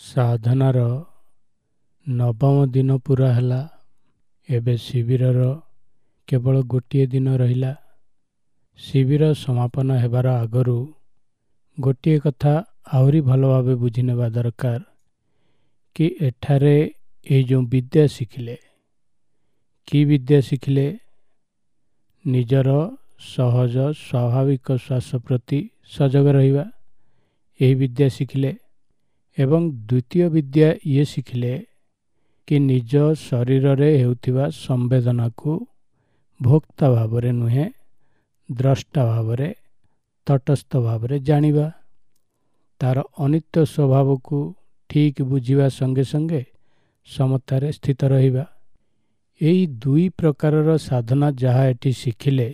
ସାଧନାର ନବମ ଦିନ ପୂରା ହେଲା। ଏବେ ଶିବିରର କେବଳ ଗୋଟିଏ ଦିନ ରହିଲା। ଶିବିର ସମାପନ ହେବାର ଆଗରୁ ଗୋଟିଏ କଥା ଆହୁରି ଭଲ ଭାବେ ବୁଝିନେବା ଦରକାର କି ଏଠାରେ ଏଇ ଯେଉଁ ବିଦ୍ୟା ଶିଖିଲେ, କି ବିଦ୍ୟା ଶିଖିଲେ? ନିଜର ସହଜ ସ୍ୱାଭାବିକ ଶ୍ୱାସ ପ୍ରତି ସଜଗ ରହିବା, ଏହି ବିଦ୍ୟା ଶିଖିଲେ। ଏବଂ ଦ୍ୱିତୀୟ ବିଦ୍ୟା ଇଏ ଶିଖିଲେ କି ନିଜ ଶରୀରରେ ହେଉଥିବା ସମ୍ବେଦନାକୁ ଭୋକ୍ତା ଭାବରେ ନୁହେଁ, ଦ୍ରଷ୍ଟା ଭାବରେ, ତଟସ୍ଥ ଭାବରେ ଜାଣିବା। ତାର ଅନିତ୍ୟ ସ୍ୱଭାବକୁ ଠିକ୍ ବୁଝିବା ସଙ୍ଗେ ସଙ୍ଗେ ସମତାରେ ସ୍ଥିତ ରହିବା। ଏଇ ଦୁଇ ପ୍ରକାରର ସାଧନା ଯାହା ଏଠି ଶିଖିଲେ,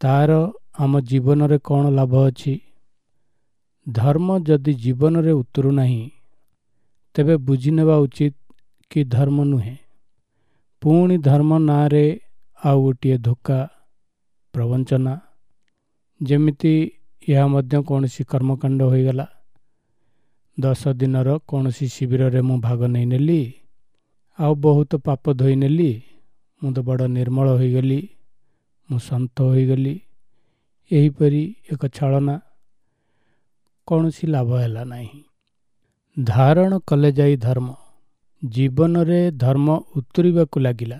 ତାର ଆମ ଜୀବନରେ କ'ଣ ଲାଭ ଅଛି? ଧର୍ମ ଯଦି ଜୀବନରେ ଉତରୁ ନାହିଁ, ତେବେ ବୁଝିନେବା ଉଚିତ କି ଧର୍ମ ନୁହେଁ। ପୁଣି ଧର୍ମ ନାଁରେ ଆଉ ଗୋଟିଏ ଧୋକା, ପ୍ରବଞ୍ଚନା। ଯେମିତି ଏହା ମଧ୍ୟ କୌଣସି କର୍ମକାଣ୍ଡ ହୋଇଗଲା। 10 ଦିନର କୌଣସି ଶିବିରରେ ମୁଁ ଭାଗ ନେଇନେଲି, ଆଉ ବହୁତ ପାପ ଧୋଇନେଲି, ମୁଁ ତ ବଡ଼ ନିର୍ମଳ ହୋଇଗଲି, ମୁଁ ସନ୍ଥ ହୋଇଗଲି, ଏହିପରି ଏକ ଛଳନା। କୌଣସି ଲାଭ ହେଲା ନାହିଁ। ଧାରଣ କଲେ ଯାଇ ଧର୍ମ। ଜୀବନରେ ଧର୍ମ ଉତୁରିବାକୁ ଲାଗିଲା।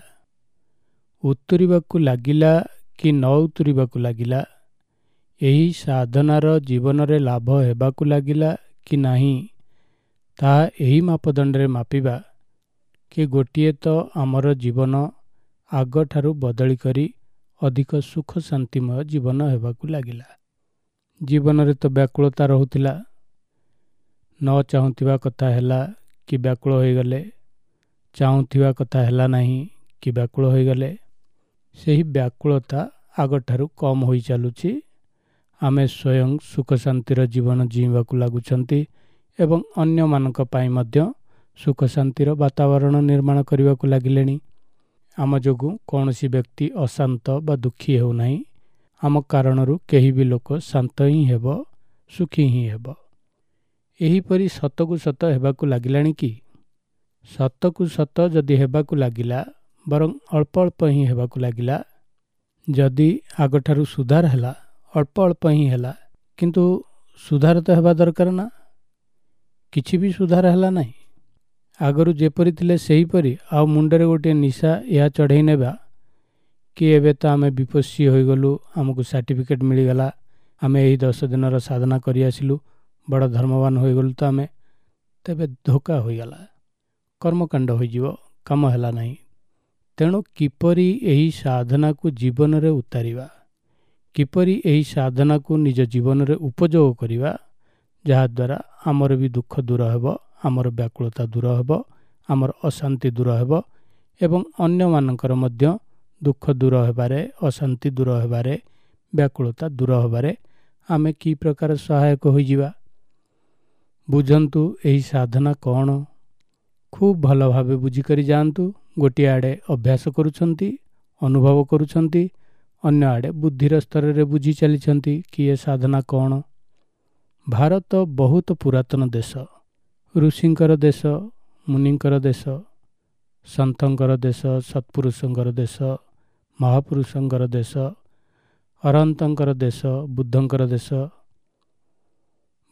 ଉତୁରିବାକୁ ଲାଗିଲା କି ନ ଉତୁରିବାକୁ ଲାଗିଲା, ଏହି ସାଧନାର ଜୀବନରେ ଲାଭ ହେବାକୁ ଲାଗିଲା କି ନାହିଁ, ତାହା ଏହି ମାପଦଣ୍ଡରେ ମାପିବା କି ଗୋଟିଏ ତ ଆମର ଜୀବନ ଆଗଠାରୁ ବଦଳି କରି ଅଧିକ ସୁଖ ଶାନ୍ତିମୟ ଜୀବନ ହେବାକୁ ଲାଗିଲା। ଜୀବନରେ ତ ବ୍ୟାକୁଳତା ରହୁଥିଲା, ନ ଚାହୁଁଥିବା କଥା ହେଲା କି ବ୍ୟାକୁଳ ହୋଇଗଲେ, ଚାହୁଁଥିବା କଥା ହେଲା ନାହିଁ କି ବ୍ୟାକୁଳ ହୋଇଗଲେ। ସେହି ବ୍ୟାକୁଳତା ଆଗଠାରୁ କମ୍ ହୋଇ ଚାଲୁଛି। ଆମେ ସ୍ୱୟଂ ସୁଖ ଶାନ୍ତିର ଜୀବନ ଜୀଇଁବାକୁ ଲାଗୁଛନ୍ତି ଏବଂ ଅନ୍ୟମାନଙ୍କ ପାଇଁ ମଧ୍ୟ ସୁଖ ଶାନ୍ତିର ବାତାବରଣ ନିର୍ମାଣ କରିବାକୁ ଲାଗିଲେଣି। ଆମ ଯୋଗୁଁ କୌଣସି ବ୍ୟକ୍ତି ଅଶାନ୍ତ ବା ଦୁଃଖୀ ହେଉନାହିଁ। ଆମ କାରଣରୁ କେହି ବି ଲୋକ ଶାନ୍ତ ହିଁ ହେବ, ସୁଖୀ ହିଁ ହେବ। ଏହିପରି ସତକୁ ସତ ହେବାକୁ ଲାଗିଲାଣି କି? ସତକୁ ସତ ଯଦି ହେବାକୁ ଲାଗିଲା, ବରଂ ଅଳ୍ପ ଅଳ୍ପ ହିଁ ହେବାକୁ ଲାଗିଲା, ଯଦି ଆଗଠାରୁ ସୁଧାର ହେଲା, ଅଳ୍ପ ଅଳ୍ପ ହିଁ ହେଲା, କିନ୍ତୁ ସୁଧାର ତ ହେବା ଦରକାର ନା। କିଛି ବି ସୁଧାର ହେଲା ନାହିଁ। ଆଗରୁ ଯେପରି ଥିଲେ ସେହିପରି। ଆଉ ମୁଣ୍ଡରେ ଗୋଟିଏ ନିଶା ଏହା ଚଢ଼େଇ ନେବା କି ଏବେ ତ ଆମେ ବିପස්සୀ ହୋଇଗଲୁ, ଆମକୁ ସାର୍ଟିଫିକେଟ୍ ମିଳିଗଲା, ଆମେ ଏହି 10 ଦିନର ସାଧନା କରି ଆସିଲୁ, ବଡ଼ ଧର୍ମବାନ ହୋଇଗଲୁ ତ ଆମେ, ତେବେ ଧୋକା ହୋଇଗଲା, କର୍ମକାଣ୍ଡ ହୋଇଯିବ, କାମ ହେଲା ନାହିଁ। ତେଣୁ କିପରି ଏହି ସାଧନାକୁ ଜୀବନରେ ଉତାରିବା, କିପରି ଏହି ସାଧନାକୁ ନିଜ ଜୀବନରେ ଉପଯୋଗ କରିବା, ଯାହାଦ୍ୱାରା ଆମର ବି ଦୁଃଖ ଦୂର ହେବ, ଆମର ବ୍ୟାକୁଳତା ଦୂର ହେବ, ଆମର ଅଶାନ୍ତି ଦୂର ହେବ ଏବଂ ଅନ୍ୟମାନଙ୍କର ମଧ୍ୟ ଦୁଃଖ ଦୂର ହେବାରେ, ଅଶାନ୍ତି ଦୂର ହେବାରେ, ବ୍ୟାକୁଳତା ଦୂର ହେବାରେ ଆମେ କି ପ୍ରକାର ସହାୟକ ହୋଇଯିବା। ବୁଝନ୍ତୁ ଏହି ସାଧନା କ'ଣ। ଖୁବ୍ ଭଲ ଭାବେ ବୁଝିକରି ଯାଆନ୍ତୁ। ଗୋଟିଏ ଆଡ଼େ ଅଭ୍ୟାସ କରୁଛନ୍ତି, ଅନୁଭବ କରୁଛନ୍ତି, ଅନ୍ୟ ଆଡ଼େ ବୁଦ୍ଧିର ସ୍ତରରେ ବୁଝି ଚାଲିଛନ୍ତି କି ଏ ସାଧନା କ'ଣ। ଭାରତ ବହୁତ ପୁରାତନ ଦେଶ, ଋଷିଙ୍କର ଦେଶ, ମୁନିଙ୍କର ଦେଶ, ସନ୍ଥଙ୍କର ଦେଶ, ସତ୍ପୁରୁଷଙ୍କର ଦେଶ, ମହାପୁରୁଷଙ୍କର ଦେଶ, ଅରହନ୍ତଙ୍କର ଦେଶ, ବୁଦ୍ଧଙ୍କର ଦେଶ।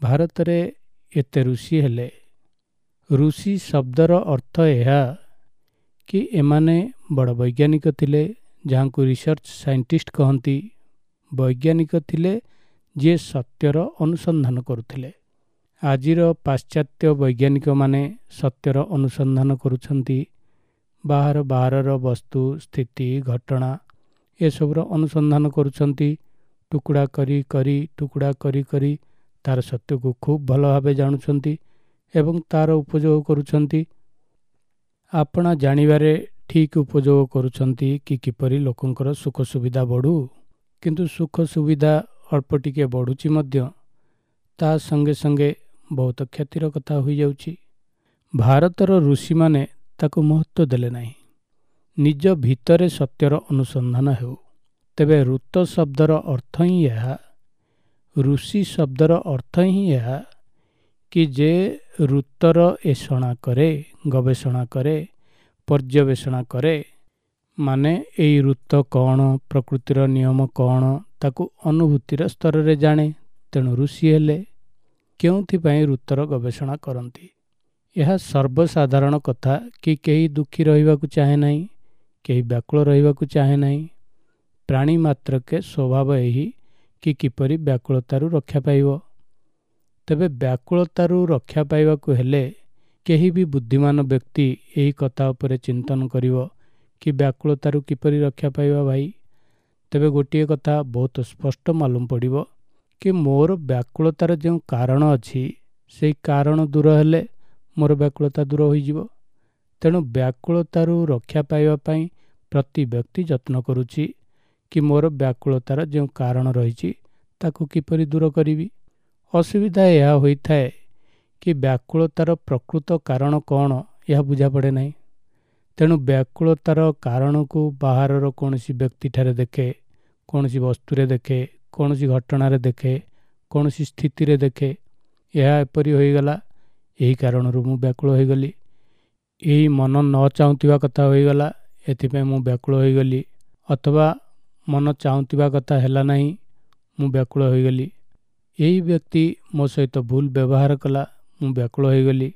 ଭାରତରେ ଏତେ ଋଷି ହେଲେ। ଋଷି ଶବ୍ଦର ଅର୍ଥ ଏହା କି ଏମାନେ ବଡ଼ ବୈଜ୍ଞାନିକ ଥିଲେ, ଯାହାଙ୍କୁ ରିସର୍ଚ୍ଚ ସାଇଣ୍ଟିଷ୍ଟ କହନ୍ତି। ବୈଜ୍ଞାନିକ ଥିଲେ ଯିଏ ସତ୍ୟର ଅନୁସନ୍ଧାନ କରୁଥିଲେ। ଆଜିର ପାଶ୍ଚାତ୍ୟ ବୈଜ୍ଞାନିକମାନେ ସତ୍ୟର ଅନୁସନ୍ଧାନ କରୁଛନ୍ତି। ବାହାର ବାହାରର ବସ୍ତୁ, ସ୍ଥିତି, ଘଟଣା ଏସବୁର ଅନୁସନ୍ଧାନ କରୁଛନ୍ତି। ଟୁକୁଡ଼ା କରି କରି ଟୁକୁଡ଼ା କରି କରି ତାର ସତ୍ୟକୁ ଖୁବ୍ ଭଲ ଭାବେ ଜାଣୁଛନ୍ତି ଏବଂ ତାର ଉପଯୋଗ କରୁଛନ୍ତି। ଆପଣା ଜାଣିବାରେ ଠିକ୍ ଉପଯୋଗ କରୁଛନ୍ତି କି କିପରି ଲୋକଙ୍କର ସୁଖ ସୁବିଧା ବଢ଼ୁ। କିନ୍ତୁ ସୁଖ ସୁବିଧା ଅଳ୍ପ ଟିକେ ବଢ଼ୁଛି ମଧ୍ୟ, ତା ସଙ୍ଗେ ସଙ୍ଗେ ବହୁତ କ୍ଷତିର କଥା ହୋଇଯାଉଛି। ଭାରତର ଋଷିମାନେ ତାକୁ ମହତ୍ତ୍ୱ ଦେଲେ ନାହିଁ। ନିଜ ଭିତରେ ସତ୍ୟର ଅନୁସନ୍ଧାନ ହେଉ। ତେବେ ଋତ ଶବ୍ଦର ଅର୍ଥ ହିଁ ଏହା, ଋଷି ଶବ୍ଦର ଅର୍ଥ ହିଁ ଏହା କି ଯେ ଋତର ଏଷଣା କରେ, ଗବେଷଣା କରେ, ପର୍ଯ୍ୟବେଷଣା କରେ, ମାନେ ଏଇ ଋତ କ'ଣ, ପ୍ରକୃତିର ନିୟମ କ'ଣ, ତାକୁ ଅନୁଭୂତିର ସ୍ତରରେ ଜାଣେ, ତେଣୁ ଋଷି ହେଲେ। କେଉଁଥିପାଇଁ ଋତର ଗବେଷଣା କରନ୍ତି? ଏହା ସର୍ବସାଧାରଣ କଥା କି କେହି ଦୁଃଖୀ ରହିବାକୁ ଚାହେଁ ନାହିଁ, କେହି ବ୍ୟାକୁଳ ରହିବାକୁ ଚାହେଁ ନାହିଁ। ପ୍ରାଣୀ ମାତ୍ରକେ ସ୍ୱଭାବ ଏହି କି କିପରି ବ୍ୟାକୁଳତାରୁ ରକ୍ଷା ପାଇବ। ତେବେ ବ୍ୟାକୁଳତାରୁ ରକ୍ଷା ପାଇବାକୁ ହେଲେ କେହି ବି ବୁଦ୍ଧିମାନ ବ୍ୟକ୍ତି ଏହି କଥା ଉପରେ ଚିନ୍ତନ କରିବ କି ବ୍ୟାକୁଳତାରୁ କିପରି ରକ୍ଷା ପାଇବା ଭାଇ, ତେବେ ଗୋଟିଏ କଥା ବହୁତ ସ୍ପଷ୍ଟ ମାଲୁମ ପଡ଼ିବ କି ମୋର ବ୍ୟାକୁଳତାର ଯେଉଁ କାରଣ ଅଛି, ସେଇ କାରଣ ଦୂର ହେଲେ ମୋର ବ୍ୟାକୁଳତା ଦୂର ହୋଇଯିବ। ତେଣୁ ବ୍ୟାକୁଳତାରୁ ରକ୍ଷା ପାଇବା ପାଇଁ ପ୍ରତି ବ୍ୟକ୍ତି ଯତ୍ନ କରୁଛି କି ମୋର ବ୍ୟାକୁଳତାର ଯେଉଁ କାରଣ ରହିଛି ତାକୁ କିପରି ଦୂର କରିବି। ଅସୁବିଧା ଏହା ହୋଇଥାଏ କି ବ୍ୟାକୁଳତାର ପ୍ରକୃତ କାରଣ କ'ଣ ଏହା ବୁଝାପଡ଼େ ନାହିଁ। ତେଣୁ ବ୍ୟାକୁଳତାର କାରଣକୁ ବାହାରର କୌଣସି ବ୍ୟକ୍ତିଠାରେ ଦେଖେ, କୌଣସି ବସ୍ତୁରେ ଦେଖେ, କୌଣସି ଘଟଣାରେ ଦେଖେ, କୌଣସି ସ୍ଥିତିରେ ଦେଖେ। ଏହା ଏପରି ହୋଇଗଲା, ଏହି କାରଣରୁ ମୁଁ ବ୍ୟାକୁଳ ହୋଇଗଲି। ଏଇ ମନ ନ ଚାହୁଁଥିବା କଥା ହୋଇଗଲା, ଏଥିପାଇଁ ମୁଁ ବ୍ୟାକୁଳ ହୋଇଗଲି। ଅଥବା ମନ ଚାହୁଁଥିବା କଥା ହେଲା ନାହିଁ, ମୁଁ ବ୍ୟାକୁଳ ହୋଇଗଲି। ଏହି ବ୍ୟକ୍ତି ମୋ ସହିତ ଭୁଲ ବ୍ୟବହାର କଲା, ମୁଁ ବ୍ୟାକୁଳ ହୋଇଗଲି।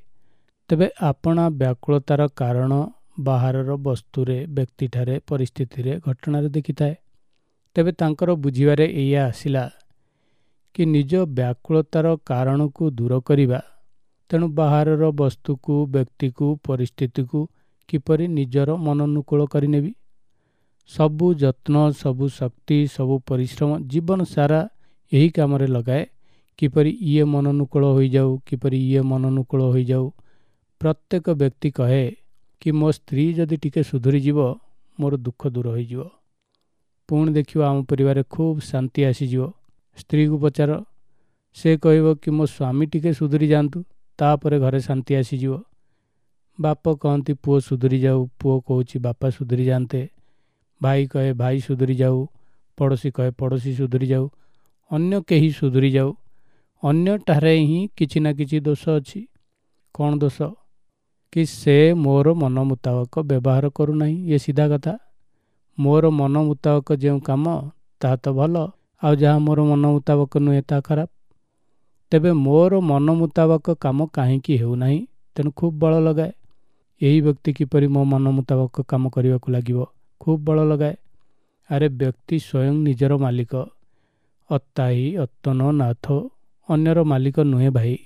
ତେବେ ଆପଣା ବ୍ୟାକୁଳତାର କାରଣ ବାହାରର ବସ୍ତୁରେ, ବ୍ୟକ୍ତିଠାରେ, ପରିସ୍ଥିତିରେ, ଘଟଣାରେ ଦେଖିଥାଏ। ତେବେ ତାଙ୍କର ବୁଝିବାରେ ଏଇଆ ଆସିଲା କି ନିଜ ବ୍ୟାକୁଳତାର କାରଣକୁ ଦୂର କରିବା, ତେଣୁ ବାହାରର ବସ୍ତୁକୁ, ବ୍ୟକ୍ତିକୁ, ପରିସ୍ଥିତିକୁ କିପରି ନିଜର ମନନୁକୂଳ କରିନେବି। ସବୁ ଯତ୍ନ, ସବୁ ଶକ୍ତି, ସବୁ ପରିଶ୍ରମ ଜୀବନ ସାରା ଏହି କାମରେ ଲଗାଏ, କିପରି ଇଏ ମନନୁକୂଳ ହୋଇଯାଉ, କିପରି ଇଏ ମନନୁକୂଳ ହୋଇଯାଉ। ପ୍ରତ୍ୟେକ ବ୍ୟକ୍ତି କହେ କି ମୋ ସ୍ତ୍ରୀ ଯଦି ଟିକେ ସୁଧୁରିଯିବ, ମୋର ଦୁଃଖ ଦୂର ହୋଇଯିବ। ପୁଣି ଦେଖିବ ଆମ ପରିବାରରେ ଖୁବ୍ ଶାନ୍ତି ଆସିଯିବ। ସ୍ତ୍ରୀକୁ ପଚାର, ସେ କହିବ କି ମୋ ସ୍ୱାମୀ ଟିକେ ସୁଧୁରି ଯାଆନ୍ତୁ, ତାପରେ ଘରେ ଶାନ୍ତି ଆସିଯିବ। ବାପ କହନ୍ତି ପୁଅ ସୁଧୁରି ଯାଉ, ପୁଅ କହୁଛି ବାପା ସୁଧୁରି ଯାଆନ୍ତେ। ଭାଇ କହେ ଭାଇ ସୁଧୁରି ଯାଉ, ପଡ଼ୋଶୀ କହେ ପଡ଼ୋଶୀ ସୁଧୁରି ଯାଉ, ଅନ୍ୟ କେହି ସୁଧୁରି ଯାଉ। ଅନ୍ୟଠାରେ ହିଁ କିଛି ନା କିଛି ଦୋଷ ଅଛି। କ'ଣ ଦୋଷ? କି ସେ ମୋର ମନ ମୁତାବକ ବ୍ୟବହାର କରୁନାହିଁ। ଇଏ ସିଧା କଥା। ମୋର ମନ ମୁତାବକ ଯେଉଁ କାମ ତାହା ତ ଭଲ, ଆଉ ଯାହା ମୋର ମନ ମୁତାବକ ନୁହେଁ ତାହା ଖରାପ। ତେବେ ମୋର ମନ ମୁତାବକ କାମ କାହିଁକି ହେଉନାହିଁ? ତେଣୁ ଖୁବ୍ ବଳ ଲଗାଏ। ଏହି ବ୍ୟକ୍ତି କିପରି ମୋ ମନ ମୁତାବକ କାମ କରିବାକୁ ଲାଗିବ, ଖୁବ୍ ବଳ ଲଗାଏ। ଆରେ ବ୍ୟକ୍ତି ସ୍ୱୟଂ ନିଜର ମାଲିକ। ଅତ୍ତାହି ଅତ୍ତନୋ ନାଥ, ଅନ୍ୟର ମାଲିକ ନୁହେଁ ଭାଇ।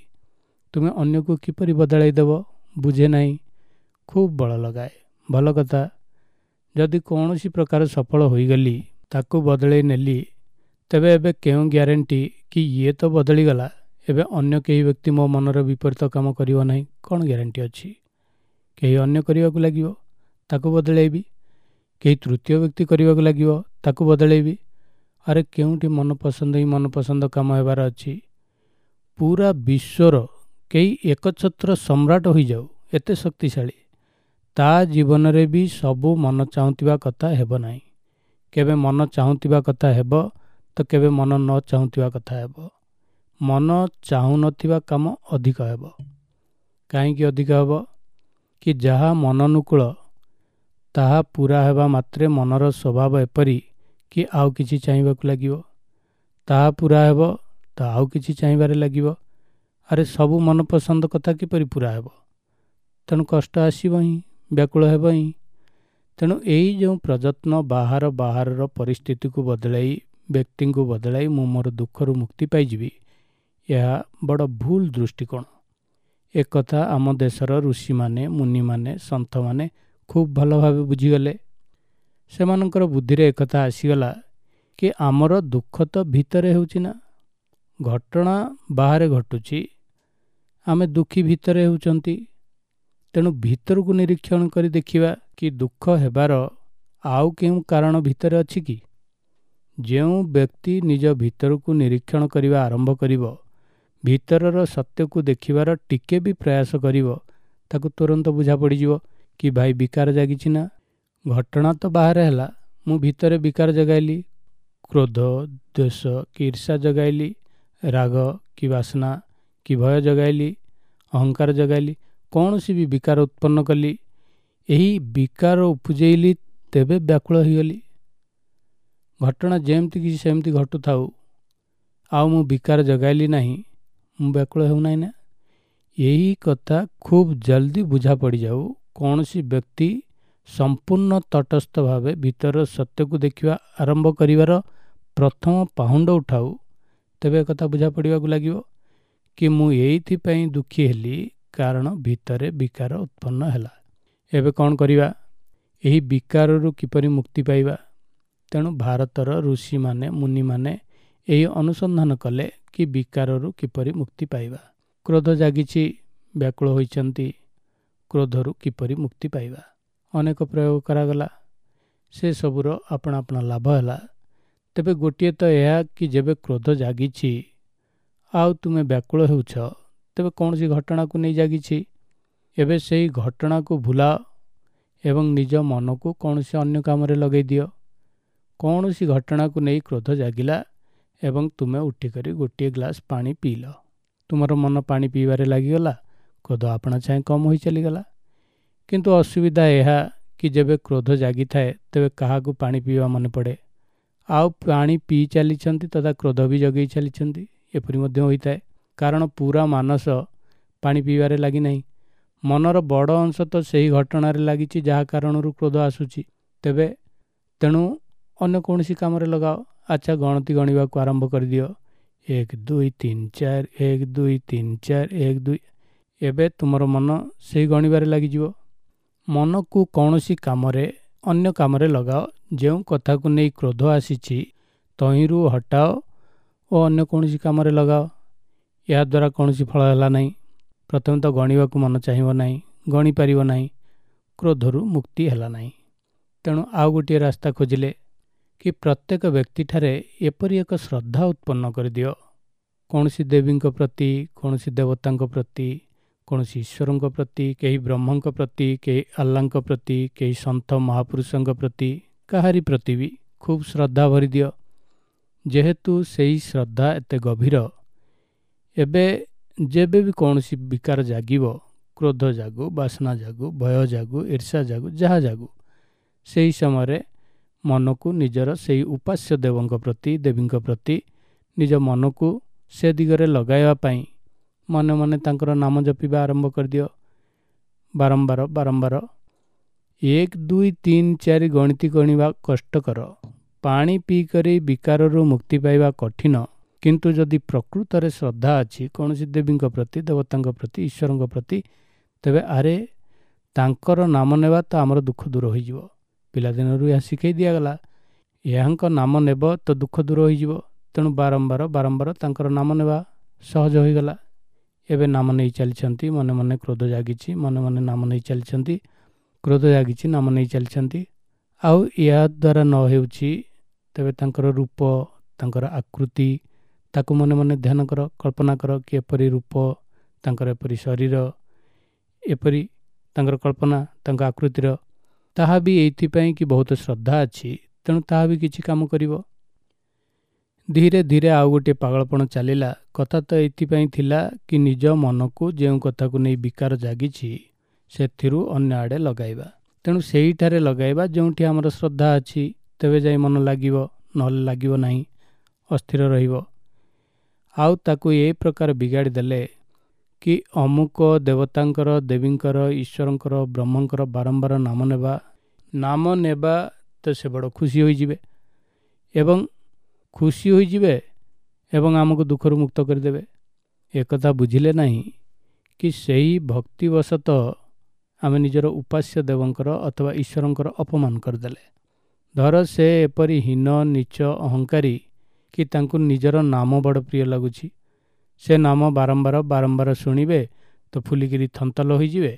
ତୁମେ ଅନ୍ୟକୁ କିପରି ବଦଳାଇ ଦେବ ବୁଝେ ନାହିଁ, ଖୁବ୍ ବଳ ଲଗାଏ। ଭଲ କଥା, ଯଦି କୌଣସି ପ୍ରକାର ସଫଳ ହୋଇଗଲି, ତାକୁ ବଦଳାଇ ନେଲି, ତେବେ ଏବେ କେଉଁ ଗ୍ୟାରେଣ୍ଟି କି ଇଏ ତ ବଦଳିଗଲା, ଏବେ ଅନ୍ୟ କେହି ବ୍ୟକ୍ତି ମୋ ମନର ବିପରୀତ କାମ କରିବ ନାହିଁ? କ'ଣ ଗ୍ୟାରେଣ୍ଟି ଅଛି? କେହି ଅନ୍ୟ କରିବାକୁ ଲାଗିବ, ତାକୁ ବଦଳାଇବି। କେହି ତୃତୀୟ ବ୍ୟକ୍ତି କରିବାକୁ ଲାଗିବ, ତାକୁ ବଦଳାଇବି। ଆରେ କେଉଁଠି ମନପସନ୍ଦ ହିଁ ମନପସନ୍ଦ କାମ ହେବାର ଅଛି? ପୁରା ବିଶ୍ୱର କେହି ଏକଛତ୍ର ସମ୍ରାଟ ହୋଇଯାଉ, ଏତେ ଶକ୍ତିଶାଳୀ, ତା ଜୀବନରେ ବି ସବୁ ମନ ଚାହୁଁଥିବା କଥା ହେବ ନାହିଁ। କେବେ ମନ ଚାହୁଁଥିବା କଥା ହେବ ତ କେବେ ମନ ନ ଚାହୁଁଥିବା କଥା ହେବ। ମନ ଚାହୁଁନଥିବା କାମ ଅଧିକ ହେବ। କାହିଁକି ଅଧିକ ହେବ? କି ଯାହା ମନନୁକୂଳ ତାହା ପୁରା ହେବା ମାତ୍ରେ ମନର ସ୍ୱଭାବ ଏପରି କି ଆଉ କିଛି ଚାହିଁବାକୁ ଲାଗିବ। ତାହା ପୁରା ହେବ ତ ଆଉ କିଛି ଚାହିଁବାରେ ଲାଗିବ। ଆରେ ସବୁ ମନପସନ୍ଦ କଥା କିପରି ପୁରା ହେବ? ତେଣୁ କଷ୍ଟ ଆସିବ ହିଁ, ବ୍ୟାକୁଳ ହେବ ହିଁ। ତେଣୁ ଏଇ ଯେଉଁ ପ୍ରଯତ୍ନ ବାହାରର ପରିସ୍ଥିତିକୁ ବଦଳାଇ, ବ୍ୟକ୍ତିଙ୍କୁ ବଦଳାଇ ମୁଁ ମୋର ଦୁଃଖରୁ ମୁକ୍ତି ପାଇଯିବି, ଏହା ବଡ଼ ଭୁଲ ଦୃଷ୍ଟିକୋଣ। ଏକଥା ଆମ ଦେଶର ଋଷିମାନେ, ମୁନିମାନେ, ସନ୍ଥମାନେ ଖୁବ୍ ଭଲ ଭାବେ ବୁଝିଗଲେ। ସେମାନଙ୍କର ବୁଦ୍ଧିରେ ଏକଥା ଆସିଗଲା କି ଆମର ଦୁଃଖ ତ ଭିତରେ ହେଉଛି ନା, ଘଟଣା ବାହାରେ ଘଟୁଛି, ଆମେ ଦୁଃଖୀ ଭିତରେ ହେଉଛନ୍ତି। ତେଣୁ ଭିତରକୁ ନିରୀକ୍ଷଣ କରି ଦେଖିବା କି ଦୁଃଖ ହେବାର ଆଉ କେଉଁ କାରଣ ଭିତରେ ଅଛି କି? ଯେଉଁ ବ୍ୟକ୍ତି ନିଜ ଭିତରକୁ ନିରୀକ୍ଷଣ କରିବା ଆରମ୍ଭ କରିବ, ଭିତରର ସତ୍ୟକୁ ଦେଖିବାର ଟିକେ ବି ପ୍ରୟାସ କରିବ, ତାକୁ ତୁରନ୍ତ ବୁଝା ପଡ଼ିଯିବ କି ଭାଇ ବିକାର ଜାଗିଛି ନା। ଘଟଣା ତ ବାହାରେ ହେଲା, ମୁଁ ଭିତରେ ବିକାର ଜଗାଇଲି, କ୍ରୋଧ, ଦ୍ୱେଷ କି ଈର୍ଷା ଜଗାଇଲି, ରାଗ କି ବାସନା କି ଭୟ ଜଗାଇଲି, ଅହଙ୍କାର ଜଗାଇଲି, କୌଣସି ବି ବିକାର ଉତ୍ପନ୍ନ କଲି, ଏହି ବିକାର ଉପୁଜେଇଲି, ତେବେ ବ୍ୟାକୁଳ ହୋଇଗଲି। ଘଟଣା ଯେମିତି କିଛି ସେମିତି ଘଟୁଥାଉ, ଆଉ ମୁଁ ବିକାର ଜଗାଇଲି ନାହିଁ, ମୁଁ ବ୍ୟାକୁଳ ହେଉନାହିଁ ନା। ଏହି କଥା ଖୁବ୍ ଜଲ୍ଦି ବୁଝା ପଡ଼ିଯାଉ। କୌଣସି ବ୍ୟକ୍ତି ସମ୍ପୂର୍ଣ୍ଣ ତଟସ୍ଥ ଭାବେ ଭିତରର ସତ୍ୟକୁ ଦେଖିବା ଆରମ୍ଭ କରିବାର ପ୍ରଥମ ପାହୁଣ୍ଡ ଉଠାଉ, ତେବେ ଏକଥା ବୁଝା ପଡ଼ିବାକୁ ଲାଗିବ କି ମୁଁ ଏଇଥିପାଇଁ ଦୁଃଖୀ ହେଲି, କାରଣ ଭିତରେ ବିକାର ଉତ୍ପନ୍ନ ହେଲା। ଏବେ କ'ଣ କରିବା? ଏହି ବିକାରରୁ କିପରି ମୁକ୍ତି ପାଇବା? ତେଣୁ ଭାରତର ଋଷିମାନେ, ମୁନିମାନେ ଏହି ଅନୁସନ୍ଧାନ କଲେ କି ବିକାରରୁ କିପରି ମୁକ୍ତି ପାଇବା। କ୍ରୋଧ ଜାଗିଛି, ବ୍ୟାକୁଳ ହୋଇଛନ୍ତି, କ୍ରୋଧରୁ କିପରି ମୁକ୍ତି ପାଇବା? ଅନେକ ପ୍ରୟୋଗ କରାଗଲା, ସେସବୁର ଆପଣା ଆପଣା ଲାଭ ହେଲା। ତେବେ ଗୋଟିଏ ତ ଏହା କି ଯେବେ କ୍ରୋଧ ଜାଗିଛି ଆଉ ତୁମେ ବ୍ୟାକୁଳ ହେଉଛ, ତେବେ କୌଣସି ଘଟଣାକୁ ନେଇ ଜାଗିଛି, ଏବେ ସେହି ଘଟଣାକୁ ଭୁଲାଅ ଏବଂ ନିଜ ମନକୁ କୌଣସି ଅନ୍ୟ କାମରେ ଲଗାଇ ଦିଅ। କୌଣସି ଘଟଣାକୁ ନେଇ କ୍ରୋଧ ଜାଗିଲା ଏବଂ ତୁମେ ଉଠିକରି ଗୋଟିଏ ଗ୍ଲାସ୍ ପାଣି ପିଇଲ, ତୁମର ମନ ପାଣି ପିଇବାରେ ଲାଗିଗଲା, କ୍ରୋଧ ଆପଣା ଛାଏଁ କମ୍ ହୋଇ ଚାଲିଗଲା। କିନ୍ତୁ ଅସୁବିଧା ଏହା କି ଯେବେ କ୍ରୋଧ ଜାଗିଥାଏ ତେବେ କାହାକୁ ପାଣି ପିଇବା ମନେ ପଡ଼େ? ଆଉ ପାଣି ପିଇ ଚାଲିଛନ୍ତି ତଥା କ୍ରୋଧ ବି ଜଗେଇ ଚାଲିଛନ୍ତି, ଏପରି ମଧ୍ୟ ହୋଇଥାଏ। କାରଣ ପୁରା ମାନସ ପାଣି ପିଇବାରେ ଲାଗିନାହିଁ, ମନର ବଡ଼ ଅଂଶ ତ ସେହି ଘଟଣାରେ ଲାଗିଛି ଯାହା କାରଣରୁ କ୍ରୋଧ ଆସୁଛି। ତେବେ ତେଣୁ ଅନ୍ୟ କୌଣସି କାମରେ ଲଗାଅ। ଆଚ୍ଛା, ଗଣତି ଗଣିବାକୁ ଆରମ୍ଭ କରିଦିଅ, 1 2 3 4, 1 2 3 4, 1 2। ଏବେ ତୁମର ମନ ସେହି ଗଣିବାରେ ଲାଗିଯିବ। ମନକୁ କୌଣସି କାମରେ, ଅନ୍ୟ କାମରେ ଲଗାଅ। ଯେଉଁ କଥାକୁ ନେଇ କ୍ରୋଧ ଆସିଛି ତହିଁରୁ ହଟାଅ ଓ ଅନ୍ୟ କୌଣସି କାମରେ ଲଗାଅ। ଏହାଦ୍ୱାରା କୌଣସି ଫଳ ହେଲା ନାହିଁ। ପ୍ରଥମେ ତ ଗଣିବାକୁ ମନ ଚାହିଁବ ନାହିଁ, ଗଣିପାରିବ ନାହିଁ, କ୍ରୋଧରୁ ମୁକ୍ତି ହେଲା ନାହିଁ। ତେଣୁ ଆଉ ଗୋଟିଏ ରାସ୍ତା ଖୋଜିଲେ କି ପ୍ରତ୍ୟେକ ବ୍ୟକ୍ତିଠାରେ ଏପରି ଏକ ଶ୍ରଦ୍ଧା ଉତ୍ପନ୍ନ କରିଦିଅ, କୌଣସି ଦେବୀଙ୍କ ପ୍ରତି, କୌଣସି ଦେବତାଙ୍କ ପ୍ରତି, କୌଣସି ଈଶ୍ୱରଙ୍କ ପ୍ରତି, କେହି ବ୍ରହ୍ମଙ୍କ ପ୍ରତି, କେହି ଆଲ୍ଲାଙ୍କ ପ୍ରତି, କେହି ସନ୍ଥ ମହାପୁରୁଷଙ୍କ ପ୍ରତି, କାହାରି ପ୍ରତି ବି ଖୁବ୍ ଶ୍ରଦ୍ଧା ଭରିଦିଅ। ଯେହେତୁ ସେହି ଶ୍ରଦ୍ଧା ଏତେ ଗଭୀର, ଏବେ ଯେବେ ବି କୌଣସି ବିକାର ଜାଗିବ, କ୍ରୋଧ ଜାଗୁ, ବାସନା ଜାଗୁ, ଭୟ ଜାଗୁ, ଈର୍ଷା ଜାଗୁ, ଯାହା ଜାଗୁ, ସେହି ସମୟରେ ମନକୁ ନିଜର ସେଇ ଉପାସ୍ୟ ଦେବଙ୍କ ପ୍ରତି, ଦେବୀଙ୍କ ପ୍ରତି ନିଜ ମନକୁ ସେ ଦିଗରେ ଲଗାଇବା ପାଇଁ ମନେ ମନେ ତାଙ୍କର ନାମ ଜପିବା ଆରମ୍ଭ କରିଦିଅ। ବାରମ୍ବାର ବାରମ୍ବାର 1 2 3 4 ଗଣିତି ଗଣିବା କଷ୍ଟକର, ପାଣି ପିଇକରି ବିକାରରୁ ମୁକ୍ତି ପାଇବା କଠିନ। କିନ୍ତୁ ଯଦି ପ୍ରକୃତରେ ଶ୍ରଦ୍ଧା ଅଛି କୌଣସି ଦେବୀଙ୍କ ପ୍ରତି, ଦେବତାଙ୍କ ପ୍ରତି, ଈଶ୍ୱରଙ୍କ ପ୍ରତି, ତେବେ ଆରେ ତାଙ୍କର ନାମ ନେବା ତ ଆମର ଦୁଃଖ ଦୂର ହୋଇଯିବ। ପିଲାଦିନରୁ ଏହା ଶିଖାଇ ଦିଆଗଲା, ଏହାଙ୍କ ନାମ ନେବ ତ ଦୁଃଖ ଦୂର ହୋଇଯିବ। ତେଣୁ ବାରମ୍ବାର ବାରମ୍ବାର ତାଙ୍କର ନାମ ନେବା ସହଜ ହୋଇଗଲା। ଏବେ ନାମ ନେଇ ଚାଲିଛନ୍ତି, ମନେ ମନେ କ୍ରୋଧ ଜାଗିଛି, ମନେ ମନେ ନାମ ନେଇ ଚାଲିଛନ୍ତି, କ୍ରୋଧ ଜାଗିଛି, ନାମ ନେଇ ଚାଲିଛନ୍ତି। ଆଉ ଏହାଦ୍ୱାରା ନ ହେଉଛି ତେବେ ତାଙ୍କର ରୂପ, ତାଙ୍କର ଆକୃତି, ତାକୁ ମନେ ମନେ ଧ୍ୟାନ କର, କଳ୍ପନା କର କି ଏପରି ରୂପ ତାଙ୍କର, ଏପରି ଶରୀର, ଏପରି ତାଙ୍କର କଳ୍ପନା, ତାଙ୍କ ଆକୃତିର, ତାହା ବି ଏଇଥିପାଇଁ କି ବହୁତ ଶ୍ରଦ୍ଧା ଅଛି, ତେଣୁ ତାହା ବି କିଛି କାମ କରିବ। ଧୀରେ ଧୀରେ ଆଉ ଗୋଟିଏ ପାଗଳପଣ ଚାଲିଲା। କଥା ତ ଏଇଥିପାଇଁ ଥିଲା କି ନିଜ ମନକୁ ଯେଉଁ କଥାକୁ ନେଇ ବିକାର ଜାଗିଛି ସେଥିରୁ ଅନ୍ୟ ଆଡ଼େ ଲଗାଇବା। ତେଣୁ ସେଇଠାରେ ଲଗାଇବା ଯେଉଁଠି ଆମର ଶ୍ରଦ୍ଧା ଅଛି, ତେବେ ଯାଇ ମନ ଲାଗିବ, ନହେଲେ ଲାଗିବ ନାହିଁ, ଅସ୍ଥିର ରହିବ। ଆଉ ତାକୁ ଏ ପ୍ରକାର ବିଗାଡ଼ି ଦେଲେ କି ଅମୁକ ଦେବତାଙ୍କର, ଦେବୀଙ୍କର, ଈଶ୍ୱରଙ୍କର, ବ୍ରହ୍ମଙ୍କର ବାରମ୍ବାର ନାମ ନେବା, ନାମ ନେବା ତ ସେ ବଡ଼ ଖୁସି ହୋଇଯିବେ ଏବଂ ଖୁସି ହୋଇଯିବେ ଏବଂ ଆମକୁ ଦୁଃଖରୁ ମୁକ୍ତ କରିଦେବେ। ଏକଥା ବୁଝିଲେ ନାହିଁ କି ସେହି ଭକ୍ତିବଶତଃ ଆମେ ନିଜର ଉପାସ୍ୟ ଦେବଙ୍କର ଅଥବା ଈଶ୍ୱରଙ୍କର ଅପମାନ କରିଦେଲେ। ଧର ସେ ଏପରି ହୀନ, ନୀଚ, ଅହଙ୍କାରୀ କି ତାଙ୍କୁ ନିଜର ନାମ ବଡ଼ ପ୍ରିୟ ଲାଗୁଛି, ସେ ନାମ ବାରମ୍ବାର ବାରମ୍ବାର ଶୁଣିବେ ତ ଫୁଲିକିରି ଥନ୍ତଲ ହୋଇଯିବେ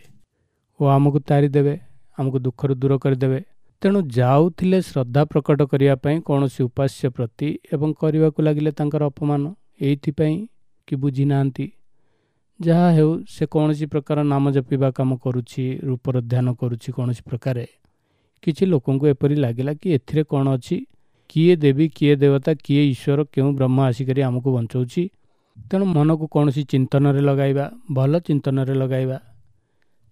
ଓ ଆମକୁ ତାରିଦେବେ, ଆମକୁ ଦୁଃଖରୁ ଦୂର କରିଦେବେ। ତେଣୁ ଯାଉଥିଲେ ଶ୍ରଦ୍ଧା ପ୍ରକଟ କରିବା ପାଇଁ କୌଣସି ଉପାସ୍ୟ ପ୍ରତି ଏବଂ କରିବାକୁ ଲାଗିଲେ ତାଙ୍କର ଅପମାନ, ଏଇଥିପାଇଁ କି ବୁଝି ନାହାନ୍ତି। ଯାହା ହେଉ ସେ କୌଣସି ପ୍ରକାର ନାମ ଜପିବା କାମ କରୁଛି, ରୂପର ଧ୍ୟାନ କରୁଛି କୌଣସି ପ୍ରକାରେ। କିଛି ଲୋକଙ୍କୁ ଏପରି ଲାଗିଲା କି ଏଥିରେ କ'ଣ ଅଛି, କିଏ ଦେବୀ, କିଏ ଦେବତା, କିଏ ଈଶ୍ୱର, କେଉଁ ବ୍ରହ୍ମ ଆସିକରି ଆମକୁ ବଞ୍ଚଉଛି, ତେଣୁ ମନକୁ କୌଣସି ଚିନ୍ତନରେ ଲଗାଇବା, ଭଲ ଚିନ୍ତନରେ ଲଗାଇବା।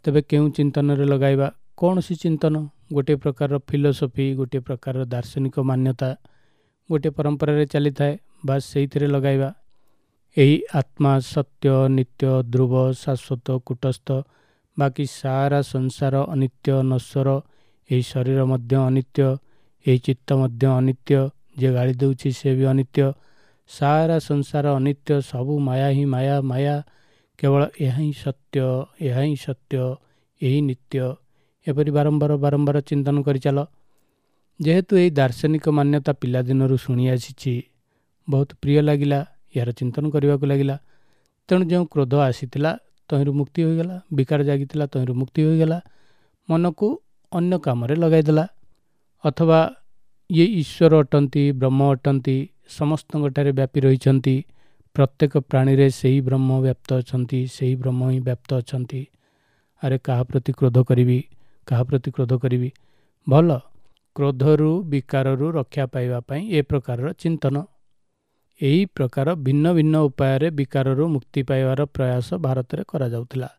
ତେବେ କେଉଁ ଚିନ୍ତନରେ ଲଗାଇବା? କୌଣସି ଚିନ୍ତନ, ଗୋଟିଏ ପ୍ରକାରର ଫିଲୋସଫି, ଗୋଟିଏ ପ୍ରକାରର ଦାର୍ଶନିକ ମାନ୍ୟତା ଗୋଟିଏ ପରମ୍ପରାରେ ଚାଲିଥାଏ, ବାସ୍ ସେଇଥିରେ ଲଗାଇବା। ଏହି ଆତ୍ମା ସତ୍ୟ, ନିତ୍ୟ, ଧ୍ରୁବ, ଶାଶ୍ୱତ, କୁଟସ୍ଥ, ବାକି ସାରା ସଂସାର ଅନିତ୍ୟ, ନଶ୍ୱର। ଏହି ଶରୀର ମଧ୍ୟ ଅନିତ୍ୟ, ଏହି ଚିତ୍ତ ମଧ୍ୟ ଅନିତ୍ୟ, ଯିଏ ଗାଳି ଦେଉଛି ସେ ବି ଅନିତ୍ୟ, ସାରା ସଂସାର ଅନିତ୍ୟ, ସବୁ ମାୟା ହିଁ ମାୟା, ମାୟା। କେବଳ ଏହା ହିଁ ସତ୍ୟ, ଏହା ହିଁ ସତ୍ୟ, ଏହି ନିତ୍ୟ। ଏପରି ବାରମ୍ବାର ବାରମ୍ବାର ଚିନ୍ତନ କରିଚାଲ। ଯେହେତୁ ଏହି ଦାର୍ଶନିକ ମାନ୍ୟତା ପିଲାଦିନରୁ ଶୁଣି ଆସିଛି, ବହୁତ ପ୍ରିୟ ଲାଗିଲା, ଏହାର ଚିନ୍ତନ କରିବାକୁ ଲାଗିଲା। ତେଣୁ ଯେଉଁ କ୍ରୋଧ ଆସିଥିଲା ତହିଁରୁ ମୁକ୍ତି ହୋଇଗଲା, ବିକାର ଜାଗିଥିଲା ତହିଁରୁ ମୁକ୍ତି ହୋଇଗଲା, ମନକୁ ଅନ୍ୟ କାମରେ ଲଗାଇଦେଲା। ଅଥବା ଇଏ ଈଶ୍ୱର ଅଟନ୍ତି, ବ୍ରହ୍ମ ଅଟନ୍ତି, ସମସ୍ତଙ୍କଠାରେ ବ୍ୟାପି ରହିଛନ୍ତି, ପ୍ରତ୍ୟେକ ପ୍ରାଣୀରେ ସେହି ବ୍ରହ୍ମ ବ୍ୟାପ୍ତ ଅଛନ୍ତି, ସେହି ବ୍ରହ୍ମ ହିଁ ବ୍ୟାପ୍ତ ଅଛନ୍ତି। ଆରେ କାହା ପ୍ରତି କ୍ରୋଧ କରିବି, କାହା ପ୍ରତି କ୍ରୋଧ କରିବି? ଭଲ, କ୍ରୋଧରୁ ବିକାରରୁ ରକ୍ଷା ପାଇବା ପାଇଁ ଏ ପ୍ରକାରର ଚିନ୍ତନ। ଏହି ପ୍ରକାର ଭିନ୍ନ ଭିନ୍ନ ଉପାୟରେ ବିକାରରୁ ମୁକ୍ତି ପାଇବାର ପ୍ରୟାସ ଭାରତରେ କରାଯାଉଥିଲା।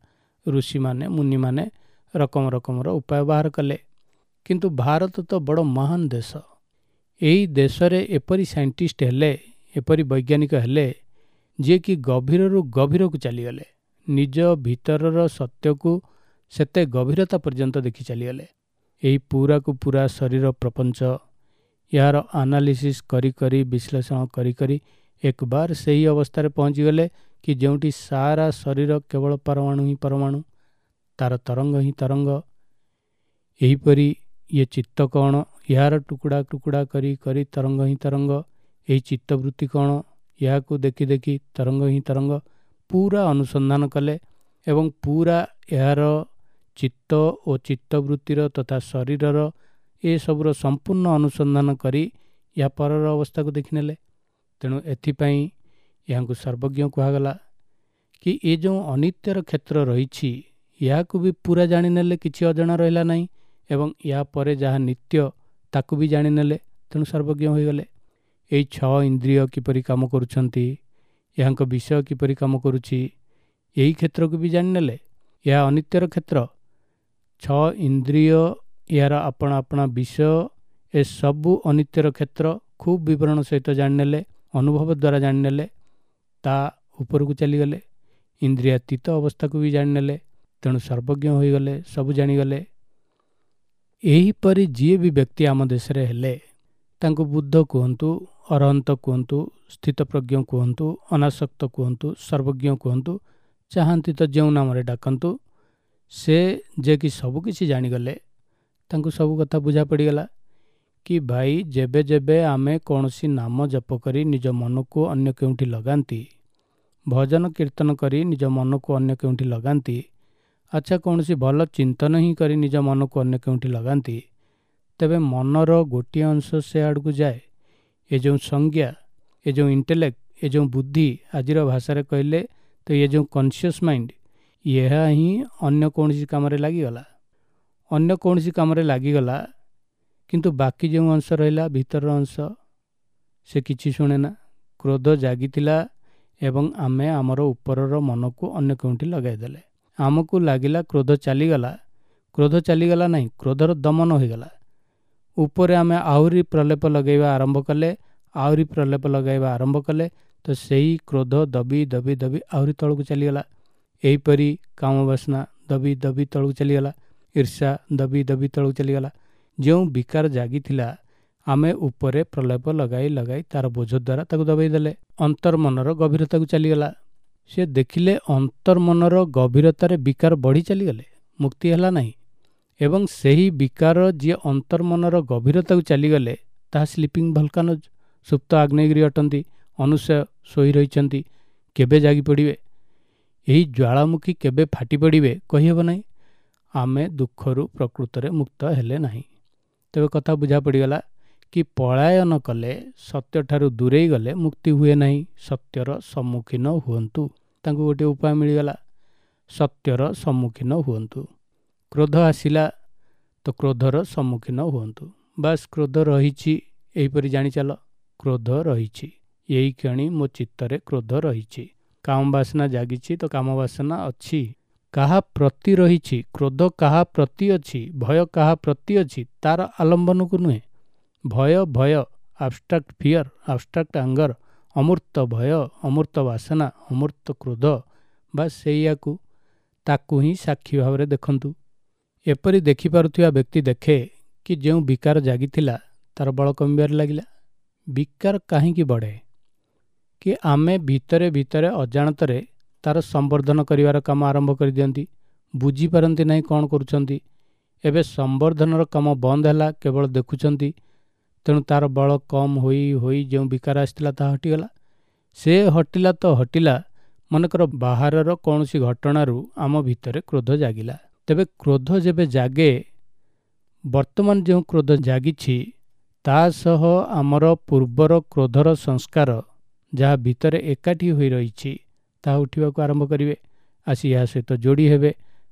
ଋଷିମାନେ, ମୁନିମାନେ ରକମ ରକମର ଉପାୟ ବାହାର କଲେ। କିନ୍ତୁ ଭାରତ ତ ବଡ଼ ମହାନ ଦେଶ। ଏହି ଦେଶରେ ଏପରି ସାଇଣ୍ଟିଷ୍ଟ ହେଲେ, ଏପରି ବୈଜ୍ଞାନିକ ହେଲେ, ଯିଏକି ଗଭୀରରୁ ଗଭୀରକୁ ଚାଲିଗଲେ, ନିଜ ଭିତରର ସତ୍ୟକୁ ସେତେ ଗଭୀରତା ପର୍ଯ୍ୟନ୍ତ ଦେଖି ଚାଲିଗଲେ। ଏହି ପୁରାକୁ ପୁରା ଶରୀର ପ୍ରପଞ୍ଚ, ଏହାର ଆନାଲିସିସ୍ କରି କରି, ବିଶ୍ଳେଷଣ କରି କରି ଏକବାର ସେହି ଅବସ୍ଥାରେ ପହଞ୍ଚିଗଲେ କି ଯେଉଁଠି ସାରା ଶରୀର କେବଳ ପରମାଣୁ ହିଁ ପରମାଣୁ, ତାର ତରଙ୍ଗ ହିଁ ତରଙ୍ଗ। ଏହିପରି ଇଏ ଚିତ୍ତ କ'ଣ, ଏହାର ଟୁକୁଡ଼ା ଟୁକୁଡ଼ା କରି କରି ତରଙ୍ଗ ହିଁ ତରଙ୍ଗ। ଏହି ଚିତ୍ତବୃତ୍ତି କ'ଣ, ଏହାକୁ ଦେଖି ଦେଖି ତରଙ୍ଗ ହିଁ ତରଙ୍ଗ। ପୁରା ଅନୁସନ୍ଧାନ କଲେ ଏବଂ ପୁରା ଏହାର ଚିତ୍ତ ଓ ଚିତ୍ତବୃତ୍ତିର ତଥା ଶରୀରର ଏସବୁର ସମ୍ପୂର୍ଣ୍ଣ ଅନୁସନ୍ଧାନ କରି ଏହା ପରର ଅବସ୍ଥାକୁ ଦେଖିନେଲେ। ତେଣୁ ଏଥିପାଇଁ ଏହାଙ୍କୁ ସର୍ବଜ୍ଞ କୁହାଗଲା କି ଏ ଯେଉଁ ଅନିତ୍ୟର କ୍ଷେତ୍ର ରହିଛି ଏହାକୁ ବି ପୁରା ଜାଣିନେଲେ, କିଛି ଅଜଣା ରହିଲା ନାହିଁ, ଏବଂ ଏହା ପରେ ଯାହା ନିତ୍ୟ ତାକୁ ବି ଜାଣିନେଲେ, ତେଣୁ ସର୍ବଜ୍ଞ ହୋଇଗଲେ। ଏହି 6 ଇନ୍ଦ୍ରିୟ କିପରି କାମ କରୁଛନ୍ତି, ଏହାଙ୍କ ବିଷୟ କିପରି କାମ କରୁଛି, ଏହି କ୍ଷେତ୍ରକୁ ବି ଜାଣିନେଲେ। ଏହା ଅନିତ୍ୟର କ୍ଷେତ୍ର। 6 ଇନ୍ଦ୍ରିୟ, ଏହାର ଆପଣା ଆପଣା ବିଷୟ, ଏସବୁ ଅନିତ୍ୟର କ୍ଷେତ୍ର ଖୁବ୍ ବିବରଣ ସହିତ ଜାଣିନେଲେ, ଅନୁଭବ ଦ୍ୱାରା ଜାଣିନେଲେ, ତା ଉପରକୁ ଚାଲିଗଲେ, ଇନ୍ଦ୍ରିୟାତୀତ ଅବସ୍ଥାକୁ ବି ଜାଣିନେଲେ, ତେଣୁ ସର୍ବଜ୍ଞ ହୋଇଗଲେ, ସବୁ ଜାଣିଗଲେ। ଏହିପରି ଯିଏ ବି ବ୍ୟକ୍ତି ଆମ ଦେଶରେ ହେଲେ, ତାଙ୍କୁ ବୁଦ୍ଧ କୁହନ୍ତୁ, ଅରହନ୍ତ କୁହନ୍ତୁ, ସ୍ଥିତପ୍ରଜ୍ଞ କୁହନ୍ତୁ, ଅନାସକ୍ତ କୁହନ୍ତୁ, ସର୍ବଜ୍ଞ କୁହନ୍ତୁ, ଚାହାନ୍ତି ତ ଯେଉଁ ନାମରେ ଡାକନ୍ତୁ, ସେ ଯେ କି ସବୁକିଛି ଜାଣିଗଲେ, ତାଙ୍କୁ ସବୁ କଥା ବୁଝା ପଡ଼ିଗଲା କି ଭାଇ ଯେବେ ଯେବେ ଆମେ କୌଣସି ନାମ ଜପ କରି ନିଜ ମନକୁ ଅନ୍ୟ କେଉଁଠି ଲଗାନ୍ତି, ଭଜନ କୀର୍ତ୍ତନ କରି ନିଜ ମନକୁ ଅନ୍ୟ କେଉଁଠି ଲଗାନ୍ତି, ଆଚ୍ଛା କୌଣସି ଭଲ ଚିନ୍ତନ ହିଁ କରି ନିଜ ମନକୁ ଅନ୍ୟ କେଉଁଠି ଲଗାନ୍ତି, ତେବେ ମନର ଗୋଟିଏ ଅଂଶ ସେ ଆଡ଼କୁ ଯାଏ। ଏ ଯେଉଁ ସଂଜ୍ଞା, ଏ ଯେଉଁ ଇଣ୍ଟେଲେକ୍ଟ, ଏ ଯେଉଁ ବୁଦ୍ଧି, ଆଜିର ଭାଷାରେ କହିଲେ ତ ଏ ଯେଉଁ କନସିୟସ୍ ମାଇଣ୍ଡ, ଏହା ହିଁ ଅନ୍ୟ କୌଣସି କାମରେ ଲାଗିଗଲା, ଅନ୍ୟ କୌଣସି କାମରେ ଲାଗିଗଲା। କିନ୍ତୁ ବାକି ଯେଉଁ ଅଂଶ ରହିଲା, ଭିତରର ଅଂଶ, ସେ କିଛି ଶୁଣେ ନା। କ୍ରୋଧ ଜାଗିଥିଲା ଏବଂ ଆମେ ଆମର ଉପରର ମନକୁ ଅନ୍ୟ କେଉଁଠି ଲଗାଇଦେଲେ, ଆମକୁ ଲାଗିଲା କ୍ରୋଧ ଚାଲିଗଲା। କ୍ରୋଧ ଚାଲିଗଲା ନାହିଁ, କ୍ରୋଧର ଦମନ ହୋଇଗଲା। ଉପରେ ଆମେ ଆହୁରି ପ୍ରଲେପ ଲଗାଇବା ଆରମ୍ଭ କଲେ, ଆହୁରି ପ୍ରଲେପ ଲଗାଇବା ଆରମ୍ଭ କଲେ, ତ ସେହି କ୍ରୋଧ ଦବି ଦବି ଦବି ଆହୁରି ତଳକୁ ଚାଲିଗଲା। ଏହିପରି କାମବାସନା ଦବି ଦବି ତଳକୁ ଚାଲିଗଲା, ଈର୍ଷା ଦବି ଦବି ତଳକୁ ଚାଲିଗଲା। ଯେଉଁ ବିକାର ଜାଗିଥିଲା ଆମେ ଉପରେ ପ୍ରଲେପ ଲଗାଇ ଲଗାଇ ତାର ବୋଝ ଦ୍ୱାରା ତାକୁ ଦବାଇ ଦେଲେ, ଅନ୍ତର୍ମନର ଗଭୀରତାକୁ ଚାଲିଗଲା। ସେ ଦେଖିଲେ ଅନ୍ତର୍ମନର ଗଭୀରତାରେ ବିକାର ବଢ଼ି ଚାଲିଗଲେ, ମୁକ୍ତି ହେଲା ନାହିଁ। ଏବଂ ସେହି ବିକାର ଯିଏ ଅନ୍ତର୍ମନର ଗଭୀରତାକୁ ଚାଲିଗଲେ ତାହା ସ୍ଲିପିଂ ଭଲକାନୋଜ, ସୁପ୍ତ ଆଗ୍ନେୟଗିରି ଅଟନ୍ତି, ଅନୁଶୟ ଶୋଇ ରହିଛନ୍ତି, କେବେ ଜାଗି ପଡ଼ିବେ, ଏହି ଜ୍ୱାଳାମୁଖୀ କେବେ ଫାଟି ପଡ଼ିବେ କହିହେବ ନାହିଁ। ଆମେ ଦୁଃଖରୁ ପ୍ରକୃତରେ ମୁକ୍ତ ହେଲେ ନାହିଁ। ତେବେ କଥା ବୁଝା ପଡ଼ିଗଲା କି ପଳାୟନ କଲେ, ସତ୍ୟଠାରୁ ଦୂରେଇ ଗଲେ ମୁକ୍ତି ହୁଏ ନାହିଁ, ସତ୍ୟର ସମ୍ମୁଖୀନ ହୁଅନ୍ତୁ। ତାଙ୍କୁ ଗୋଟିଏ ଉପାୟ ମିଳିଗଲା, ସତ୍ୟର ସମ୍ମୁଖୀନ ହୁଅନ୍ତୁ। କ୍ରୋଧ ଆସିଲା ତ କ୍ରୋଧର ସମ୍ମୁଖୀନ ହୁଅନ୍ତୁ, ବାସ୍ କ୍ରୋଧ ରହିଛି, ଏହିପରି ଜାଣିଚାଲ କ୍ରୋଧ ରହିଛି, ଏଇକ୍ଷଣି ମୋ ଚିତ୍ତରେ କ୍ରୋଧ ରହିଛି। କାମ ବାସନା ଜାଗିଛି ତ କାମ ବାସନା ଅଛି। କାହା ପ୍ରତି ରହିଛି, କ୍ରୋଧ କାହା ପ୍ରତି ଅଛି, ଭୟ କାହା ପ୍ରତି ଅଛି, ତାର ଆଲମ୍ବନକୁ ନୁହେଁ। ଭୟ ଭୟ, ଆବଷ୍ଟ୍ରାକ୍ଟ ଫିୟର, ଆବଷ୍ଟ୍ରାକ୍ଟ ଆଙ୍ଗର, ଅମୂର୍ତ୍ତ ଭୟ, ଅମୂର୍ତ୍ତ ବାସନା, ଅମୂର୍ତ୍ତ କ୍ରୋଧ, ବା ସେଇଆକୁ ତାକୁ ହିଁ ସାକ୍ଷୀ ଭାବରେ ଦେଖନ୍ତୁ। ଏପରି ଦେଖିପାରୁଥିବା ବ୍ୟକ୍ତି ଦେଖେ କି ଯେଉଁ ବିକାର ଜାଗିଥିଲା ତାର ବଳ କମିବାରେ ଲାଗିଲା। ବିକାର କାହିଁକି ବଢ଼େ? କି ଆମେ ଭିତରେ ଭିତରେ ଅଜାଣତରେ ତାର ସମ୍ବର୍ଦ୍ଧନ କରିବାର କାମ ଆରମ୍ଭ କରିଦିଅନ୍ତି, ବୁଝିପାରନ୍ତି ନାହିଁ କ'ଣ କରୁଛନ୍ତି। ଏବେ ସମ୍ବର୍ଦ୍ଧନର କାମ ବନ୍ଦ ହେଲା, କେବଳ ଦେଖୁଛନ୍ତି, ତେଣୁ ତାର ବଳ କମ୍ ହୋଇ ହୋଇ ଯେଉଁ ବିକାର ଆସିଥିଲା ତାହା ହଟିଗଲା। ସେ ହଟିଲା ତ ହଟିଲା, ମନେକର ବାହାରର କୌଣସି ଘଟଣାରୁ ଆମ ଭିତରେ କ୍ରୋଧ ଜାଗିଲା। ତେବେ କ୍ରୋଧ ଯେବେ ଜାଗେ, ବର୍ତ୍ତମାନ ଯେଉଁ କ୍ରୋଧ ଜାଗିଛି ତା ସହ ଆମର ପୂର୍ବର କ୍ରୋଧର ସଂସ୍କାର ଯାହା ଭିତରେ ଏକାଠି ହୋଇ ରହିଛି ତାହା ଉଠିବାକୁ ଆରମ୍ଭ କରିବେ, ଆସି ଏହା ସହିତ ଯୋଡ଼ି ହେବେ,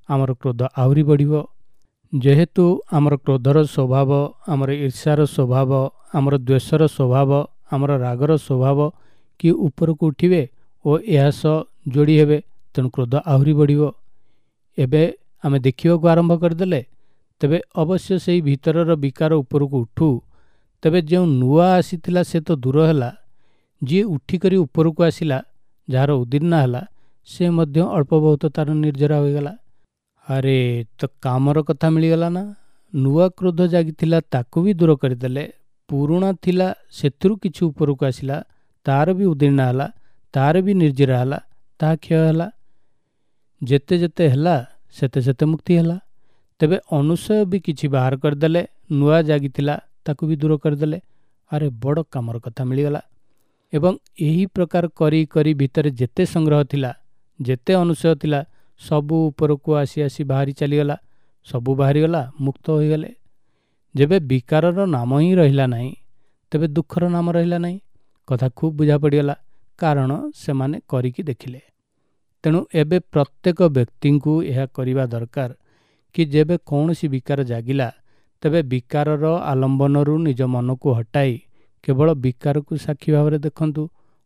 ଆମର କ୍ରୋଧ ଆହୁରି ବଢ଼ିବ। ଯେହେତୁ ଆମର କ୍ରୋଧର ସ୍ୱଭାବ, ଆମର ଈର୍ଷାର ସ୍ୱଭାବ, ଆମର ଦ୍ୱେଷର ସ୍ୱଭାବ, ଆମର ରାଗର ସ୍ୱଭାବ କି ଉପରକୁ ଉଠିବେ ଓ ଏହା ସହ ଯୋଡ଼ି ହେବେ, ତେଣୁ କ୍ରୋଧ ଆହୁରି ବଢ଼ିବ। ଏବେ ଆମେ ଦେଖିବାକୁ ଆରମ୍ଭ କରିଦେଲେ ତେବେ ଅବଶ୍ୟ ସେଇ ଭିତରର ବିକାର ଉପରକୁ ଉଠୁ, ତେବେ ଯେଉଁ ନୂଆ ଆସିଥିଲା ସେ ତ ଦୂର ହେଲା, ଯିଏ ଉଠିକରି ଉପରକୁ ଆସିଲା, ଯାହାର ଉଦୀର୍ଣ୍ଣ ହେଲା, ସେ ମଧ୍ୟ ଅଳ୍ପ ବହୁତ ତାର ନିର୍ଜରା ହୋଇଗଲା। ଆରେ ତ କାମର କଥା ମିଳିଗଲା ନା, ନୂଆ କ୍ରୋଧ ଜାଗିଥିଲା ତାକୁ ବି ଦୂର କରିଦେଲେ, ପୁରୁଣା ଥିଲା ସେଥିରୁ କିଛି ଉପରକୁ ଆସିଲା, ତାର ବି ଉଦୀର୍ଣ୍ଣ ହେଲା, ତାର ବି ନିର୍ଜରା ହେଲା, ତାହା କ୍ଷୟ ହେଲା। ଯେତେ ଯେତେ ହେଲା ସେତେ ସେତେ ମୁକ୍ତି ହେଲା। ତେବେ ଅନୁଶୟ ବି କିଛି ବାହାର କରିଦେଲେ, ନୂଆ ଜାଗିଥିଲା ତାକୁ ବି ଦୂର କରିଦେଲେ, ଆରେ ବଡ଼ କାମର କଥା ମିଳିଗଲା। ଏବଂ ଏହି ପ୍ରକାର କରି କରି ଭିତରେ ଯେତେ ସଂଗ୍ରହ ଥିଲା, ଯେତେ ଅନୁଶୟ ଥିଲା, ସବୁ ଉପରକୁ ଆସି ଆସି ବାହାରି ଚାଲିଗଲା, ସବୁ ବାହାରିଗଲା, ମୁକ୍ତ ହୋଇଗଲେ। ଯେବେ ବିକାରର ନାମ ହିଁ ରହିଲା ନାହିଁ, ତେବେ ଦୁଃଖର ନାମ ରହିଲା ନାହିଁ। କଥା ଖୁବ୍ ବୁଝା ପଡ଼ିଗଲା, କାରଣ ସେମାନେ କରିକି ଦେଖିଲେ। ତେଣୁ ଏବେ ପ୍ରତ୍ୟେକ ବ୍ୟକ୍ତିଙ୍କୁ ଏହା କରିବା ଦରକାର କି ଯେବେ କୌଣସି ବିକାର ଜାଗିଲା, ତେବେ ବିକାରର ଆଲମ୍ବନରୁ ନିଜ ମନକୁ ହଟାଇ କେବଳ ବିକାରକୁ ସାକ୍ଷୀ ଭାବରେ ଦେଖନ୍ତୁ।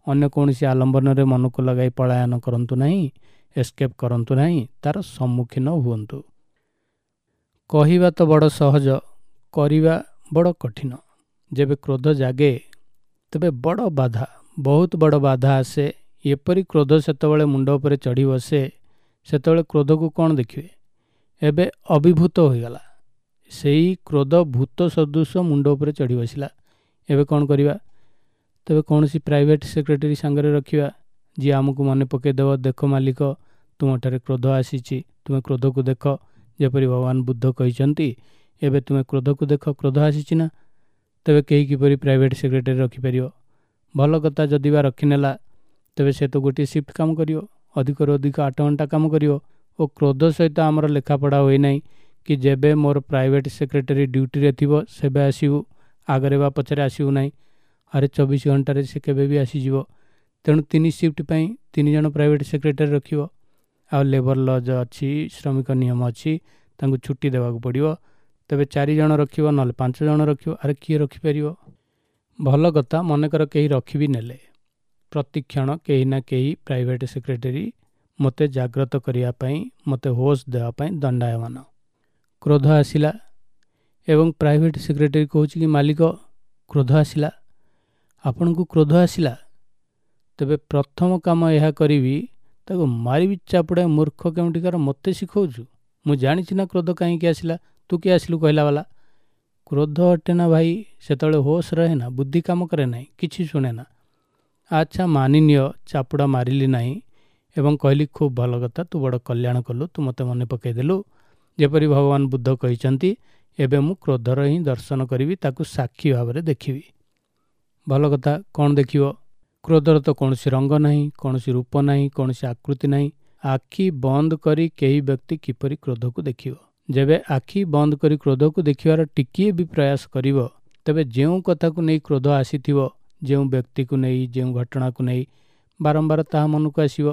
ଅନ୍ୟ କୌଣସି ଆଲମ୍ବନରେ ମନକୁ ଲଗାଇ ପଳାୟନ କରନ୍ତୁ ନାହିଁ, ଏସ୍କେପ୍ କରନ୍ତୁ ନାହିଁ, ତାର ସମ୍ମୁଖୀନ ହୁଅନ୍ତୁ। କହିବା ତ ବଡ଼ ସହଜ, କରିବା ବଡ଼ କଠିନ। ଯେବେ କ୍ରୋଧ ଜାଗେ ତେବେ ବଡ଼ ବାଧା, ବହୁତ ବଡ଼ ବାଧା ଆସେ। ଏପରି କ୍ରୋଧ ସେତେବେଳେ ମୁଣ୍ଡ ଉପରେ ଚଢ଼ି ବସେ, ସେତେବେଳେ କ୍ରୋଧକୁ କ'ଣ ଦେଖିବେ? ଏବେ ଅଭିଭୂତ ହୋଇଗଲା, ସେଇ କ୍ରୋଧ ଭୂତ ସଦୃଶ ମୁଣ୍ଡ ଉପରେ ଚଢ଼ି ବସିଲା। ଏବେ କ'ଣ କରିବା? ତେବେ କୌଣସି ପ୍ରାଇଭେଟ୍ ସେକ୍ରେଟାରୀ ସାଙ୍ଗରେ ରଖିବା, ଯିଏ ଆମକୁ ମନେ ପକାଇଦେବ, ଦେଖ ମାଲିକ, ତୁମଠାରେ କ୍ରୋଧ ଆସିଛି, ତୁମେ କ୍ରୋଧକୁ ଦେଖ। ଯେପରି ଭଗବାନ ବୁଦ୍ଧ କହିଛନ୍ତି, ଏବେ ତୁମେ କ୍ରୋଧକୁ ଦେଖ, କ୍ରୋଧ ଆସିଛି ନା। ତେବେ କେହି କିପରି ପ୍ରାଇଭେଟ୍ ସେକ୍ରେଟାରୀ ରଖିପାରିବ? ଭଲ କଥା, ଯଦି ବା ରଖିନେଲା, ତେବେ ସେ ତ ଗୋଟିଏ ସିଫ୍ଟ କାମ କରିବ, ଅଧିକରୁ ଅଧିକ 8 ଘଣ୍ଟା କାମ କରିବ। ଓ କ୍ରୋଧ ସହିତ ଆମର ଲେଖାପଢ଼ା ହୋଇନାହିଁ କି ଯେବେ ମୋର ପ୍ରାଇଭେଟ୍ ସେକ୍ରେଟାରୀ ଡ୍ୟୁଟିରେ ଥିବ ସେବେ ଆସିବୁ, ଆଗରେ ବା ପଛରେ ଆସିବୁ ନାହିଁ। ଆରେ 24 ଘଣ୍ଟାରେ ସେ କେବେ ବି ଆସିଯିବ। ତେଣୁ 3 ସିଫ୍ଟ ପାଇଁ 3 ଜଣ ପ୍ରାଇଭେଟ୍ ସେକ୍ରେଟାରୀ ରଖିବ। ଆଉ ଲେବର ଲଜ୍ ଅଛି, ଶ୍ରମିକ ନିୟମ ଅଛି, ତାଙ୍କୁ ଛୁଟି ଦେବାକୁ ପଡ଼ିବ। ତେବେ 4 ଜଣ ରଖିବ, ନହେଲେ 5 ଜଣ ରଖିବ। ଆରେ କିଏ ରଖିପାରିବ? ଭଲ କଥା, ମନେକର କେହି ରଖିବି ନେଲେ, ପ୍ରତିକ୍ଷଣ କେହି ନା କେହି ପ୍ରାଇଭେଟ୍ ସେକ୍ରେଟାରୀ ମୋତେ ଜାଗ୍ରତ କରିବା ପାଇଁ, ମୋତେ ହୋସ୍ ଦେବା ପାଇଁ ଦଣ୍ଡାୟମାନ। କ୍ରୋଧ ଆସିଲା ଏବଂ ପ୍ରାଇଭେଟ୍ ସେକ୍ରେଟାରୀ କହୁଛି କି ମାଲିକ, କ୍ରୋଧ ଆସିଲା, ଆପଣଙ୍କୁ କ୍ରୋଧ ଆସିଲା, ତେବେ ପ୍ରଥମ କାମ ଏହା କରିବି, ତାକୁ ମାରିବି ଚାପୁଡ଼ାଏ, ମୂର୍ଖ କେଉଁଠିକାର, ମୋତେ ଶିଖଉଛୁ, ମୁଁ ଜାଣିଛି ନା କ୍ରୋଧ କାହିଁକି ଆସିଲା, ତୁ କିଏ ଆସିଲୁ କହିଲା ବାଲା। କ୍ରୋଧ ଅଟେ ନା ଭାଇ, ସେତେବେଳେ ହୋସ୍ ରହେ ନା, ବୁଦ୍ଧି କାମ କରେ ନାହିଁ, କିଛି ଶୁଣେ ନା। ଆଚ୍ଛା ମାନିନିଅ, ଚାପୁଡ଼ା ମାରିଲି ନାହିଁ ଏବଂ କହିଲି ଖୁବ୍ ଭଲ କଥା, ତୁ ବଡ଼ କଲ୍ୟାଣ କଲୁ, ତୁ ମୋତେ ମନେ ପକାଇଦେଲୁ। ଯେପରି ଭଗବାନ ବୁଦ୍ଧ କହିଛନ୍ତି, ଏବେ ମୁଁ କ୍ରୋଧର ହିଁ ଦର୍ଶନ କରିବି, ତାକୁ ସାକ୍ଷୀ ଭାବରେ ଦେଖିବି। ଭଲ କଥା, କ'ଣ ଦେଖିବ? କ୍ରୋଧର ତ କୌଣସି ରଙ୍ଗ ନାହିଁ, କୌଣସି ରୂପ ନାହିଁ, କୌଣସି ଆକୃତି ନାହିଁ। ଆଖି ବନ୍ଦ କରି କେହି ବ୍ୟକ୍ତି କିପରି କ୍ରୋଧକୁ ଦେଖିବ? ଯେବେ ଆଖି ବନ୍ଦ କରି କ୍ରୋଧକୁ ଦେଖିବାର ଟିକିଏ ବି ପ୍ରୟାସ କରିବ, ତେବେ ଯେଉଁ କଥାକୁ ନେଇ କ୍ରୋଧ ଆସିଥିବ, ଯେଉଁ ବ୍ୟକ୍ତିକୁ ନେଇ, ଯେଉଁ ଘଟଣାକୁ ନେଇ, ବାରମ୍ବାର ତାହା ମନକୁ ଆସିବ।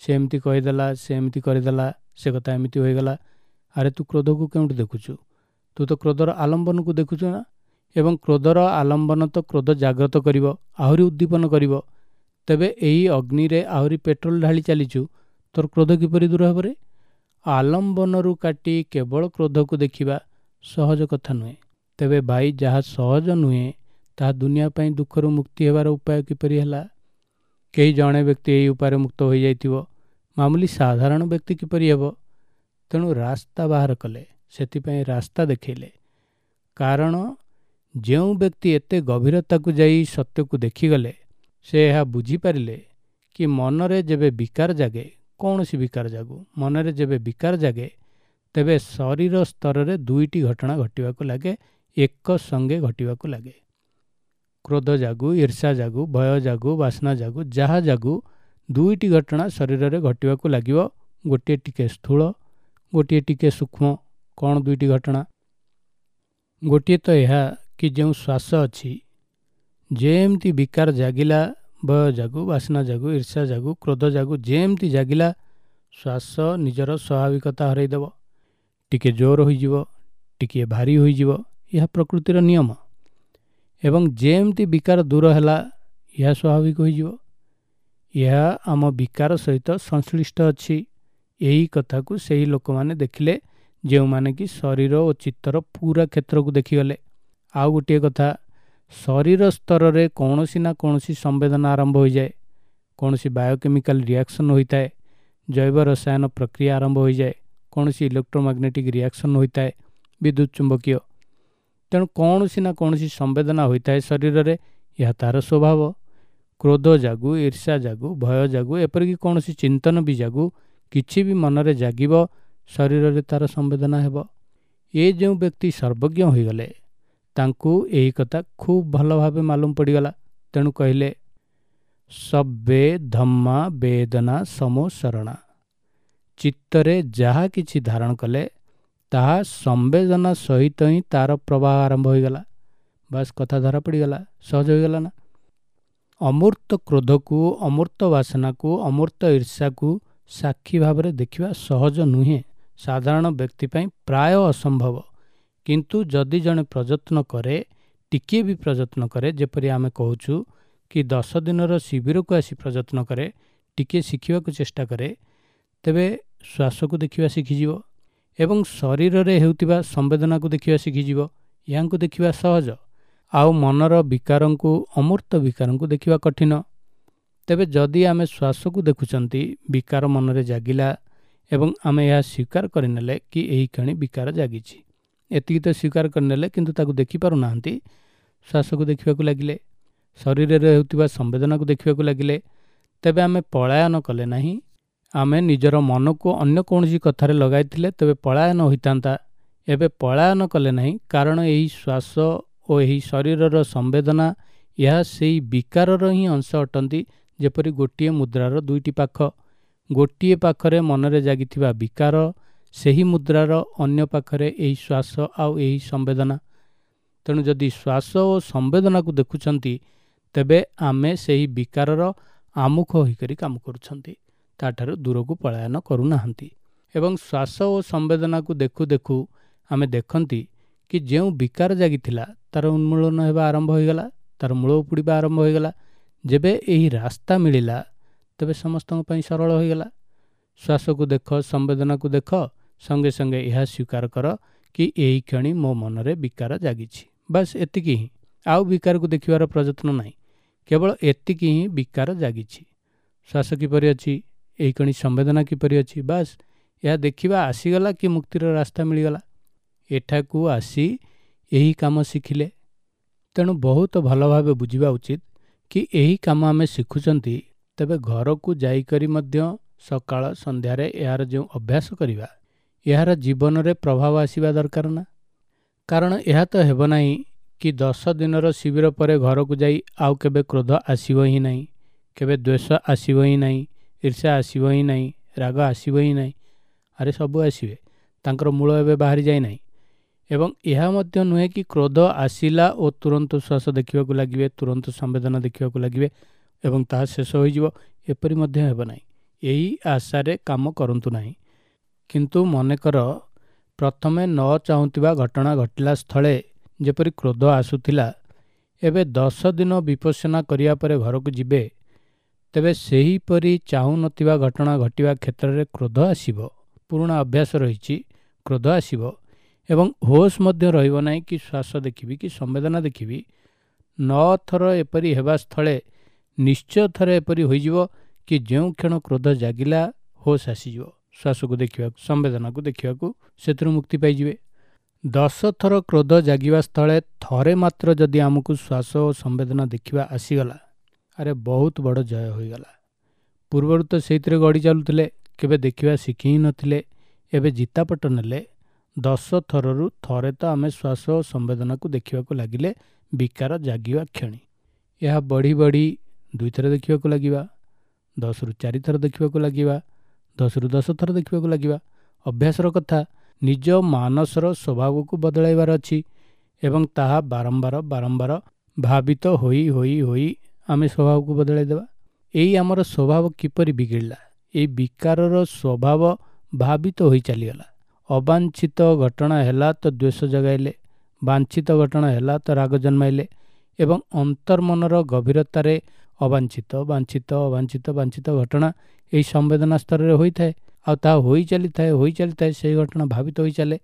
ସେ ଏମିତି କହିଦେଲା, ସେ ଏମିତି କରିଦେଲା, ସେ କଥା ଏମିତି ହୋଇଗଲା। ଆରେ ତୁ କ୍ରୋଧକୁ କେଉଁଠି ଦେଖୁଛୁ? ତୁ ତ କ୍ରୋଧର ଆଲମ୍ବନକୁ ଦେଖୁଛୁ ନା। ଏବଂ କ୍ରୋଧର ଆଲମ୍ବନ ତ କ୍ରୋଧ ଜାଗ୍ରତ କରିବ, ଆହୁରି ଉଦ୍ଦୀପନ କରିବ। ତେବେ ଏହି ଅଗ୍ନିରେ ଆହୁରି ପେଟ୍ରୋଲ ଢାଳି ଚାଲିଛୁ, ତୋର କ୍ରୋଧ କିପରି ଦୂର ହେବରେ? ଆଲମ୍ବନରୁ କାଟି କେବଳ କ୍ରୋଧକୁ ଦେଖିବା ସହଜ କଥା ନୁହେଁ। ତେବେ ଭାଇ, ଯାହା ସହଜ ନୁହେଁ ତାହା ଦୁନିଆ ପାଇଁ ଦୁଃଖରୁ ମୁକ୍ତି ହେବାର ଉପାୟ କିପରି ହେଲା? କେହି ଜଣେ ବ୍ୟକ୍ତି ଏହି ଉପାୟରେ ମୁକ୍ତ ହୋଇଯାଇଥିବ, ମାମୁଲି ସାଧାରଣ ବ୍ୟକ୍ତି କିପରି ହେବ? ତେଣୁ ରାସ୍ତା ବାହାର କଲେ, ସେଥିପାଇଁ ରାସ୍ତା ଦେଖେଇଲେ। କାରଣ ଯେଉଁ ବ୍ୟକ୍ତି ଏତେ ଗଭୀରତାକୁ ଯାଇ ସତ୍ୟକୁ ଦେଖିଗଲେ, ସେ ଏହା ବୁଝିପାରିଲେ କି ମନରେ ଯେବେ ବିକାର ଜାଗେ, କୌଣସି ବିକାର ଜାଗୁ, ମନରେ ଯେବେ ବିକାର ଜାଗେ, ତେବେ ଶରୀର ସ୍ତରରେ ଦୁଇଟି ଘଟଣା ଘଟିବାକୁ ଲାଗେ, ଏକ ସଙ୍ଗେ ଘଟିବାକୁ ଲାଗେ। କ୍ରୋଧ ଜାଗୁ, ଈର୍ଷା ଜାଗୁ, ଭୟ ଜାଗୁ, ବାସନା ଜାଗୁ, ଯାହା ଜାଗୁ, ଦୁଇଟି ଘଟଣା ଶରୀରରେ ଘଟିବାକୁ ଲାଗିବ। ଗୋଟିଏ ଟିକେ ସ୍ଥୂଳ, ଗୋଟିଏ ଟିକେ ସୂକ୍ଷ୍ମ। କ'ଣ ଦୁଇଟି ଘଟଣା? ଗୋଟିଏ ତ ଏହା କି ଯେଉଁ ଶ୍ୱାସ ଅଛି, ଯେମିତି ବିକାର ଜାଗିଲା, ଭୟ ଜାଗୁ, ବାସନା ଜାଗୁ, ଈର୍ଷା ଜାଗୁ, କ୍ରୋଧ ଜାଗୁ, ଯେମିତି ଜାଗିଲା, ଶ୍ୱାସ ନିଜର ସ୍ୱାଭାବିକତା ହରାଇଦେବ, ଟିକେ ଜୋର ହୋଇଯିବ, ଟିକିଏ ଭାରି ହୋଇଯିବ। ଏହା ପ୍ରକୃତିର ନିୟମ। ଏବଂ ଯେମିତି ବିକାର ଦୂର ହେଲା, ଏହା ସ୍ୱାଭାବିକ ହୋଇଯିବ। ଏହା ଆମ ବିକାର ସହିତ ସଂଶ୍ଳିଷ୍ଟ ଅଛି। ଏହି କଥାକୁ ସେହି ଲୋକମାନେ ଦେଖିଲେ ଯେଉଁମାନେ କି ଶରୀର ଓ ଚିତ୍ତର ପୁରା କ୍ଷେତ୍ରକୁ ଦେଖିଗଲେ। ଆଉ ଗୋଟିଏ କଥା, ଶରୀର ସ୍ତରରେ କୌଣସି ନା କୌଣସି ସମ୍ବେଦନା ଆରମ୍ଭ ହୋଇଯାଏ, କୌଣସି ବାୟୋକେମିକାଲ ରିଆକ୍ସନ୍ ହୋଇଥାଏ, ଜୈବ ରସାୟନ ପ୍ରକ୍ରିୟା ଆରମ୍ଭ ହୋଇଯାଏ, କୌଣସି ଇଲେକ୍ଟ୍ରୋମାଗ୍ନେଟିକ୍ ରିଆକ୍ସନ୍ ହୋଇଥାଏ, ବିଦ୍ୟୁତ୍ ଚୁମ୍ବକୀୟ। ତେଣୁ କୌଣସି ନା କୌଣସି ସମ୍ବେଦନା ହୋଇଥାଏ ଶରୀରରେ, ଏହା ତାର ସ୍ୱଭାବ। କ୍ରୋଧ ଜାଗୁ, ଈର୍ଷା ଜାଗୁ, ଭୟ ଜାଗୁ, ଏପରିକି କୌଣସି ଚିନ୍ତନ ବି ଜାଗୁ, କିଛି ବି ମନରେ ଜାଗିବ, ଶରୀରରେ ତାର ସମ୍ବେଦନା ହେବ। ଏ ଯେଉଁ ବ୍ୟକ୍ତି ସର୍ବଜ୍ଞ ହୋଇଗଲେ, ତାଙ୍କୁ ଏହି କଥା ଖୁବ୍ ଭଲ ଭାବେ ମାଲୁମ ପଡ଼ିଗଲା। ତେଣୁ କହିଲେ, ସବ୍ବେ ଧମ୍ମା ବେଦନା ସମୋ ଶରଣା। ଚିତ୍ତରେ ଯାହା କିଛି ଧାରଣ କଲେ ତାହା ସମ୍ବେଦନା ସହିତ ହିଁ ତାର ପ୍ରବାହ ଆରମ୍ଭ ହୋଇଗଲା। ବାସ୍, କଥା ଧରା ପଡ଼ିଗଲା, ସହଜ ହୋଇଗଲା ନା? ଅମୂର୍ତ୍ତ କ୍ରୋଧକୁ, ଅମୂର୍ତ୍ତ ବାସନାକୁ, ଅମୂର୍ତ୍ତ ଈର୍ଷାକୁ ସାକ୍ଷୀ ଭାବରେ ଦେଖିବା ସହଜ ନୁହେଁ, ସାଧାରଣ ବ୍ୟକ୍ତି ପାଇଁ ପ୍ରାୟ ଅସମ୍ଭବ। କିନ୍ତୁ ଯଦି ଜଣେ ପ୍ରଯତ୍ନ କରେ, ଟିକିଏ ବି ପ୍ରଯତ୍ନ କରେ, ଯେପରି ଆମେ କହୁଛୁ କି 10 ଦିନର ଶିବିରକୁ ଆସି ପ୍ରଯତ୍ନ କରେ, ଟିକିଏ ଶିଖିବାକୁ ଚେଷ୍ଟା କରେ, ତେବେ ଶ୍ୱାସକୁ ଦେଖିବା ଶିଖିଯିବ ଏବଂ ଶରୀରରେ ହେଉଥିବା ସମ୍ବେଦନାକୁ ଦେଖିବା ଶିଖିଯିବ। ଏହାଙ୍କୁ ଦେଖିବା ସହଜ, ଆଉ ମନର ବିକାରଙ୍କୁ, ଅମୂର୍ତ୍ତ ବିକାରଙ୍କୁ ଦେଖିବା କଠିନ। ତେବେ ଯଦି ଆମେ ଶ୍ୱାସକୁ ଦେଖୁଛନ୍ତି, ବିକାର ମନରେ ଜାଗିଲା ଏବଂ ଆମେ ଏହା ସ୍ୱୀକାର କରିନେଲେ କି ଏହି କ୍ଷଣି ବିକାର ଜାଗିଛି, ଏତିକି ତ ସ୍ୱୀକାର କରିନେଲେ, କିନ୍ତୁ ତାକୁ ଦେଖିପାରୁନାହାନ୍ତି। ଶ୍ୱାସକୁ ଦେଖିବାକୁ ଲାଗିଲେ, ଶରୀରରେ ହେଉଥିବା ସମ୍ବେଦନାକୁ ଦେଖିବାକୁ ଲାଗିଲେ, ତେବେ ଆମେ ପଳାୟନ କଲେ ନାହିଁ। ଆମେ ନିଜର ମନକୁ ଅନ୍ୟ କୌଣସି କଥାରେ ଲଗାଇଥିଲେ ତେବେ ପଳାୟନ ହୋଇଥାନ୍ତା। ଏବେ ପଳାୟନ କଲେ ନାହିଁ, କାରଣ ଏହି ଶ୍ୱାସ ଓ ଏହି ଶରୀରର ସମ୍ବେଦନା ଏହା ସେଇ ବିକାରର ହିଁ ଅଂଶ ଅଟନ୍ତି। ଯେପରି ଗୋଟିଏ ମୁଦ୍ରାର ଦୁଇଟି ପାଖ, ଗୋଟିଏ ପାଖରେ ମନରେ ଜାଗିଥିବା ବିକାର, ସେହି ମୁଦ୍ରାର ଅନ୍ୟ ପାଖରେ ଏହି ଶ୍ୱାସ ଆଉ ଏହି ସମ୍ବେଦନା। ତେଣୁ ଯଦି ଶ୍ୱାସ ଓ ସମ୍ବେଦନାକୁ ଦେଖୁଛନ୍ତି, ତେବେ ଆମେ ସେହି ବିକାରର ଆମୁଖ ହୋଇକରି କାମ କରୁଛନ୍ତି, ତାଠାରୁ ଦୂରକୁ ପଳାୟନ କରୁନାହାନ୍ତି। ଏବଂ ଶ୍ୱାସ ଓ ସମ୍ବେଦନାକୁ ଦେଖୁ ଦେଖୁ ଆମେ ଦେଖନ୍ତି କି ଯେଉଁ ବିକାର ଜାଗିଥିଲା ତାର ଉନ୍ମୂଳନ ହେବା ଆରମ୍ଭ ହୋଇଗଲା, ତାର ମୂଳ ଉପୁଡ଼ିବା ଆରମ୍ଭ ହୋଇଗଲା। ଯେବେ ଏହି ରାସ୍ତା ମିଳିଲା, ତେବେ ସମସ୍ତଙ୍କ ପାଇଁ ସରଳ ହୋଇଗଲା। ଶ୍ୱାସକୁ ଦେଖ, ସମ୍ବେଦନାକୁ ଦେଖ, ସଙ୍ଗେ ସଙ୍ଗେ ଏହା ସ୍ୱୀକାର କର କି ଏହି କ୍ଷଣି ମୋ ମନରେ ବିକାର ଜାଗିଛି, ବାସ୍ ଏତିକି ହିଁ। ଆଉ ବିକାରକୁ ଦେଖିବାର ପ୍ରଯତ୍ନ ନାହିଁ, କେବଳ ଏତିକି ହିଁ, ବିକାର ଜାଗିଛି। ଶ୍ୱାସ କିପରି ଅଛି, ଏହି କ୍ଷଣି ସମ୍ବେଦନା କିପରି ଅଛି, ବାସ୍ ଏହା ଦେଖିବା ଆସିଗଲା କି ମୁକ୍ତିର ରାସ୍ତା ମିଳିଗଲା। ଏଠାକୁ ଆସି ଏହି କାମ ଶିଖିଲେ। ତେଣୁ ବହୁତ ଭଲ ଭାବେ ବୁଝିବା ଉଚିତ କି ଏହି କାମ ଆମେ ଶିଖୁଛନ୍ତି, ତେବେ ଘରକୁ ଯାଇକରି ମଧ୍ୟ ସକାଳ ସନ୍ଧ୍ୟାରେ ଏହାର ଯେଉଁ ଅଭ୍ୟାସ କରିବା, ଏହାର ଜୀବନରେ ପ୍ରଭାବ ଆସିବା ଦରକାର ନା? କାରଣ ଏହା ତ ହେବ ନାହିଁ କି 10 ଦିନର ଶିବିର ପରେ ଘରକୁ ଯାଇ ଆଉ କେବେ କ୍ରୋଧ ଆସିବ ହିଁ ନାହିଁ, କେବେ ଦ୍ୱେଷ ଆସିବ ହିଁ ନାହିଁ, ଈର୍ଷା ଆସିବ ହିଁ ନାହିଁ, ରାଗ ଆସିବ ହିଁ ନାହିଁ। ଆରେ ସବୁ ଆସିବେ, ତାଙ୍କର ମୂଳ ଏବେ ବାହାରି ଯାଇନାହିଁ। ଏବଂ ଏହା ମଧ୍ୟ ନୁହେଁ କି କ୍ରୋଧ ଆସିଲା ଓ ତୁରନ୍ତ ଶ୍ୱାସ ଦେଖିବାକୁ ଲାଗିବେ, ତୁରନ୍ତ ସମ୍ବେଦନା ଦେଖିବାକୁ ଲାଗିବେ ଏବଂ ତାହା ଶେଷ ହୋଇଯିବ, ଏପରି ମଧ୍ୟ ହେବ ନାହିଁ। ଏହି ଆଶାରେ କାମ କରନ୍ତୁ ନାହିଁ। କିନ୍ତୁ ମନେକର ପ୍ରଥମେ ନ ଚାହୁଁଥିବା ଘଟଣା ଘଟିଲା ସ୍ଥଳେ ଯେପରି କ୍ରୋଧ ଆସୁଥିଲା, ଏବେ 10 ଦିନ ବିପස්සନା କରିବା ପରେ ଘରକୁ ଯିବେ, ତେବେ ସେହିପରି ଚାହୁଁନଥିବା ଘଟଣା ଘଟିବା କ୍ଷେତ୍ରରେ କ୍ରୋଧ ଆସିବ। ପୁରୁଣା ଅଭ୍ୟାସ ରହିଛି, କ୍ରୋଧ ଆସିବ ଏବଂ ହୋସ୍ ମଧ୍ୟ ରହିବ ନାହିଁ କି ଶ୍ୱାସ ଦେଖିବି କି ସମ୍ବେଦନା ଦେଖିବି। 9 ଥର ଏପରି ହେବା ସ୍ଥଳେ ନିଶ୍ଚୟ ଥରେ ଏପରି ହୋଇଯିବ କି ଯେଉଁ କ୍ଷଣ କ୍ରୋଧ ଜାଗିଲା ହୋସ୍ ଆସିଯିବ, ଶ୍ୱାସକୁ ଦେଖିବାକୁ, ସମ୍ବେଦନାକୁ ଦେଖିବାକୁ, ସେଥିରୁ ମୁକ୍ତି ପାଇଯିବେ। 10 ଥର କ୍ରୋଧ ଜାଗିବା ସ୍ଥଳେ ଥରେ ମାତ୍ର ଯଦି ଆମକୁ ଶ୍ୱାସ ଓ ସମ୍ବେଦନା ଦେଖିବା ଆସିଗଲା, ଆରେ ବହୁତ ବଡ଼ ଜୟ ହୋଇଗଲା। ପୂର୍ବରୁ ତ ସେଇଥିରେ ଗଡ଼ି ଚାଲୁଥିଲେ, କେବେ ଦେଖିବା ଶିଖି ହିଁ ନଥିଲେ, ଏବେ ଜିତାପଟ ନେଲେ। 10 ଥରରୁ ଥରେ ତ ଆମେ ଶ୍ୱାସ ଓ ସମ୍ବେଦନାକୁ ଦେଖିବାକୁ ଲାଗିଲେ ବିକାର ଜାଗିବା କ୍ଷଣି। ଏହା ବଢ଼ି ବଢ଼ି 2 ଥର ଦେଖିବାକୁ ଲାଗିବା, 10ରୁ 4 ଥର ଦେଖିବାକୁ ଲାଗିବା, 10ରୁ 10 ଥର ଦେଖିବାକୁ ଲାଗିବା। ଅଭ୍ୟାସର କଥା, ନିଜ ମାନସର ସ୍ୱଭାବକୁ ବଦଳାଇବାର ଅଛି ଏବଂ ତାହା ବାରମ୍ବାର ବାରମ୍ବାର ଭାବିତ ହୋଇ ହୋଇ ହୋଇ ଆମେ ସ୍ୱଭାବକୁ ବଦଳାଇ ଦେବା। ଏଇ ଆମର ସ୍ୱଭାବ କିପରି ବିଗିଡ଼ିଲା? ଏଇ ବିକାରର ସ୍ୱଭାବ ଭାବିତ ହୋଇ ଚାଲିଗଲା। ଅବାଞ୍ଛିତ ଘଟଣା ହେଲା ତ ଦ୍ୱେଷ ଜଗାଇଲେ, ବାଞ୍ଛିତ ଘଟଣା ହେଲା ତ ରାଗ ଜନ୍ମାଇଲେ ଏବଂ ଅନ୍ତର୍ମନର ଗଭୀରତାରେ ଅବାଞ୍ଛିତ, ବାଞ୍ଛିତ, ଅବାଞ୍ଛିତ, ବାଞ୍ଛିତ ଘଟଣା ଏହି ସମ୍ବେଦନା ସ୍ତରରେ ହୋଇଥାଏ। ଆଉ ତାହା ହୋଇ ଚାଲିଥାଏ, ହୋଇ ଚାଲିଥାଏ, ସେହି ଘଟଣା ଭାବିତ ହୋଇ ଚାଲେ।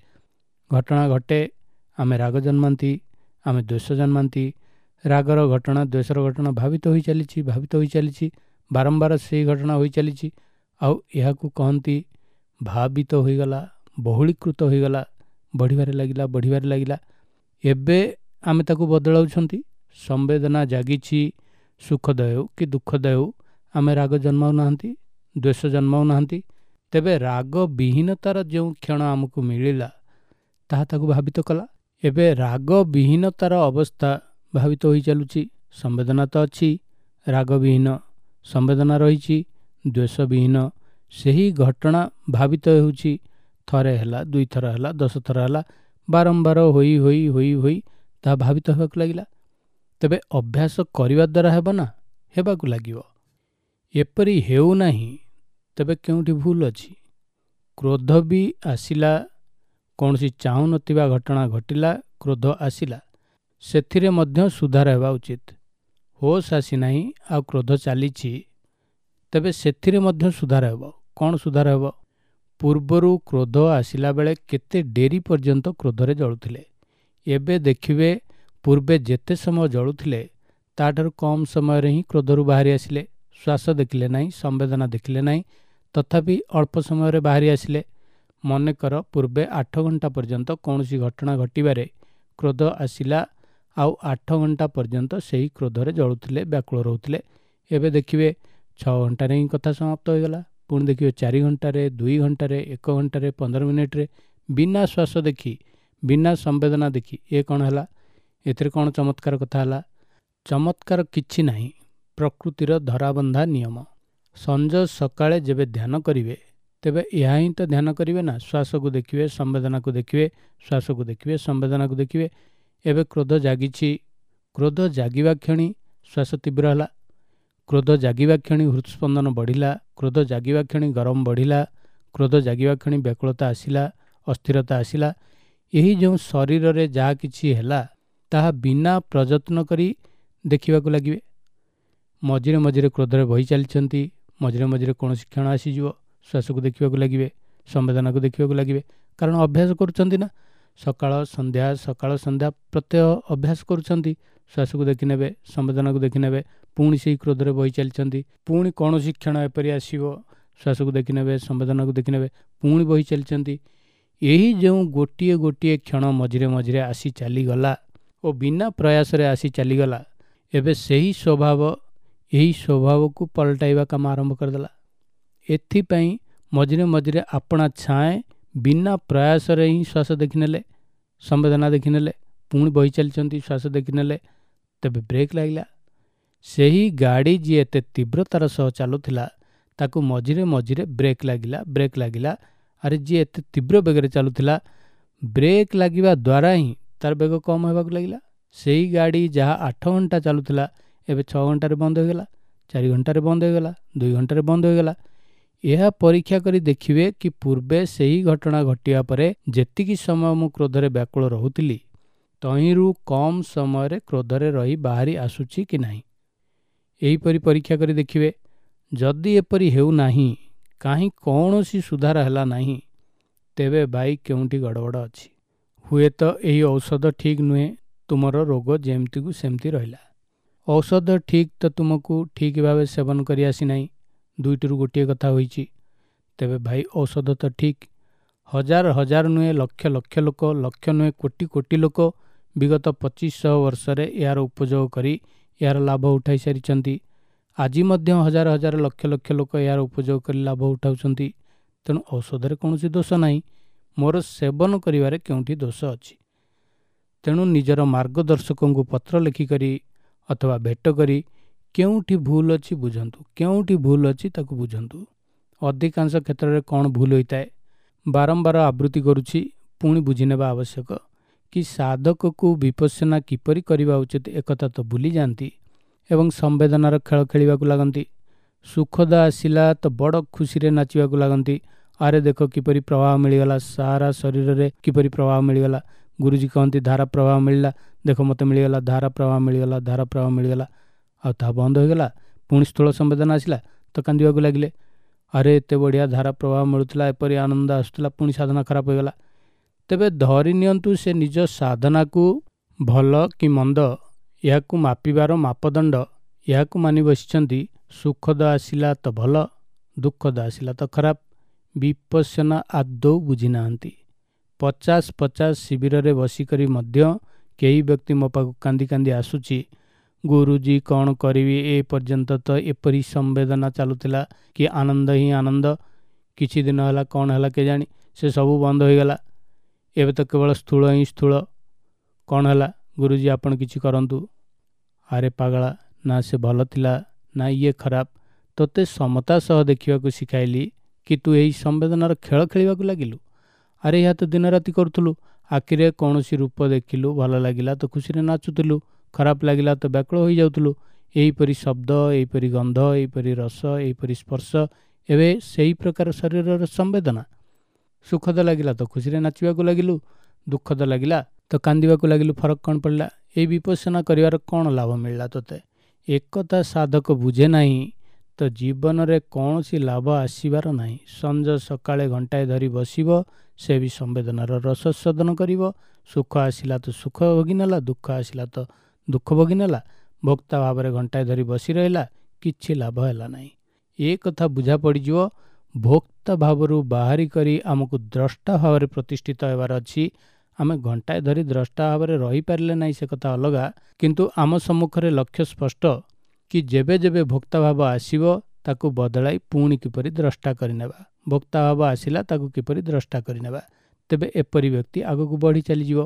ଘଟଣା ଘଟେ, ଆମେ ରାଗ ଜନ୍ମାନ୍ତି, ଆମେ ଦ୍ୱେଷ ଜନ୍ମାନ୍ତି। ରାଗର ଘଟଣା, ଦ୍ୱେଷର ଘଟଣା ଭାବିତ ହୋଇ ଚାଲିଛି, ଭାବିତ ହୋଇ ଚାଲିଛି, ବାରମ୍ବାର ସେହି ଘଟଣା ହୋଇ ଚାଲିଛି। ଆଉ ଏହାକୁ କହନ୍ତି ଭାବିତ ହୋଇଗଲା, ବହୁଳୀକୃତ ହୋଇଗଲା, ବଢ଼ିବାରେ ଲାଗିଲା, ବଢ଼ିବାରେ ଲାଗିଲା। ଏବେ ଆମେ ତାକୁ ବଦଳାଉଛନ୍ତି। ସମ୍ବେଦନା ଜାଗିଛି, ସୁଖଦ ହେଉ କି ଦୁଃଖଦ ହେଉ, ଆମେ ରାଗ ଜନ୍ମାଉନାହାନ୍ତି, ଦ୍ୱେଷ ଜନ୍ମାଉନାହାନ୍ତି। ତେବେ ରାଗ ବିହୀନତାର ଯେଉଁ କ୍ଷଣ ଆମକୁ ମିଳିଲା, ତାହା ତାକୁ ଭାବିତ କଲା। ଏବେ ରାଗ ବିହୀନତାର ଅବସ୍ଥା ଭାବିତ ହୋଇ ଚାଲୁଛି। ସମ୍ବେଦନା ତ ଅଛି, ରାଗ ବିହୀନ ସମ୍ବେଦନା ରହିଛି, ଦ୍ୱେଷ ବିହୀନ ସେହି ଘଟଣା ଭାବିତ ହେଉଛି। ଥରେ ହେଲା, 2 ଥର ହେଲା, 10 ଥର ହେଲା, ବାରମ୍ବାର ହୋଇ ହୋଇ ହୋଇ ହୋଇ ତାହା ଭାବିତ ହେବାକୁ ଲାଗିଲା। ତେବେ ଅଭ୍ୟାସ କରିବା ଦ୍ୱାରା ହେବ ନା? ହେବାକୁ ଲାଗିବ। ଏପରି ହେଉନାହିଁ ତେବେ କେଉଁଠି ଭୁଲ ଅଛି? କ୍ରୋଧ ବି ଆସିଲା, କୌଣସି ଚାହୁଁନଥିବା ଘଟଣା ଘଟିଲା, କ୍ରୋଧ ଆସିଲା, ସେଥିରେ ମଧ୍ୟ ସୁଧାର ହେବା ଉଚିତ। ହୋସ୍ ଆସିନାହିଁ ଆଉ କ୍ରୋଧ ଚାଲିଛି, ତେବେ ସେଥିରେ ମଧ୍ୟ ସୁଧାର ହେବ। କ'ଣ ସୁଧାର ହେବ? ପୂର୍ବରୁ କ୍ରୋଧ ଆସିଲା ବେଳେ କେତେ ଡେରି ପର୍ଯ୍ୟନ୍ତ କ୍ରୋଧରେ ଜଳୁଥିଲେ, ଏବେ ଦେଖିବେ ପୂର୍ବେ ଯେତେ ସମୟ ଜଳୁଥିଲେ ତାଠାରୁ କମ୍ ସମୟରେ ହିଁ କ୍ରୋଧରୁ ବାହାରି ଆସିଲେ। ଶ୍ୱାସ ଦେଖିଲେ ନାହିଁ, ସମ୍ବେଦନା ଦେଖିଲେ ନାହିଁ, ତଥାପି ଅଳ୍ପ ସମୟରେ ବାହାରି ଆସିଲେ। ମନେକର ପୂର୍ବେ 8 ଘଣ୍ଟା ପର୍ଯ୍ୟନ୍ତ କୌଣସି ଘଟଣା ଘଟିବାରେ କ୍ରୋଧ ଆସିଲା, ଆଉ 8 ଘଣ୍ଟା ପର୍ଯ୍ୟନ୍ତ ସେହି କ୍ରୋଧରେ ଜଳୁଥିଲେ, ବ୍ୟାକୁଳ ରହୁଥିଲେ। ଏବେ ଦେଖିବେ 6 ଘଣ୍ଟାରେ ହିଁ କଥା ସମାପ୍ତ ହୋଇଗଲା। ପୁଣି ଦେଖିବେ 4 ଘଣ୍ଟାରେ, 2 ଘଣ୍ଟାରେ, 1 ଘଣ୍ଟାରେ, 15 ମିନିଟ୍ରେ, ବିନା ଶ୍ୱାସ ଦେଖି, ବିନା ସମ୍ବେଦନା ଦେଖି। ଏ କ'ଣ ହେଲା? ଏଥିରେ କ'ଣ ଚମତ୍କାର କଥା ହେଲା? ଚମତ୍କାର କିଛି ନାହିଁ, ପ୍ରକୃତିର ଧରାବନ୍ଧା ନିୟମ। ସଞ୍ଜ ସକାଳେ ଯେବେ ଧ୍ୟାନ କରିବେ, ତେବେ ଏହା ହିଁ ତ ଧ୍ୟାନ କରିବେ ନା। ଶ୍ୱାସକୁ ଦେଖିବେ, ସମ୍ବେଦନାକୁ ଦେଖିବେ, ଶ୍ୱାସକୁ ଦେଖିବେ, ସମ୍ବେଦନାକୁ ଦେଖିବେ। ଏବେ କ୍ରୋଧ ଜାଗିଛି, କ୍ରୋଧ ଜାଗିବା କ୍ଷଣି ଶ୍ୱାସ ତୀବ୍ର ହେଲା, କ୍ରୋଧ ଜାଗିବା କ୍ଷଣି ହୃଦସ୍ପନ୍ଦନ ବଢ଼ିଲା, କ୍ରୋଧ ଜାଗିବା କ୍ଷଣି ଗରମ ବଢ଼ିଲା, କ୍ରୋଧ ଜାଗିବା କ୍ଷଣି ବ୍ୟାକୁଳତା ଆସିଲା, ଅସ୍ଥିରତା ଆସିଲା। ଏହି ଯେଉଁ ଶରୀରରେ ଯାହା କିଛି ହେଲା ତାହା ବିନା ପ୍ରଯତ୍ନ କରି ଦେଖିବାକୁ ଲାଗିବେ। ମଝିରେ ମଝିରେ କ୍ରୋଧରେ ବହି ଚାଲିଛନ୍ତି, ମଝିରେ ମଝିରେ କୌଣସି କ୍ଷଣ ଆସିଯିବ, ଶ୍ୱାସକୁ ଦେଖିବାକୁ ଲାଗିବେ, ସମ୍ବେଦନାକୁ ଦେଖିବାକୁ ଲାଗିବେ। କାରଣ ଅଭ୍ୟାସ କରୁଛନ୍ତି ନା, ସକାଳ ସନ୍ଧ୍ୟା, ସକାଳ ସନ୍ଧ୍ୟା ପ୍ରତ୍ୟହ ଅଭ୍ୟାସ କରୁଛନ୍ତି। ଶ୍ୱାସକୁ ଦେଖିନେବେ, ସମ୍ବେଦନାକୁ ଦେଖିନେବେ, ପୁଣି ସେଇ କ୍ରୋଧରେ ବହି ଚାଲିଛନ୍ତି। ପୁଣି କୌଣସି କ୍ଷଣ ଏପରି ଆସିବ, ଶ୍ୱାସକୁ ଦେଖିନେବେ, ସମ୍ବେଦନାକୁ ଦେଖିନେବେ, ପୁଣି ବହି ଚାଲିଛନ୍ତି। ଏହି ଯେଉଁ ଗୋଟିଏ ଗୋଟିଏ କ୍ଷଣ ମଝିରେ ମଝିରେ ଆସି ଚାଲିଗଲା ଓ ବିନା ପ୍ରୟାସରେ ଆସି ଚାଲିଗଲା, ଏବେ ସେହି ସ୍ୱଭାବ ଏହି ସ୍ୱଭାବକୁ ପଲଟାଇବା କାମ ଆରମ୍ଭ କରିଦେଲା। ଏଥିପାଇଁ ମଝିରେ ମଝିରେ ଆପଣା ଛାଏଁ ବିନା ପ୍ରୟାସରେ ହିଁ ଶ୍ୱାସ ଦେଖିନେଲେ, ସମ୍ବେଦନା ଦେଖିନେଲେ, ପୁଣି ବହି ଚାଲିଛନ୍ତି, ଶ୍ୱାସ ଦେଖିନେଲେ, ତେବେ ବ୍ରେକ୍ ଲାଗିଲା। ସେହି ଗାଡ଼ି ଯିଏ ଏତେ ତୀବ୍ରତାର ସହ ଚାଲୁଥିଲା ତାକୁ ମଝିରେ ମଝିରେ ବ୍ରେକ୍ ଲାଗିଲା, ବ୍ରେକ୍ ଲାଗିଲା। ଆରେ ଯିଏ ଏତେ ତୀବ୍ର ବେଗରେ ଚାଲୁଥିଲା, ବ୍ରେକ୍ ଲାଗିବା ଦ୍ୱାରା ହିଁ ତାର ବେଗ କମ୍ ହେବାକୁ ଲାଗିଲା। ସେଇ ଗାଡ଼ି ଯାହା 8 ଘଣ୍ଟା ଚାଲୁଥିଲା ଏବେ 6 ଘଣ୍ଟାରେ ବନ୍ଦ ହୋଇଗଲା, 4 ଘଣ୍ଟାରେ ବନ୍ଦ ହୋଇଗଲା, 2 ଘଣ୍ଟାରେ ବନ୍ଦ ହୋଇଗଲା। ଏହା ପରୀକ୍ଷା କରି ଦେଖିବେ କି ପୂର୍ବେ ସେହି ଘଟଣା ଘଟିବା ପରେ ଯେତିକି ସମୟ ମୁଁ କ୍ରୋଧରେ ବ୍ୟାକୁଳ ରହୁଥିଲି, ତହିଁରୁ କମ୍ ସମୟରେ କ୍ରୋଧରେ ରହି ବାହାରି ଆସୁଛି କି ନାହିଁ। ଏହିପରି ପରୀକ୍ଷା କରି ଦେଖିବେ। ଯଦି ଏପରି ହେଉନାହିଁ, କାହିଁ କୌଣସି ସୁଧାର ହେଲା ନାହିଁ, ତେବେ ଭାଇ କେଉଁଠି ଗଡ଼ବଡ଼ ଅଛି। ହୁଏତ ଏହି ଔଷଧ ଠିକ୍ ନୁହେଁ, ତୁମର ରୋଗ ଯେମିତିକୁ ସେମିତି ରହିଲା। ଔଷଧ ଠିକ୍ ତ ତୁମକୁ ଠିକ୍ ଭାବେ ସେବନ କରି ଆସିନାହିଁ। ଦୁଇଟିରୁ ଗୋଟିଏ କଥା ହୋଇଛି। ତେବେ ଭାଇ ଔଷଧ ତ ଠିକ୍। ହଜାର ହଜାର ନୁହେଁ, ଲକ୍ଷ ଲକ୍ଷ ଲୋକ, ଲକ୍ଷ ନୁହେଁ କୋଟି କୋଟି ଲୋକ ବିଗତ 2500 ବର୍ଷରେ ଏହାର ଉପଯୋଗ କରି ଏହାର ଲାଭ ଉଠାଇ ସାରିଛନ୍ତି। ଆଜି ମଧ୍ୟ ହଜାର ହଜାର ଲକ୍ଷ ଲକ୍ଷ ଲୋକ ଏହାର ଉପଯୋଗ କରି ଲାଭ ଉଠାଉଛନ୍ତି। ତେଣୁ ଔଷଧରେ କୌଣସି ଦୋଷ ନାହିଁ, ମୋର ସେବନ କରିବାରେ କେଉଁଠି ଦୋଷ ଅଛି। ତେଣୁ ନିଜର ମାର୍ଗଦର୍ଶକଙ୍କୁ ପତ୍ର ଲେଖିକରି ଅଥବା ଭେଟ କରି କେଉଁଠି ଭୁଲ ଅଛି ବୁଝନ୍ତୁ, କେଉଁଠି ଭୁଲ ଅଛି ତାକୁ ବୁଝନ୍ତୁ। ଅଧିକାଂଶ କ୍ଷେତ୍ରରେ କ'ଣ ଭୁଲ ହୋଇଥାଏ ବାରମ୍ବାର ଆବୃତ୍ତି କରୁଛି, ପୁଣି ବୁଝିନେବା ଆବଶ୍ୟକ କି ସାଧକକୁ ବିପස්සନା କିପରି କରିବା ଉଚିତ ଏକଥା ତ ଭୁଲି ଯାଆନ୍ତି ଏବଂ ସମ୍ବେଦନାର ଖେଳ ଖେଳିବାକୁ ଲାଗନ୍ତି। ସୁଖଦ ଆସିଲା ତ ବଡ଼ ଖୁସିରେ ନାଚିବାକୁ ଲାଗନ୍ତି। ଆରେ ଦେଖ କିପରି ପ୍ରଭାବ ମିଳିଗଲା, ସାରା ଶରୀରରେ କିପରି ପ୍ରଭାବ ମିଳିଗଲା। ଗୁରୁଜୀ କହନ୍ତି ଧାରା ପ୍ରଭାବ ମିଳିଲା, ଦେଖ ମୋତେ ମିଳିଗଲା, ଧାରା ପ୍ରଭାବ ମିଳିଗଲା, ଧାରା ପ୍ରଭାବ ମିଳିଗଲା। ଆଉ ତାହା ବନ୍ଦ ହୋଇଗଲା, ପୁଣି ସ୍ଥୂଳ ସମ୍ବେଦନା ଆସିଲା ତ କାନ୍ଦିବାକୁ ଲାଗିଲେ। ଆରେ ଏତେ ବଢ଼ିଆ ଧାରା ପ୍ରଭାବ ମିଳୁଥିଲା, ଏପରି ଆନନ୍ଦ ଆସୁଥିଲା, ପୁଣି ସାଧନା ଖରାପ ହୋଇଗଲା। ତେବେ ଧରି ନିଅନ୍ତୁ ସେ ନିଜ ସାଧନାକୁ ଭଲ କି ମନ୍ଦ ଏହାକୁ ମାପିବାର ମାପଦଣ୍ଡ ଏହାକୁ ମାନି ବସିଛନ୍ତି। ସୁଖଦ ଆସିଲା ତ ଭଲ, ଦୁଃଖଦ ଆସିଲା ତ ଖରାପ। ବିପස්සନା ଆଦୌ ବୁଝିନାହାନ୍ତି। 50-50 ଶିବିରରେ ବସିକରି ମଧ୍ୟ କେହି ବ୍ୟକ୍ତି ମୋ ପାଖକୁ କାନ୍ଦି କାନ୍ଦି ଆସୁଛି, ଗୁରୁଜୀ କ'ଣ କରିବି, ଏ ପର୍ଯ୍ୟନ୍ତ ତ ଏପରି ସମ୍ବେଦନା ଚାଲୁଥିଲା କି ଆନନ୍ଦ ହିଁ ଆନନ୍ଦ, କିଛି ଦିନ ହେଲା କ'ଣ ହେଲା କେଜାଣି ସେ ସବୁ ବନ୍ଦ ହୋଇଗଲା, ଏବେ ତ କେବଳ ସ୍ଥୂଳ ହିଁ ସ୍ଥୂଳ, କ'ଣ ହେଲା ଗୁରୁଜୀ ଆପଣ କିଛି କରନ୍ତୁ। ଆରେ ପାଗଳା, ନା ସେ ଭଲ ଥିଲା ନା ଇଏ ଖରାପ, ତୋତେ ସମତା ସହ ଦେଖିବାକୁ ଶିଖାଇଲି କି ତୁ ଏହି ସମ୍ବେଦନାର ଖେଳ ଖେଳିବାକୁ ଲାଗିଲୁ। ଆରେ ଏହା ତ ଦିନରାତି କରୁଥିଲୁ, ଆଖିରେ କୌଣସି ରୂପ ଦେଖିଲୁ ଭଲ ଲାଗିଲା ତ ଖୁସିରେ ନାଚୁଥିଲୁ, ଖରାପ ଲାଗିଲା ତ ବ୍ୟାକୁଳ ହୋଇଯାଉଥିଲୁ। ଏହିପରି ଶବ୍ଦ, ଏହିପରି ଗନ୍ଧ, ଏହିପରି ରସ, ଏହିପରି ସ୍ପର୍ଶ, ଏବେ ସେହି ପ୍ରକାର ଶରୀରର ସମ୍ବେଦନା। ସୁଖଦ ଲାଗିଲା ତ ଖୁସିରେ ନାଚିବାକୁ ଲାଗିଲୁ, ଦୁଃଖଦ ଲାଗିଲା ତ କାନ୍ଦିବାକୁ ଲାଗିଲୁ, ଫରକ କ'ଣ ପଡ଼ିଲା? ଏହି ବିପස්සନା କରିବାର କ'ଣ ଲାଭ ମିଳିଲା ତୋତେ? ଏକଥା ସାଧକ ବୁଝେ ନାହିଁ ତ ଜୀବନରେ କୌଣସି ଲାଭ ଆସିବାର ନାହିଁ। ସଞ୍ଜ ସକାଳେ ଘଣ୍ଟାଏ ଧରି ବସିବ, ସେ ବି ସମ୍ବେଦନାର ରସସ୍ୱାଦନ କରିବ। ସୁଖ ଆସିଲା ତ ସୁଖ ଭୋଗି ନେଲା, ଦୁଃଖ ଆସିଲା ତ ଦୁଃଖ ଭୋଗି ନେଲା। ଭୋକ୍ତା ଭାବରେ ଘଣ୍ଟାଏ ଧରି ବସି ରହିଲା, କିଛି ଲାଭ ହେଲା ନାହିଁ। ଏ କଥା ବୁଝା ପଡ଼ିଯିବ। ଭୋକ୍ତା ଭାବରୁ ବାହାରି କରି ଆମକୁ ଦ୍ରଷ୍ଟା ଭାବରେ ପ୍ରତିଷ୍ଠିତ ହେବାର ଅଛି। ଆମେ ଘଣ୍ଟାଏ ଧରି ଦ୍ରଷ୍ଟା ଭାବରେ ରହିପାରିଲେ ନାହିଁ ସେ କଥା ଅଲଗା, କିନ୍ତୁ ଆମ ସମ୍ମୁଖରେ ଲକ୍ଷ୍ୟ ସ୍ପଷ୍ଟ କି ଯେବେ ଯେବେ ଭୋକ୍ତା ଭାବ ଆସିବ ତାକୁ ବଦଳାଇ ପୁଣି କିପରି ଦ୍ରଷ୍ଟା କରିନେବା, ଭୋକ୍ତା ଭାବ ଆସିଲା ତାକୁ କିପରି ଦ୍ରଷ୍ଟା କରିନେବା। ତେବେ ଏପରି ବ୍ୟକ୍ତି ଆଗକୁ ବଢ଼ି ଚାଲିଯିବ।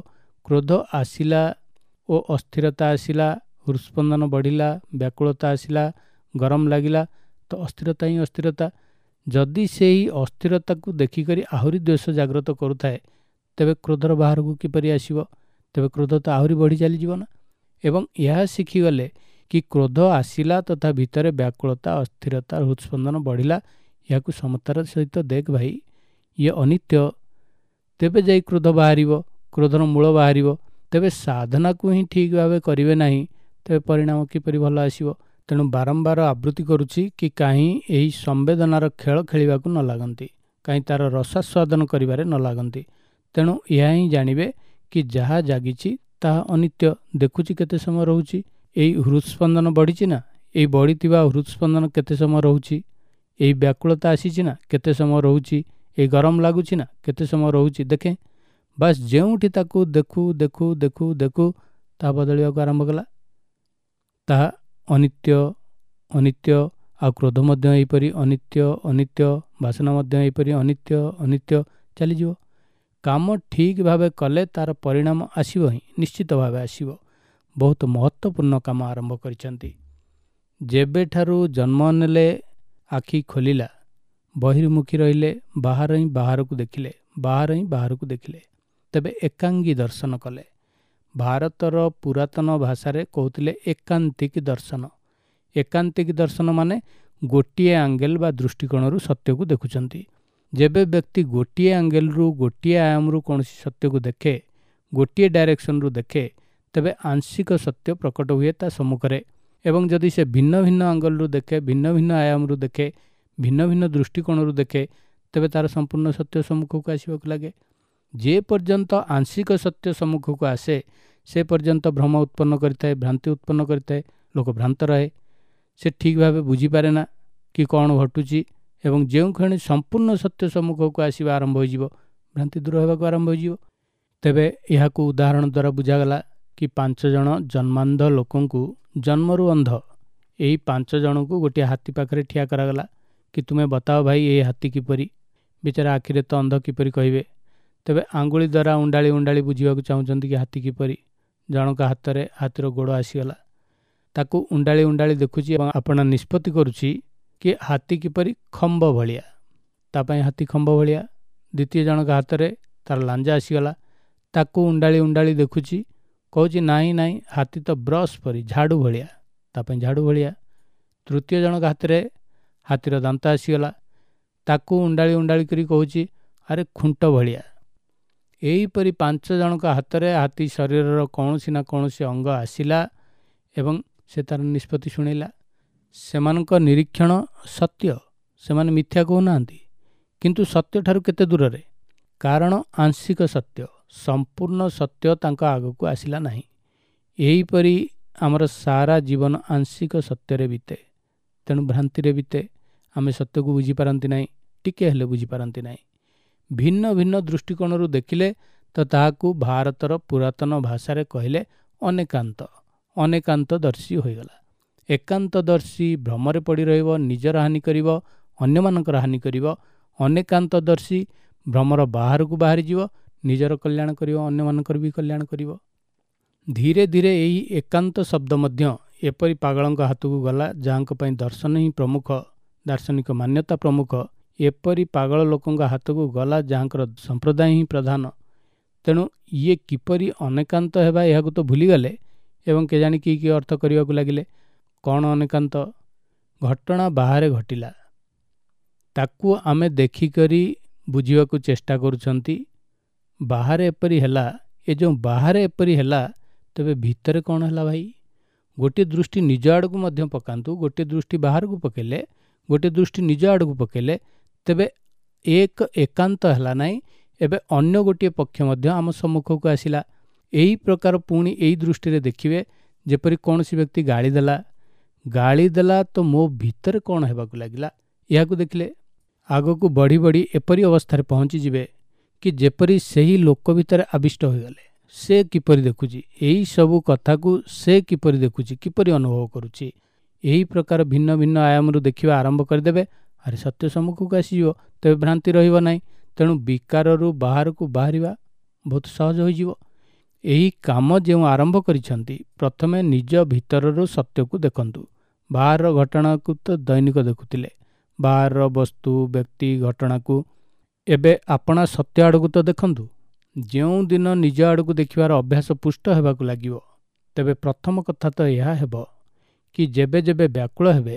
କ୍ରୋଧ ଆସିଲା ଓ ଅସ୍ଥିରତା ଆସିଲା, ହୃତ୍ସ୍ପନ୍ଦନ ବଢ଼ିଲା, ବ୍ୟାକୁଳତା ଆସିଲା, ଗରମ ଲାଗିଲା ତ ଅସ୍ଥିରତା ହିଁ ଅସ୍ଥିରତା। ଯଦି ସେହି ଅସ୍ଥିରତାକୁ ଦେଖିକରି ଆହୁରି ଦ୍ୱେଷ ଜାଗ୍ରତ କରୁଥାଏ ତେବେ କ୍ରୋଧର ବାହାରକୁ କିପରି ଆସିବ? ତେବେ କ୍ରୋଧ ତ ଆହୁରି ବଢ଼ି ଚାଲିଯିବ ନା। ଏବଂ ଏହା ଶିଖିଗଲେ କି କ୍ରୋଧ ଆସିଲା ତଥା ଭିତରେ ବ୍ୟାକୁଳତା, ଅସ୍ଥିରତା, ହୃତ୍ସ୍ପନ୍ଦନ ବଢ଼ିଲା, ଏହାକୁ ସମତାର ସହିତ ଦେଖ ଭାଇ, ଇଏ ଅନିତ୍ୟ, ତେବେ ଯାଇ କ୍ରୋଧ ବାହାରିବ, କ୍ରୋଧର ମୂଳ ବାହାରିବ। ତେବେ ସାଧନାକୁ ହିଁ ଠିକ୍ ଭାବେ କରିବେ ନାହିଁ ତେବେ ପରିଣାମ କିପରି ଭଲ ଆସିବ? ତେଣୁ ବାରମ୍ବାର ଆବୃତ୍ତି କରୁଛି କି କାହିଁ ଏହି ସମ୍ବେଦନାର ଖେଳ ଖେଳିବାକୁ ନ ଲାଗନ୍ତି, କାହିଁ ତା'ର ରସାସ୍ୱାଦନ କରିବାରେ ନ ଲାଗନ୍ତି। ତେଣୁ ଏହା ହିଁ ଜାଣିବେ କି ଯାହା ଜାଗିଛି ତାହା ଅନିତ୍ୟ। ଦେଖୁଛି କେତେ ସମୟ ରହୁଛି, ଏଇ ହୃତ୍ସ୍ପନ୍ଦନ ବଢ଼ିଛି ନା, ଏଇ ବଢ଼ିଥିବା ହୃତ୍ସ୍ପନ୍ଦନ କେତେ ସମୟ ରହୁଛି, ଏଇ ବ୍ୟାକୁଳତା ଆସିଛି ନା କେତେ ସମୟ ରହୁଛି, ଏଇ ଗରମ ଲାଗୁଛି ନା କେତେ ସମୟ ରହୁଛି, ଦେଖେ। ବାସ୍ ଯେଉଁଠି ତାକୁ ଦେଖୁ ଦେଖୁ ଦେଖୁ ଦେଖୁ ତାହା ବଦଳିବାକୁ ଆରମ୍ଭ କଲା, ତାହା ଅନିତ୍ୟ ଅନିତ୍ୟ। ଆଉ କ୍ରୋଧ ମଧ୍ୟ ଏହିପରି ଅନିତ୍ୟ ଅନିତ୍ୟ, ବାସନା ମଧ୍ୟ ଏହିପରି ଅନିତ୍ୟ ଅନିତ୍ୟ ଚାଲିଯିବ। କାମ ଠିକ୍ ଭାବେ କଲେ ତା'ର ପରିଣାମ ଆସିବ ହିଁ, ନିଶ୍ଚିତ ଭାବେ ଆସିବ। ବହୁତ ମହତ୍ତ୍ୱପୂର୍ଣ୍ଣ କାମ ଆରମ୍ଭ କରିଛନ୍ତି। ଯେବେଠାରୁ ଜନ୍ମ ନେଲେ, ଆଖି ଖୋଲିଲା, ବହିର୍ମୁଖୀ ରହିଲେ, ବାହାର ହିଁ ବାହାରକୁ ଦେଖିଲେ, ବାହାର ହିଁ ବାହାରକୁ ଦେଖିଲେ, ତେବେ ଏକାଙ୍ଗୀ ଦର୍ଶନ କଲେ। ଭାରତର ପୁରାତନ ଭାଷାରେ କହୁଥିଲେ ଏକାନ୍ତିକ ଦର୍ଶନ। ଏକାନ୍ତିକ ଦର୍ଶନ ମାନେ ଗୋଟିଏ ଆଙ୍ଗେଲ ବା ଦୃଷ୍ଟିକୋଣରୁ ସତ୍ୟକୁ ଦେଖୁଛନ୍ତି। ଯେବେ ବ୍ୟକ୍ତି ଗୋଟିଏ ଆଙ୍ଗେଲରୁ, ଗୋଟିଏ ଆୟାମରୁ କୌଣସି ସତ୍ୟକୁ ଦେଖେ, ଗୋଟିଏ ଡାଇରେକ୍ସନରୁ ଦେଖେ, ତେବେ ଆଂଶିକ ସତ୍ୟ ପ୍ରକଟ ହୁଏ ତା ସମ୍ମୁଖରେ। ଏବଂ ଯଦି ସେ ଭିନ୍ନ ଭିନ୍ନ ଆଙ୍ଗଲରୁ ଦେଖେ, ଭିନ୍ନ ଭିନ୍ନ ଆୟାମରୁ ଦେଖେ, ଭିନ୍ନ ଭିନ୍ନ ଦୃଷ୍ଟିକୋଣରୁ ଦେଖେ, ତେବେ ତା'ର ସମ୍ପୂର୍ଣ୍ଣ ସତ୍ୟ ସମ୍ମୁଖକୁ ଆସିବାକୁ ଲାଗେ। ଯେ ପର୍ଯ୍ୟନ୍ତ ଆଂଶିକ ସତ୍ୟ ସମ୍ମୁଖକୁ ଆସେ ସେ ପର୍ଯ୍ୟନ୍ତ ଭ୍ରମ ଉତ୍ପନ୍ନ କରିଥାଏ, ଭ୍ରାନ୍ତି ଉତ୍ପନ୍ନ କରିଥାଏ, ଲୋକ ଭ୍ରାନ୍ତ ରହେ, ସେ ଠିକ୍ ଭାବେ ବୁଝିପାରେ ନା କି କ'ଣ ଘଟୁଛି। ଏବଂ ଯେଉଁ କ୍ଷଣି ସମ୍ପୂର୍ଣ୍ଣ ସତ୍ୟ ସମ୍ମୁଖକୁ ଆସିବା ଆରମ୍ଭ ହୋଇଯିବ, ଭ୍ରାନ୍ତି ଦୂର ହେବାକୁ ଆରମ୍ଭ ହୋଇଯିବ। ତେବେ ଏହାକୁ ଉଦାହରଣ ଦ୍ୱାରା ବୁଝାଗଲା କି 5 ଜଣ ଜନ୍ମାନ୍ଧ ଲୋକଙ୍କୁ, ଜନ୍ମରୁ ଅନ୍ଧ, ଏହି 5 ଜଣଙ୍କୁ ଗୋଟିଏ ହାତୀ ପାଖରେ ଠିଆ କରାଗଲା କି ତୁମେ ବତାଅ ଭାଇ ଏହି ହାତୀ କିପରି। ବିଚାରା ଆଖିରେ ତ ଅନ୍ଧ, କିପରି କହିବେ? ତେବେ ଆଙ୍ଗୁଳି ଦ୍ୱାରା ଉଣ୍ଡାଳି ଉଣ୍ଡାଳି ବୁଝିବାକୁ ଚାହୁଁଛନ୍ତି କି ହାତୀ କିପରି। ଜଣଙ୍କ ହାତରେ ହାତୀର ଗୋଡ଼ ଆସିଗଲା, ତାକୁ ଉଣ୍ଡାଳି ଉଣ୍ଡାଳି ଦେଖୁଛି ଏବଂ ଆପଣା ନିଷ୍ପତ୍ତି କରୁଛି କି ହାତୀ କିପରି ଖମ୍ବ ଭଳିଆ, ତା ପାଇଁ ହାତୀ ଖମ୍ବ ଭଳିଆ। ଦ୍ୱିତୀୟ ଜଣଙ୍କ ହାତରେ ତାର ଲାଞ୍ଜ ଆସିଗଲା, ତାକୁ ଉଣ୍ଡାଳି ଉଣ୍ଡାଳି ଦେଖୁଛି, କହୁଛି ନାଇଁ ନାଇଁ ହାତୀ ତ ବ୍ରସ୍ ପରି ଝାଡ଼ୁ ଭଳିଆ, ତା ପାଇଁ ଝାଡ଼ୁ ଭଳିଆ। ତୃତୀୟ ଜଣଙ୍କ ହାତରେ ହାତୀର ଦାନ୍ତ ଆସିଗଲା, ତାକୁ ଉଣ୍ଡାଳି ଉଣ୍ଡାଳି କରି କହୁଛି ଆରେ ଖୁଣ୍ଟ ଭଳିଆ। ଏହିପରି 5 ଜଣଙ୍କ ହାତରେ ହାତୀ ଶରୀରର କୌଣସି ନା କୌଣସି ଅଙ୍ଗ ଆସିଲା ଏବଂ ସେ ତାର ନିଷ୍ପତ୍ତି ଶୁଣେଇଲା। ସେମାନଙ୍କ ନିରୀକ୍ଷଣ ସତ୍ୟ, ସେମାନେ ମିଥ୍ୟା କହୁନାହାନ୍ତି, କିନ୍ତୁ ସତ୍ୟଠାରୁ କେତେ ଦୂରରେ। କାରଣ ଆଂଶିକ ସତ୍ୟ, ସମ୍ପୂର୍ଣ୍ଣ ସତ୍ୟ ତାଙ୍କ ଆଗକୁ ଆସିଲା ନାହିଁ। ଏହିପରି ଆମର ସାରା ଜୀବନ ଆଂଶିକ ସତ୍ୟରେ ବିତେ, ତେଣୁ ଭ୍ରାନ୍ତିରେ ବିତେ। ଆମେ ସତ୍ୟକୁ ବୁଝିପାରନ୍ତି ନାହିଁ, ଟିକେ ହେଲେ ବୁଝିପାରନ୍ତି ନାହିଁ। ଭିନ୍ନ ଭିନ୍ନ ଦୃଷ୍ଟିକୋଣରୁ ଦେଖିଲେ ତ ତାହାକୁ ଭାରତର ପୁରାତନ ଭାଷାରେ କହିଲେ ଅନେକାନ୍ତ, ଅନେକାନ୍ତଦର୍ଶୀ ହୋଇଗଲା। ଏକାନ୍ତଦର୍ଶୀ ଭ୍ରମରେ ପଡ଼ି ରହିବ, ନିଜର ହାନି କରିବ, ଅନ୍ୟମାନଙ୍କର ହାନି କରିବ। ଅନେକାନ୍ତଦର୍ଶୀ ଭ୍ରମର ବାହାରକୁ ବାହାରିଯିବ, ନିଜର କଲ୍ୟାଣ କରିବ, ଅନ୍ୟମାନଙ୍କର ବି କଲ୍ୟାଣ କରିବ। ଧୀରେ ଧୀରେ ଏହି ଏକାନ୍ତ ଶବ୍ଦ ମଧ୍ୟ ଏପରି ପାଗଳଙ୍କ ହାତକୁ ଗଲା, ଯାହାଙ୍କ ପାଇଁ ଦର୍ଶନ ହିଁ ପ୍ରମୁଖ, ଦାର୍ଶନିକ ମାନ୍ୟତା ପ୍ରମୁଖ। ଏପରି ପାଗଳ ଲୋକଙ୍କ ହାତକୁ ଗଲା ଯାହାଙ୍କର ସମ୍ପ୍ରଦାୟ ହିଁ ପ୍ରଧାନ। ତେଣୁ ଇଏ କିପରି ଅନେକାନ୍ତ ହେବା ଏହାକୁ ତ ଭୁଲିଗଲେ ଏବଂ କେଜାଣି କି କି ଅର୍ଥ କରିବାକୁ ଲାଗିଲେ। କ'ଣ ଅନେକାନ୍ତ? ଘଟଣା ବାହାରେ ଘଟିଲା, ତାକୁ ଆମେ ଦେଖିକରି ବୁଝିବାକୁ ଚେଷ୍ଟା କରୁଛନ୍ତି। ବାହାରେ ଏପରି ହେଲା, ଏ ଯେଉଁ ବାହାରେ ଏପରି ହେଲା, ତେବେ ଭିତରେ କ'ଣ ହେଲା ଭାଇ? ଗୋଟିଏ ଦୃଷ୍ଟି ନିଜ ଆଡ଼କୁ ମଧ୍ୟ ପକାନ୍ତୁ, ଗୋଟିଏ ଦୃଷ୍ଟି ବାହାରକୁ ପକାଇଲେ, ଗୋଟିଏ ଦୃଷ୍ଟି ନିଜ ଆଡ଼କୁ ପକାଇଲେ, ତେବେ ଏକ ଏକାନ୍ତ ହେଲା ନାହିଁ, ଏବେ ଅନ୍ୟ ଗୋଟିଏ ପକ୍ଷ ମଧ୍ୟ ଆମ ସମ୍ମୁଖକୁ ଆସିଲା। ଏହି ପ୍ରକାର ପୁଣି ଏଇ ଦୃଷ୍ଟିରେ ଦେଖିବେ, ଯେପରି କୌଣସି ବ୍ୟକ୍ତି ଗାଳି ଦେଲା, ଗାଳି ଦେଲା ତ ମୋ ଭିତରେ କ'ଣ ହେବାକୁ ଲାଗିଲା, ଏହାକୁ ଦେଖିଲେ ଆଗକୁ ବଢ଼ି ବଢ଼ି ଏପରି ଅବସ୍ଥାରେ ପହଞ୍ଚିଯିବେ କି ଯେପରି ସେହି ଲୋକ ଭିତରେ ଆବିଷ୍ଟ ହୋଇଗଲେ। ସେ କିପରି ଦେଖୁଛି ଏହି ସବୁ କଥାକୁ, ସେ କିପରି ଦେଖୁଛି, କିପରି ଅନୁଭବ କରୁଛି, ଏହି ପ୍ରକାର ଭିନ୍ନ ଭିନ୍ନ ଆୟାମରୁ ଦେଖିବା ଆରମ୍ଭ କରିଦେବେ। ଆରେ ସତ୍ୟ ସମ୍ମୁଖକୁ ଆସିଯିବ, ତେବେ ଭ୍ରାନ୍ତି ରହିବ ନାହିଁ। ତେଣୁ ବିକାରରୁ ବାହାରକୁ ବାହାରିବା ବହୁତ ସହଜ ହୋଇଯିବ। ଏହି କାମ ଯେଉଁ ଆରମ୍ଭ କରିଛନ୍ତି, ପ୍ରଥମେ ନିଜ ଭିତରରୁ ସତ୍ୟକୁ ଦେଖନ୍ତୁ। ବାହାରର ଘଟଣାକୁ ତ ଦୈନିକ ଦେଖୁଥିଲେ, ବାହାରର ବସ୍ତୁ, ବ୍ୟକ୍ତି, ଘଟଣାକୁ। ଏବେ ଆପଣା ସତ୍ୟ ଆଡ଼କୁ ତ ଦେଖନ୍ତୁ। ଯେଉଁଦିନ ନିଜ ଆଡ଼କୁ ଦେଖିବାର ଅଭ୍ୟାସ ପୁଷ୍ଟ ହେବାକୁ ଲାଗିବ, ତେବେ ପ୍ରଥମ କଥା ତ ଏହା ହେବ କି ଯେବେ ଯେବେ ବ୍ୟାକୁଳ ହେବେ,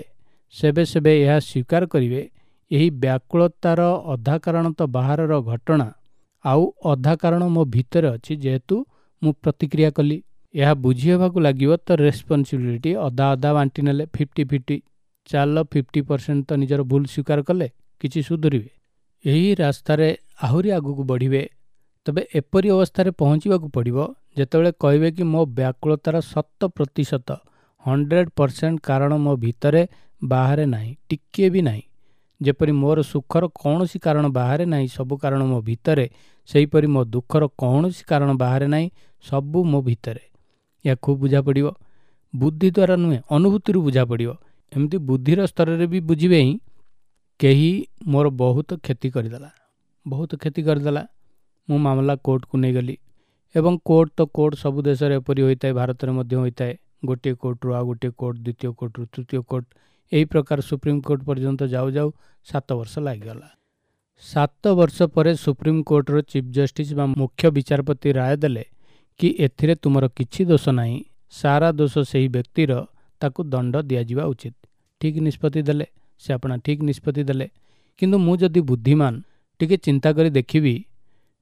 ସେବେ ସେବେ ଏହା ସ୍ୱୀକାର କରିବେ, ଏହି ବ୍ୟାକୁଳତାର ଅଧା କାରଣ ତ ବାହାରର ଘଟଣା, ଆଉ ଅଧା କାରଣ ମୋ ଭିତରେ ଅଛି, ଯେହେତୁ ମୁଁ ପ୍ରତିକ୍ରିୟା କଲି। ଏହା ବୁଝି ହେବାକୁ ଲାଗିବ ତ ରେସ୍ପନ୍ସିବିଲିଟି ଅଧା ଅଧା ବାଣ୍ଟି ନେଲେ, 50-50। ଚାଲ 50% ତ ନିଜର ଭୁଲ ସ୍ୱୀକାର କଲେ କିଛି ସୁଧୁରିବେ। ଏହି ରାସ୍ତାରେ ଆହୁରି ଆଗକୁ ବଢ଼ିବେ। ତେବେ ଏପରି ଅବସ୍ଥାରେ ପହଞ୍ଚିବାକୁ ପଡ଼ିବ ଯେତେବେଳେ କହିବେ କି ମୋ ବ୍ୟାକୁଳତାର 100% 100% କାରଣ ମୋ ଭିତରେ, ବାହାରେ ନାହିଁ, ଟିକିଏ ବି ନାହିଁ। ଯେପରି ମୋର ସୁଖର କୌଣସି କାରଣ ବାହାରେ ନାହିଁ, ସବୁ କାରଣ ମୋ ଭିତରେ, ସେହିପରି ମୋ ଦୁଃଖର କୌଣସି କାରଣ ବାହାରେ ନାହିଁ, ସବୁ ମୋ ଭିତରେ। ଏହା ଖୁବ୍ ବୁଝା ପଡ଼ିବ, ବୁଦ୍ଧି ଦ୍ୱାରା ନୁହେଁ, ଅନୁଭୂତିରୁ ବୁଝା ପଡ଼ିବ। ଏମିତି ବୁଦ୍ଧିର ସ୍ତରରେ ବି ବୁଝିବେ ହିଁ, କେହି ମୋର ବହୁତ କ୍ଷତି କରିଦେଲା, ବହୁତ କ୍ଷତି କରିଦେଲା, ମୁଁ ମାମଲା କୋର୍ଟକୁ ନେଇଗଲି। ଏବଂ କୋର୍ଟ ତ କୋର୍ଟ, ସବୁ ଦେଶରେ ଏପରି ହୋଇଥାଏ, ଭାରତରେ ମଧ୍ୟ ହୋଇଥାଏ। ଗୋଟିଏ କୋର୍ଟରୁ ଆଉ ଗୋଟିଏ କୋର୍ଟ, ଦ୍ୱିତୀୟ କୋର୍ଟରୁ ତୃତୀୟ କୋର୍ଟ, ଏହି ପ୍ରକାର ସୁପ୍ରିମକୋର୍ଟ ପର୍ଯ୍ୟନ୍ତ ଯାଉ ଯାଉ 7 ବର୍ଷ ଲାଗିଗଲା। 7 ବର୍ଷ ପରେ ସୁପ୍ରିମକୋର୍ଟର ଚିଫ୍ ଜଷ୍ଟିସ୍ ବା ମୁଖ୍ୟ ବିଚାରପତି ରାୟ ଦେଲେ କି ଏଥିରେ ତୁମର କିଛି ଦୋଷ ନାହିଁ, ସାରା ଦୋଷ ସେହି ବ୍ୟକ୍ତିର, ତାକୁ ଦଣ୍ଡ ଦିଆଯିବା ଉଚିତ। ଠିକ୍ ନିଷ୍ପତ୍ତି ଦେଲେ ସେ, ଆପଣା ଠିକ୍ ନିଷ୍ପତ୍ତି ଦେଲେ। କିନ୍ତୁ ମୁଁ ଯଦି ବୁଦ୍ଧିମାନ ଟିକେ ଚିନ୍ତା କରି ଦେଖିବି,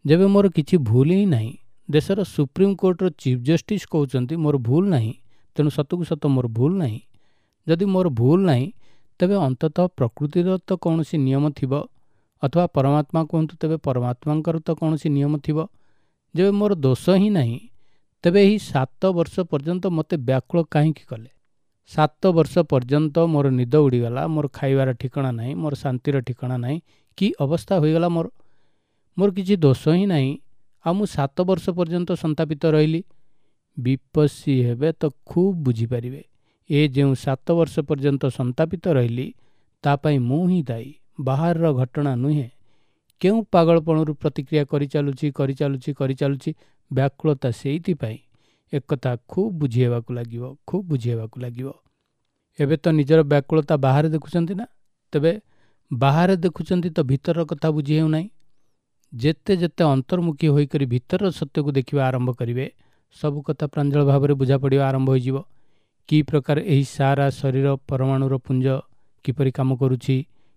ଯେବେ ମୋର କିଛି ଭୁଲ ହିଁ ନାହିଁ, ଦେଶର ସୁପ୍ରିମକୋର୍ଟର ଚିଫ୍ ଜଷ୍ଟିସ୍ କହୁଛନ୍ତି ମୋର ଭୁଲ ନାହିଁ, ତେଣୁ ସତକୁ ସତ ମୋର ଭୁଲ ନାହିଁ। ଯଦି ମୋର ଭୁଲ ନାହିଁ, ତେବେ ଅନ୍ତତଃ ପ୍ରକୃତିର ତ କୌଣସି ନିୟମ ଥିବ, ଅଥବା ପରମାତ୍ମା କୁହନ୍ତୁ, ତେବେ ପରମାତ୍ମାଙ୍କର ତ କୌଣସି ନିୟମ ଥିବ। ଯେବେ ମୋର ଦୋଷ ହିଁ ନାହିଁ, ତେବେ ଏହି 7 ବର୍ଷ ପର୍ଯ୍ୟନ୍ତ ମୋତେ ବ୍ୟାକୁଳ କାହିଁକି କଲେ? 7 ବର୍ଷ ପର୍ଯ୍ୟନ୍ତ ମୋର ନିଦ ଉଡ଼ିଗଲା, ମୋର ଖାଇବାର ଠିକଣା ନାହିଁ, ମୋର ଶାନ୍ତିର ଠିକଣା ନାହିଁ, କି ଅବସ୍ଥା ହୋଇଗଲା ମୋର। ମୋର କିଛି ଦୋଷ ହିଁ ନାହିଁ, ଆଉ ମୁଁ 7 ବର୍ଷ ପର୍ଯ୍ୟନ୍ତ ସନ୍ତାପିତ ରହିଲି। ବିପଶୀ ହେବେ ତ ଖୁବ୍ ବୁଝିପାରିବେ, ଏ ଯେଉଁ 7 ବର୍ଷ ପର୍ଯ୍ୟନ୍ତ ସନ୍ତାପିତ ରହିଲି ତା ପାଇଁ ମୁଁ ହିଁ ଦାୟୀ, ବାହାରର ଘଟଣା ନୁହେଁ। କେଉଁ ପାଗଳପଣରୁ ପ୍ରତିକ୍ରିୟା କରିଚାଲୁଛି, କରିଚାଲୁଛି, କରିଚାଲୁଛି, ବ୍ୟାକୁଳତା ସେଇଥିପାଇଁ। ଏକଥା ଖୁବ୍ ବୁଝି ହେବାକୁ ଲାଗିବ, ଖୁବ୍ ବୁଝି ହେବାକୁ ଲାଗିବ। ଏବେ ତ ନିଜର ବ୍ୟାକୁଳତା ବାହାରେ ଦେଖୁଛନ୍ତି ନା? ତେବେ ବାହାରେ ଦେଖୁଛନ୍ତି ତ ଭିତରର କଥା ବୁଝି ହେଉନାହିଁ। ଯେତେ ଯେତେ ଅନ୍ତର୍ମୁଖୀ ହୋଇକରି ଭିତରର ସତ୍ୟକୁ ଦେଖିବା ଆରମ୍ଭ କରିବେ, ସବୁ କଥା ପ୍ରାଞ୍ଜଳ ଭାବରେ ବୁଝା ପଡ଼ିବା ଆରମ୍ଭ ହୋଇଯିବ। କି ପ୍ରକାର ଏହି ସାରା ଶରୀର ପରମାଣୁର ପୁଞ୍ଜ କିପରି କାମ କରୁଛି,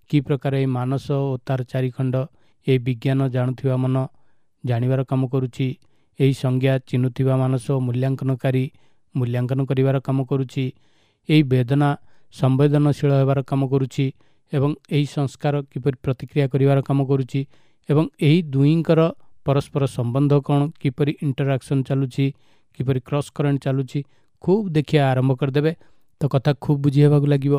କି ପ୍ରକାର ଏହି ମାନସ ଓ ତାର ଚାରିଖଣ୍ଡ, ଏହି ବିଜ୍ଞାନ ଜାଣୁଥିବା ମନ ଜାଣିବାର କାମ କରୁଛି, ଏହି ସଂଜ୍ଞା ଚିହ୍ନୁଥିବା ମାନସ ଓ ମୂଲ୍ୟାଙ୍କନକାରୀ ମୂଲ୍ୟାଙ୍କନ କରିବାର କାମ କରୁଛି, ଏହି ବେଦନା ସମ୍ବେଦନଶୀଳ ହେବାର କାମ କରୁଛି, ଏବଂ ଏହି ସଂସ୍କାର କିପରି ପ୍ରତିକ୍ରିୟା କରିବାର କାମ କରୁଛି, ଏବଂ ଏହି ଦୁହିଁଙ୍କର ପରସ୍ପର ସମ୍ବନ୍ଧ କ'ଣ, କିପରି ଇଣ୍ଟରାକ୍ସନ୍ ଚାଲୁଛି, କିପରି କ୍ରସ୍ କରେଣ୍ଟ ଚାଲୁଛି, ଖୁବ୍ ଦେଖିବା ଆରମ୍ଭ କରିଦେବେ ତ କଥା ଖୁବ୍ ବୁଝି ହେବାକୁ ଲାଗିବ।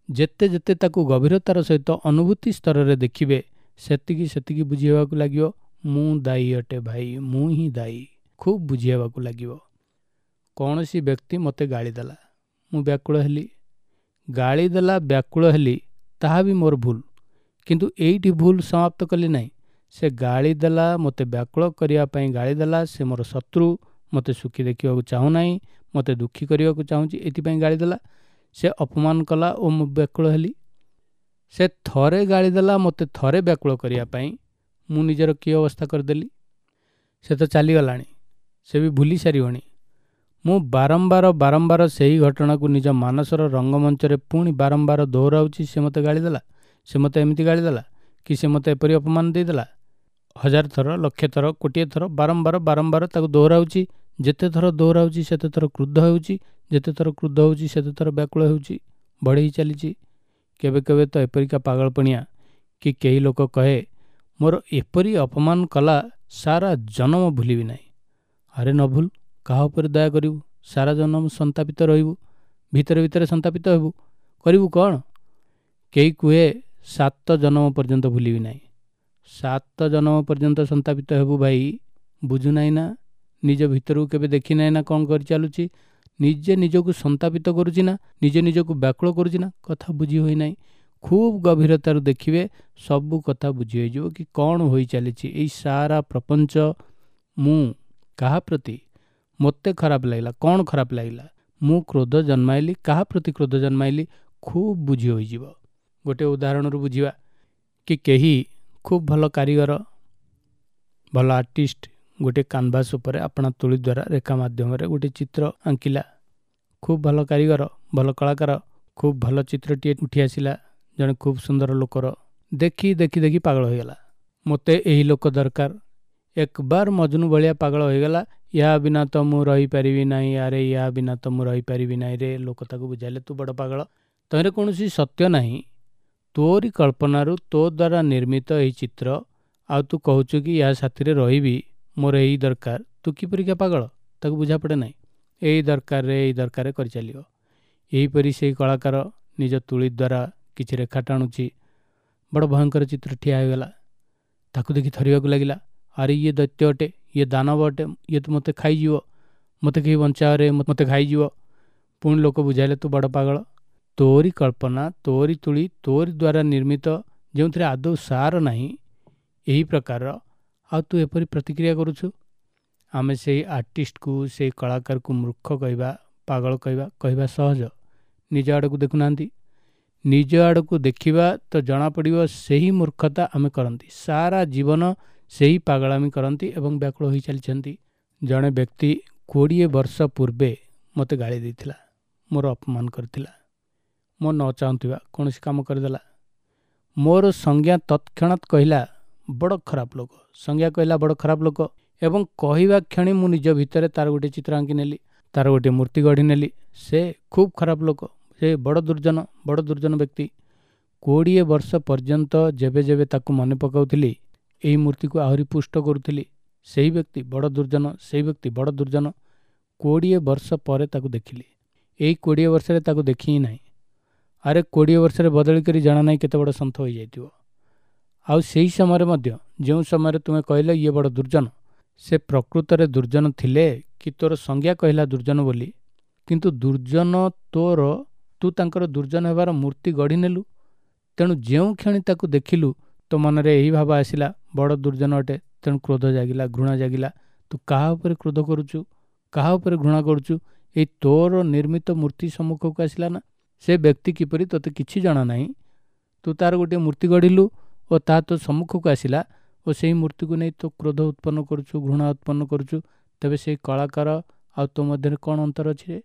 ଯେତେ ଯେତେ ତାକୁ ଗଭୀରତାର ସହିତ ଅନୁଭୂତି ସ୍ତରରେ ଦେଖିବେ, ସେତିକି ସେତିକି ବୁଝି ହେବାକୁ ଲାଗିବ। ମୁଁ ଦାୟୀ ଅଟେ ଭାଇ, ମୁଁ ହିଁ ଦାୟୀ, ଖୁବ୍ ବୁଝି ହେବାକୁ ଲାଗିବ। କୌଣସି ବ୍ୟକ୍ତି ମୋତେ ଗାଳି ଦେଲା, ମୁଁ ବ୍ୟାକୁଳ ହେଲି। ଗାଳି ଦେଲା, ବ୍ୟାକୁଳ ହେଲି, ତାହା ବି ମୋର ଭୁଲ। କିନ୍ତୁ ଏଇଠି ଭୁଲ ସମାପ୍ତ କଲି ନାହିଁ। ସେ ଗାଳି ଦେଲା, ମୋତେ ବ୍ୟାକୁଳ କରିବା ପାଇଁ ଗାଳି ଦେଲା, ସେ ମୋର ଶତ୍ରୁ, ମୋତେ ସୁଖୀ ଦେଖିବାକୁ ଚାହୁଁନାହିଁ, ମୋତେ ଦୁଃଖୀ କରିବାକୁ ଚାହୁଁଛି, ଏଥିପାଇଁ ଗାଳି ଦେଲା। ସେ ଅପମାନ କଲା ଓ ମୁଁ ବ୍ୟାକୁଳ ହେଲି। ସେ ଥରେ ଗାଳି ଦେଲା ମୋତେ ଥରେ ବ୍ୟାକୁଳ କରିବା ପାଇଁ, ମୁଁ ନିଜର କି ଅବସ୍ଥା କରିଦେଲି। ସେ ତ ଚାଲିଗଲାଣି, ସେ ବି ଭୁଲି ସାରିବଣି। ମୁଁ ବାରମ୍ବାର ବାରମ୍ବାର ସେହି ଘଟଣାକୁ ନିଜ ମାନସର ରଙ୍ଗମଞ୍ଚରେ ପୁଣି ବାରମ୍ବାର ଦୋହରାଉଛି। ସେ ମୋତେ ଗାଳି ଦେଲା, ସେ ମୋତେ ଏମିତି ଗାଳି ଦେଲା, କି ସେ ମୋତେ ଏପରି ଅପମାନ ଦେଇଦେଲା। 1000 ଥର, 1,00,000 ଥର, 1,000,000 ଥର ବାରମ୍ବାର ବାରମ୍ବାର ତାକୁ ଦୋହରାଉଛି। ଯେତେ ଥର ଦୋହରାଉଛି ସେତେ ଥର କ୍ରୁଦ୍ଧ ହେଉଛି, ଯେତେ ଥର କ୍ରୁଦ୍ଧ ହେଉଛି ସେତେ ଥର ବ୍ୟାକୁଳ ହେଉଛି, ବଢ଼େଇ ଚାଲିଛି। କେବେ କେବେ ତ ଏପରିକା ପାଗଳପଣିଆ କି କେହି ଲୋକ କହେ, ମୋର ଏପରି ଅପମାନ କଲା, ସାରା ଜନମ ଭୁଲିବି ନାହିଁ। ଆରେ ନ ଭୁଲ, କାହା ଉପରେ ଦୟା କରିବୁ? ସାରା ଜନମ ସନ୍ତାପିତ ରହିବୁ, ଭିତରେ ଭିତରେ ସନ୍ତାପିତ ହେବୁ, କରିବୁ କ'ଣ? କେହି କୁହେ 7 ଜନମ ପର୍ଯ୍ୟନ୍ତ ଭୁଲିବି ନାହିଁ। 7 ଜନମ ପର୍ଯ୍ୟନ୍ତ ସନ୍ତାପିତ ହେବୁ ଭାଇ, ବୁଝୁନାହିଁ ନା? ନିଜ ଭିତରକୁ କେବେ ଦେଖିନାହିଁ ନା କ'ଣ କରିଚାଲୁଛି? ନିଜେ ନିଜକୁ ସନ୍ତାପିତ କରୁଛି ନା, ନିଜେ ନିଜକୁ ବ୍ୟାକୁଳ କରୁଛି ନା? କଥା ବୁଝି ହୋଇନାହିଁ। ଖୁବ୍ ଗଭୀରତାରୁ ଦେଖିବେ, ସବୁ କଥା ବୁଝି ହୋଇଯିବ କି କ'ଣ ହୋଇ ଚାଲିଛି ଏଇ ସାରା ପ୍ରପଞ୍ଚ। ମୁଁ କାହା ପ୍ରତି ମୋତେ ଖରାପ ଲାଗିଲା, କ'ଣ ଖରାପ ଲାଗିଲା, ମୁଁ କ୍ରୋଧ ଜନ୍ମାଇଲି, କାହା ପ୍ରତି କ୍ରୋଧ ଜନ୍ମାଇଲି, ଖୁବ୍ ବୁଝି ହୋଇଯିବ। ଗୋଟେ ଉଦାହରଣରୁ ବୁଝିବା କି କେହି ଖୁବ୍ ଭଲ କାରିଗର, ଭଲ ଆର୍ଟିଷ୍ଟ, ଗୋଟେ କାନଭାସ୍ ଉପରେ ଆପଣା ତୁଳି ଦ୍ୱାରା ରେଖା ମାଧ୍ୟମରେ ଗୋଟେ ଚିତ୍ର ଆଙ୍କିଲା। ଖୁବ୍ ଭଲ କାରିଗର, ଭଲ କଳାକାର, ଖୁବ୍ ଭଲ ଚିତ୍ରଟିଏ ଉଠି ଆସିଲା ଜଣେ ଖୁବ୍ ସୁନ୍ଦର ଲୋକର। ଦେଖି ଦେଖି ଦେଖି ପାଗଳ ହୋଇଗଲା। ମୋତେ ଏହି ଲୋକ ଦରକାର। ଏକବାର ମଜନୁ ଭଳିଆ ପାଗଳ ହୋଇଗଲା। ୟା ବିନା ତ ମୁଁ ରହିପାରିବି ନାହିଁ, ଆରେ ୟା ବିନା ତ ମୁଁ ରହିପାରିବି ନାହିଁ ରେ। ଲୋକ ତାକୁ ବୁଝାଇଲେ, ତୁ ବଡ଼ ପାଗଳ, ତହିଁରେ କୌଣସି ସତ୍ୟ ନାହିଁ। ତୋରି କଳ୍ପନାରୁ ତୋ ଦ୍ୱାରା ନିର୍ମିତ ଏହି ଚିତ୍ର, ଆଉ ତୁ କହୁଛୁ କି ୟା ସାଥିରେ ରହିବି, ମୋର ଏଇ ଦରକାର। ତୁ କିପରିକା ପାଗଳ, ତାକୁ ବୁଝା ପଡ଼େ ନାହିଁ। ଏଇ ଦରକାରରେ ଏଇ ଦରକାରରେ କରିଚାଲିବ। ଏହିପରି ସେଇ କଳାକାର ନିଜ ତୁଳି ଦ୍ୱାରା କିଛି ରେଖା ଟାଣୁଛି, ବଡ଼ ଭୟଙ୍କର ଚିତ୍ର ଠିଆ ହୋଇଗଲା। ତାକୁ ଦେଖି ଥରିବାକୁ ଲାଗିଲା। ଆରେ ଇଏ ଦୈତ୍ୟ ଅଟେ, ଇଏ ଦାନବ ଅଟେ, ଇଏ ତ ମୋତେ ଖାଇଯିବ, ମୋତେ କେହି ବଞ୍ଚାଅରେ, ମୋତେ ଖାଇଯିବ। ପୁଣି ଲୋକ ବୁଝାଇଲେ, ତୁ ବଡ଼ ପାଗଳ, ତୋରି କଳ୍ପନା, ତୋରି ତୁଳି, ତୋରି ଦ୍ୱାରା ନିର୍ମିତ, ଯେଉଁଥିରେ ଆଦୌ ସାର ନାହିଁ ଏହି ପ୍ରକାରର, ଆଉ ତୁ ଏପରି ପ୍ରତିକ୍ରିୟା କରୁଛୁ। ଆମେ ସେଇ ଆର୍ଟିଷ୍ଟକୁ, ସେଇ କଳାକାରକୁ ମୂର୍ଖ କହିବା, ପାଗଳ କହିବା, କହିବା ସହଜ। ନିଜ ଆଡ଼କୁ ଦେଖୁନାହାନ୍ତି। ନିଜ ଆଡ଼କୁ ଦେଖିବା ତ ଜଣାପଡ଼ିବ ସେହି ମୂର୍ଖତା ଆମେ କରନ୍ତି, ସାରା ଜୀବନ ସେହି ପାଗଳାମି କରନ୍ତି ଏବଂ ବ୍ୟାକୁଳ ହୋଇ ଚାଲିଛନ୍ତି। ଜଣେ ବ୍ୟକ୍ତି 20 ବର୍ଷ ପୂର୍ବେ ମୋତେ ଗାଳି ଦେଇଥିଲା, ମୋର ଅପମାନ କରିଥିଲା, ମୋ ନ ଚାହୁଁଥିବା କୌଣସି କାମ କରିଦେଲା। ମୋର ସଂଜ୍ଞା ତତ୍କ୍ଷଣାତ୍ କହିଲା, ବଡ଼ ଖରାପ ଲୋକ। ସଂଜ୍ଞା କହିଲା, ବଡ଼ ଖରାପ ଲୋକ। ଏବଂ କହିବା କ୍ଷଣି ମୁଁ ନିଜ ଭିତରେ ତାର ଗୋଟିଏ ଚିତ୍ର ଆଙ୍କି ନେଲି, ତାର ଗୋଟିଏ ମୂର୍ତ୍ତି ଗଢ଼ି ନେଲି। ସେ ଖୁବ୍ ଖରାପ ଲୋକ, ସେ ବଡ଼ ଦୁର୍ଜନ, ବଡ଼ ଦୁର୍ଜନ ବ୍ୟକ୍ତି। 20 ବର୍ଷ ପର୍ଯ୍ୟନ୍ତ ଯେବେ ଯେବେ ତାକୁ ମନେ ପକାଉଥିଲି, ଏହି ମୂର୍ତ୍ତିକୁ ଆହୁରି ପୁଷ୍ଟ କରୁଥିଲି। ସେହି ବ୍ୟକ୍ତି ବଡ଼ ଦୁର୍ଜନ, ସେଇ ବ୍ୟକ୍ତି ବଡ଼ ଦୁର୍ଜନ। 20 ବର୍ଷ ପରେ ତାକୁ ଦେଖିଲି। ଏଇ 20 ବର୍ଷରେ ତାକୁ ଦେଖି ହିଁ ନାହିଁ। ଆରେ 20 ବର୍ଷରେ ବଦଳି କରି ଜଣା ନାହିଁ କେତେ ବଡ଼ ସନ୍ଥ ହୋଇଯାଇଥିବ। ଆଉ ସେହି ସମୟରେ ମଧ୍ୟ, ଯେଉଁ ସମୟରେ ତୁମେ କହିଲ ଇଏ ବଡ଼ ଦୁର୍ଜନ, ସେ ପ୍ରକୃତରେ ଦୁର୍ଜନ ଥିଲେ କି ତୋର ସଂଜ୍ଞା କହିଲା ଦୁର୍ଜନ ବୋଲି, କିନ୍ତୁ ଦୁର୍ଜନ ତୋର, ତୁ ତାଙ୍କର ଦୁର୍ଜନ ହେବାର ମୂର୍ତ୍ତି ଗଢ଼ି ନେଲୁ। ତେଣୁ ଯେଉଁ କ୍ଷଣି ତାକୁ ଦେଖିଲୁ ତୋ ମନରେ ଏହି ଭାବ ଆସିଲା ବଡ଼ ଦୁର୍ଜନ ଅଟେ, ତେଣୁ କ୍ରୋଧ ଜାଗିଲା, ଘୃଣା ଜାଗିଲା। ତୁ କାହା ଉପରେ କ୍ରୋଧ କରୁଛୁ, କାହା ଉପରେ ଘୃଣା କରୁଛୁ? ଏଇ ତୋର ନିର୍ମିତ ମୂର୍ତ୍ତି ସମ୍ମୁଖକୁ ଆସିଲା ନା। ସେ ବ୍ୟକ୍ତି କିପରି ତୋତେ କିଛି ଜଣା ନାହିଁ, ତୁ ତାର ଗୋଟିଏ ମୂର୍ତ୍ତି ଗଢ଼ିଲୁ ଓ ତାହା ତୋ ସମ୍ମୁଖକୁ ଆସିଲା ଓ ସେଇ ମୂର୍ତ୍ତିକୁ ନେଇ ତୋ କ୍ରୋଧ ଉତ୍ପନ୍ନ କରୁଛୁ, ଘୃଣା ଉତ୍ପନ୍ନ କରୁଛୁ। ତେବେ ସେଇ କଳାକାର ଆଉ ତୋ ମଧ୍ୟରେ କ'ଣ ଅନ୍ତର ଅଛି ରେ?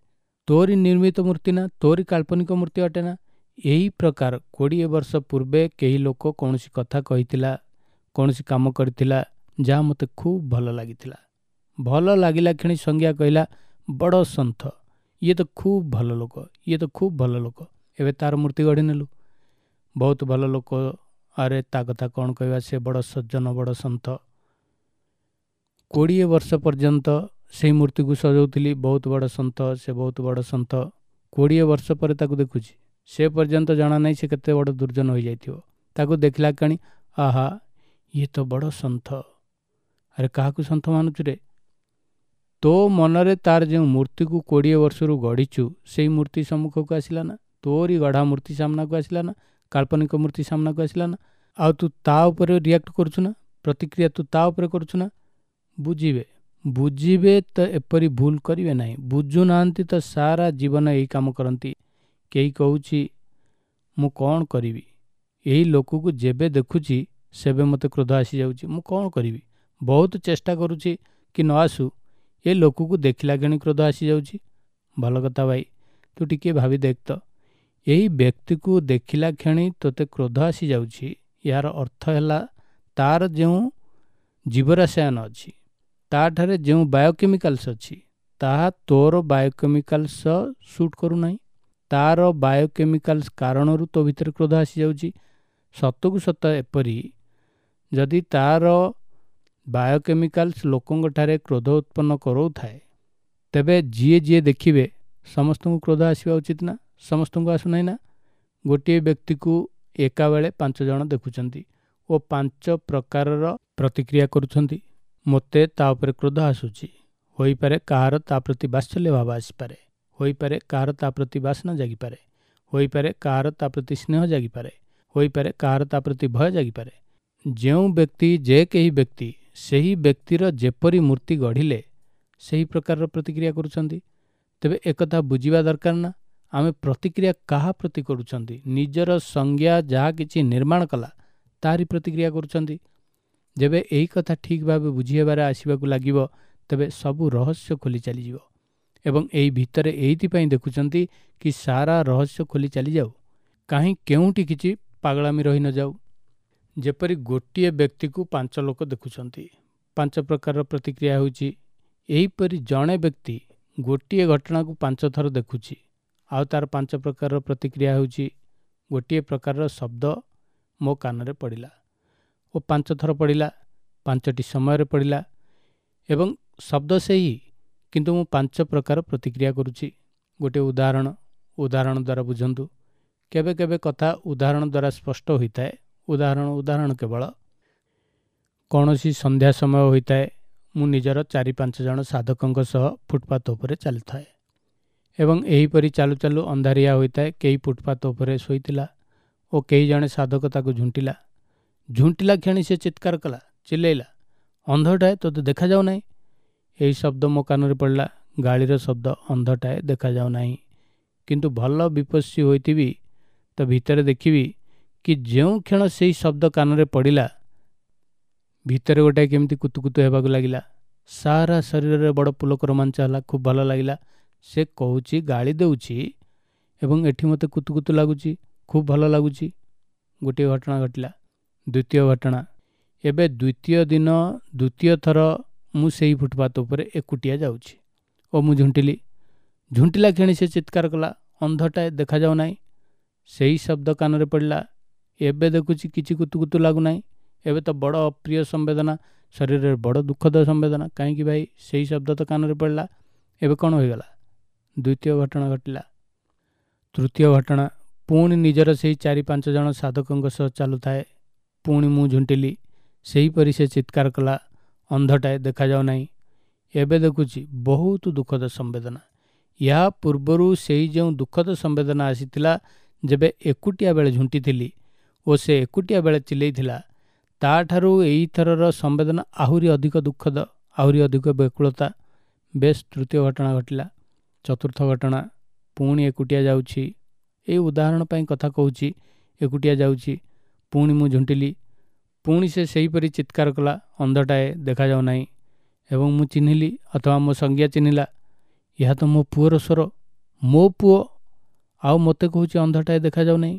ତୋରି ନିର୍ମିତ ମୂର୍ତ୍ତି ନା, ତୋରି କାଳ୍ପନିକ ମୂର୍ତ୍ତି ଅଟେ ନା। ଏହି ପ୍ରକାର 20 ବର୍ଷ ପୂର୍ବେ କେହି ଲୋକ କୌଣସି କଥା କହିଥିଲା, କୌଣସି କାମ କରିଥିଲା, ଯାହା ମୋତେ ଖୁବ୍ ଭଲ ଲାଗିଥିଲା। ଭଲ ଲାଗିଲା କ୍ଷଣି ସଂଜ୍ଞା କହିଲା ବଡ଼ ସନ୍ଥ, ଇଏ ତ ଖୁବ୍ ଭଲ ଲୋକ, ଇଏ ତ ଖୁବ୍ ଭଲ ଲୋକ। ଏବେ ତାର ମୂର୍ତ୍ତି ଗଢ଼ି ନେଲୁ, ବହୁତ ଭଲ ଲୋକ। ଆରେ ତା କଥା କ'ଣ କହିବା, ସେ ବଡ଼ ସଜ୍ଜନ, ବଡ଼ ସନ୍ଥ। 20 ବର୍ଷ ପର୍ଯ୍ୟନ୍ତ ସେଇ ମୂର୍ତ୍ତିକୁ ସଜାଉଥିଲି, ବହୁତ ବଡ଼ ସନ୍ଥ, ସେ ବହୁତ ବଡ଼ ସନ୍ଥ। 20 ବର୍ଷ ପରେ ତାକୁ ଦେଖୁଛି, ସେ ପର୍ଯ୍ୟନ୍ତ ଜଣା ନାହିଁ ସେ କେତେ ବଡ଼ ଦୁର୍ଜନ ହୋଇଯାଇଥିବ। ତାକୁ ଦେଖିଲା କ୍ଷଣି ଆହା, ଇଏ ତ ବଡ଼ ସନ୍ଥ। ଆରେ କାହାକୁ ସନ୍ଥ ମାନୁଛୁ ରେ? ତୋ ମନରେ ତାର ଯେଉଁ ମୂର୍ତ୍ତିକୁ 20 ବର୍ଷରୁ ଗଢ଼ିଛୁ, ସେଇ ମୂର୍ତ୍ତି ସମ୍ମୁଖକୁ ଆସିଲା ନା, ତୋରି ଗଢ଼ା ମୂର୍ତ୍ତି ସାମ୍ନାକୁ ଆସିଲା ନା, କାଳ୍ପନିକ ମୂର୍ତ୍ତି ସାମ୍ନାକୁ ଆସିଲା ନା। ଆଉ ତୁ ତା ଉପରେ ରିଆକ୍ଟ କରୁଛୁ ନା, ପ୍ରତିକ୍ରିୟା ତୁ ତା ଉପରେ କରୁଛୁ ନା। ବୁଝିବେ, ବୁଝିବେ ତ ଏପରି ଭୁଲ କରିବେ ନାହିଁ। ବୁଝୁନାହାନ୍ତି ତ ସାରା ଜୀବନ ଏଇ କାମ କରନ୍ତି। କେହି କହୁଛି ମୁଁ କ'ଣ କରିବି, ଏଇ ଲୋକକୁ ଯେବେ ଦେଖୁଛି ସେବେ ମୋତେ କ୍ରୋଧ ଆସିଯାଉଛି, ମୁଁ କ'ଣ କରିବି, ବହୁତ ଚେଷ୍ଟା କରୁଛି କି ନ ଆସୁ, ଏ ଲୋକକୁ ଦେଖିଲା କ୍ଷଣି କ୍ରୋଧ ଆସିଯାଉଛି। ଭଲ କଥା ଭାଇ, ତୁ ଟିକିଏ ଭାବି ଦେଖ ତ, ଏଇ ବ୍ୟକ୍ତିକୁ ଦେଖିଲା କ୍ଷଣି ତୋତେ କ୍ରୋଧ ଆସିଯାଉଛି, ଏହାର ଅର୍ଥ ହେଲା ତାର ଯେଉଁ ଜୀବରସାୟନ ଅଛି, ତାଠାରେ ଯେଉଁ ବାୟୋକେମିକାଲ୍ସ ଅଛି, ତାହା ତୋର ବାୟୋକେମିକାଲ୍ସ ସୁଟ୍ କରୁନାହିଁ। ତାର ବାୟୋକେମିକାଲ୍ସ କାରଣରୁ ତୋ ଭିତରେ କ୍ରୋଧ ଆସିଯାଉଛି। ସତକୁ ସତ ଏପରି ଯଦି ତାର ବାୟୋକେମିକାଲ୍ସ ଲୋକଙ୍କ ଠାରେ କ୍ରୋଧ ଉତ୍ପନ୍ନ କରାଉଥାଏ, ତେବେ ଯିଏ ଯିଏ ଦେଖିବେ ସମସ୍ତଙ୍କୁ କ୍ରୋଧ ଆସିବା ଉଚିତ ନା? ସମସ୍ତଙ୍କୁ ଆସୁନାହିଁ ନା? ଗୋଟିଏ ବ୍ୟକ୍ତିକୁ ଏକାବେଳେ 5 ଜଣ ଦେଖୁଛନ୍ତି ଓ 5 ପ୍ରକାରର ପ୍ରତିକ୍ରିୟା କରୁଛନ୍ତି। ମୋତେ ତା ଉପରେ କ୍ରୋଧ ଆସୁଛି, ହୋଇପାରେ କାହାର ତା ପ୍ରତି ବାତ୍ସଲ୍ୟ ଭାବ ଆସିପାରେ, ହୋଇପାରେ କାହାର ତା ପ୍ରତି ବାସନା ଜାଗିପାରେ, ହୋଇପାରେ କାହାର ତା ପ୍ରତି ସ୍ନେହ ଜାଗିପାରେ, ହୋଇପାରେ କାହାର ତା ପ୍ରତି ଭୟ ଜାଗିପାରେ। ଯେଉଁ ବ୍ୟକ୍ତି, ଯେ କେହି ବ୍ୟକ୍ତି ସେହି ବ୍ୟକ୍ତିର ଯେପରି ମୂର୍ତ୍ତି ଗଢ଼ିଲେ ସେହି ପ୍ରକାରର ପ୍ରତିକ୍ରିୟା କରୁଛନ୍ତି। ତେବେ ଏକଥା ବୁଝିବା ଦରକାର ନା, ଆମେ ପ୍ରତିକ୍ରିୟା କାହା ପ୍ରତି କରୁଛନ୍ତି? ନିଜର ସଂଜ୍ଞା ଯାହା କିଛି ନିର୍ମାଣ କଲା ତାହାରି ପ୍ରତିକ୍ରିୟା କରୁଛନ୍ତି। ଯେବେ ଏହି କଥା ଠିକ୍ ଭାବେ ବୁଝି ହେବାରେ ଆସିବାକୁ ଲାଗିବ, ତେବେ ସବୁ ରହସ୍ୟ ଖୋଲି ଚାଲିଯିବ। ଏବଂ ଏହି ଭିତରେ ଏଇଥିପାଇଁ ଦେଖୁଛନ୍ତି କି ସାରା ରହସ୍ୟ ଖୋଲି ଚାଲିଯାଉ, କାହିଁ କେଉଁଠି କିଛି ପାଗଳାମି ରହି ନଯାଉ। ଯେପରି ଗୋଟିଏ ବ୍ୟକ୍ତିକୁ 5 ଲୋକ ଦେଖୁଛନ୍ତି, 5 ପ୍ରକାରର ପ୍ରତିକ୍ରିୟା ହେଉଛି। ଏହିପରି ଜଣେ ବ୍ୟକ୍ତି ଗୋଟିଏ ଘଟଣାକୁ 5 ଥର ଦେଖୁଛି, ଆଉ ତାର 5 ପ୍ରକାରର ପ୍ରତିକ୍ରିୟା ହେଉଛି। ଗୋଟିଏ ପ୍ରକାରର ଶବ୍ଦ ମୋ କାନରେ ପଡ଼ିଲା ଓ 5 ଥର ପଡ଼ିଲା, 5ଟି ସମୟରେ ପଡ଼ିଲା, ଏବଂ ଶବ୍ଦ ସେହି, କିନ୍ତୁ ମୁଁ 5 ପ୍ରକାର ପ୍ରତିକ୍ରିୟା କରୁଛି। ଗୋଟିଏ ଉଦାହରଣ, ଉଦାହରଣ ଦ୍ୱାରା ବୁଝନ୍ତୁ। କେବେ କେବେ କଥା ଉଦାହରଣ ଦ୍ୱାରା ସ୍ପଷ୍ଟ ହୋଇଥାଏ। ଉଦାହରଣ, ଉଦାହରଣ କେବଳ। କୌଣସି ସନ୍ଧ୍ୟା ସମୟ ହୋଇଥାଏ, ମୁଁ ନିଜର 4-5 ଜଣ ସାଧକଙ୍କ ସହ ଫୁଟପାଥ ଉପରେ ଚାଲିଥାଏ ଏବଂ ଏହିପରି ଚାଲୁ ଚାଲୁ ଅନ୍ଧାରିଆ ହୋଇଥାଏ। କେହି ଫୁଟପାଥ ଉପରେ ଶୋଇଥିଲା ଓ କେହି ଜଣେ ସାଧକ ତାକୁ ଝୁଣ୍ଟିଲା। ଝୁଣ୍ଟିଲା କ୍ଷଣି ସେ ଚିତ୍କାର କଲା, ଚିଲେଇଲା, ଅନ୍ଧଟାଏ ତୋତେ ଦେଖାଯାଉ ନାହିଁ। ଏହି ଶବ୍ଦ ମୋ କାନରେ ପଡ଼ିଲା, ଗାଳିର ଶବ୍ଦ, ଅନ୍ଧଟାଏ ଦେଖାଯାଉ ନାହିଁ। କିନ୍ତୁ ଭଲ ବିପස්සୀ ହୋଇଥିବି ତ ଭିତରେ ଦେଖିବି କି ଯେଉଁ କ୍ଷଣ ସେଇ ଶବ୍ଦ କାନରେ ପଡ଼ିଲା, ଭିତରେ ଗୋଟାଏ କେମିତି କୁତୁକୁତୁ ହେବାକୁ ଲାଗିଲା। ସାରା ଶରୀରରେ ବଡ଼ ପୁଲକ ରୋମାଞ୍ଚ ହେଲା, ଖୁବ୍ ଭଲ ଲାଗିଲା। ସେ କହୁଛି, ଗାଳି ଦେଉଛି ଏବଂ ଏଠି ମୋତେ କୁତୁକୁତୁ ଲାଗୁଛି, ଖୁବ୍ ଭଲ ଲାଗୁଛି। ଗୋଟିଏ ଘଟଣା ଘଟିଲା। ଦ୍ୱିତୀୟ ଘଟଣା, ଏବେ ଦ୍ୱିତୀୟ ଦିନ ଦ୍ୱିତୀୟ ଥର ମୁଁ ସେଇ ଫୁଟପାଥ ଉପରେ ଏକୁଟିଆ ଯାଉଛି ଓ ମୁଁ ଝୁଣ୍ଟିଲି। ଝୁଣ୍ଟିଲା କ୍ଷଣି ସେ ଚିତ୍କାର କଲା, ଅନ୍ଧଟାଏ ଦେଖାଯାଉ ନାହିଁ। ସେହି ଶବ୍ଦ କାନରେ ପଡ଼ିଲା। ଏବେ ଦେଖୁଛି କିଛି କୁତୁକୁତୁ ଲାଗୁନାହିଁ। ଏବେ ତ ବଡ଼ ଅପ୍ରିୟ ସମ୍ବେଦନା, ଶରୀରରେ ବଡ଼ ଦୁଃଖଦ ସମ୍ବେଦନା। କାହିଁକି ଭାଇ? ସେହି ଶବ୍ଦ ତ କାନରେ ପଡ଼ିଲା, ଏବେ କ'ଣ ହୋଇଗଲା? ଦ୍ୱିତୀୟ ଘଟଣା ଘଟିଲା। ତୃତୀୟ ଘଟଣା, ପୁଣି ନିଜର ସେହି 4-5 ଜଣ ସାଧକଙ୍କ ସହ ଚାଲୁଥାଏ। ପୁଣି ମୁଁ ଝୁଣ୍ଟିଲି। ସେହିପରି ସେ ଚିତ୍କାର କଲା, ଅନ୍ଧଟାଏ ଦେଖାଯାଉ ନାହିଁ। ଏବେ ଦେଖୁଛି ବହୁତ ଦୁଃଖଦ ସମ୍ବେଦନା। ଏହା ପୂର୍ବରୁ ସେଇ ଯେଉଁ ଦୁଃଖଦ ସମ୍ବେଦନା ଆସିଥିଲା ଯେବେ ଏକୁଟିଆ ବେଳେ ଝୁଣ୍ଟିଥିଲି ଓ ସେ ଏକୁଟିଆ ବେଳେ ଚିଲେଇଥିଲା, ତାଠାରୁ ଏଇଥରର ସମ୍ବେଦନା ଆହୁରି ଅଧିକ ଦୁଃଖଦ, ଆହୁରି ଅଧିକ ବ୍ୟାକୁଳତା। ବେଶ, ତୃତୀୟ ଘଟଣା ଘଟିଲା। ଚତୁର୍ଥ ଘଟଣା, ପୁଣି ଏକୁଟିଆ ଯାଉଛି। ଏଇ ଉଦାହରଣ ପାଇଁ କଥା କହୁଛି। ଏକୁଟିଆ ଯାଉଛି, ପୁଣି ମୁଁ ଝୁଣ୍ଟିଲି। ପୁଣି ସେ ସେହିପରି ଚିତ୍କାର କଲା, ଅନ୍ଧଟାଏ ଦେଖାଯାଉ ନାହିଁ। ଏବଂ ମୁଁ ଚିହ୍ନିଲି, ଅଥବା ମୋ ସଂଜ୍ଞା ଚିହ୍ନିଲା, ଏହା ତ ମୋ ପୁଅର ସ୍ୱର। ମୋ ପୁଅ ଆଉ ମୋତେ କହୁଛି ଅନ୍ଧଟାଏ ଦେଖାଯାଉ ନାହିଁ।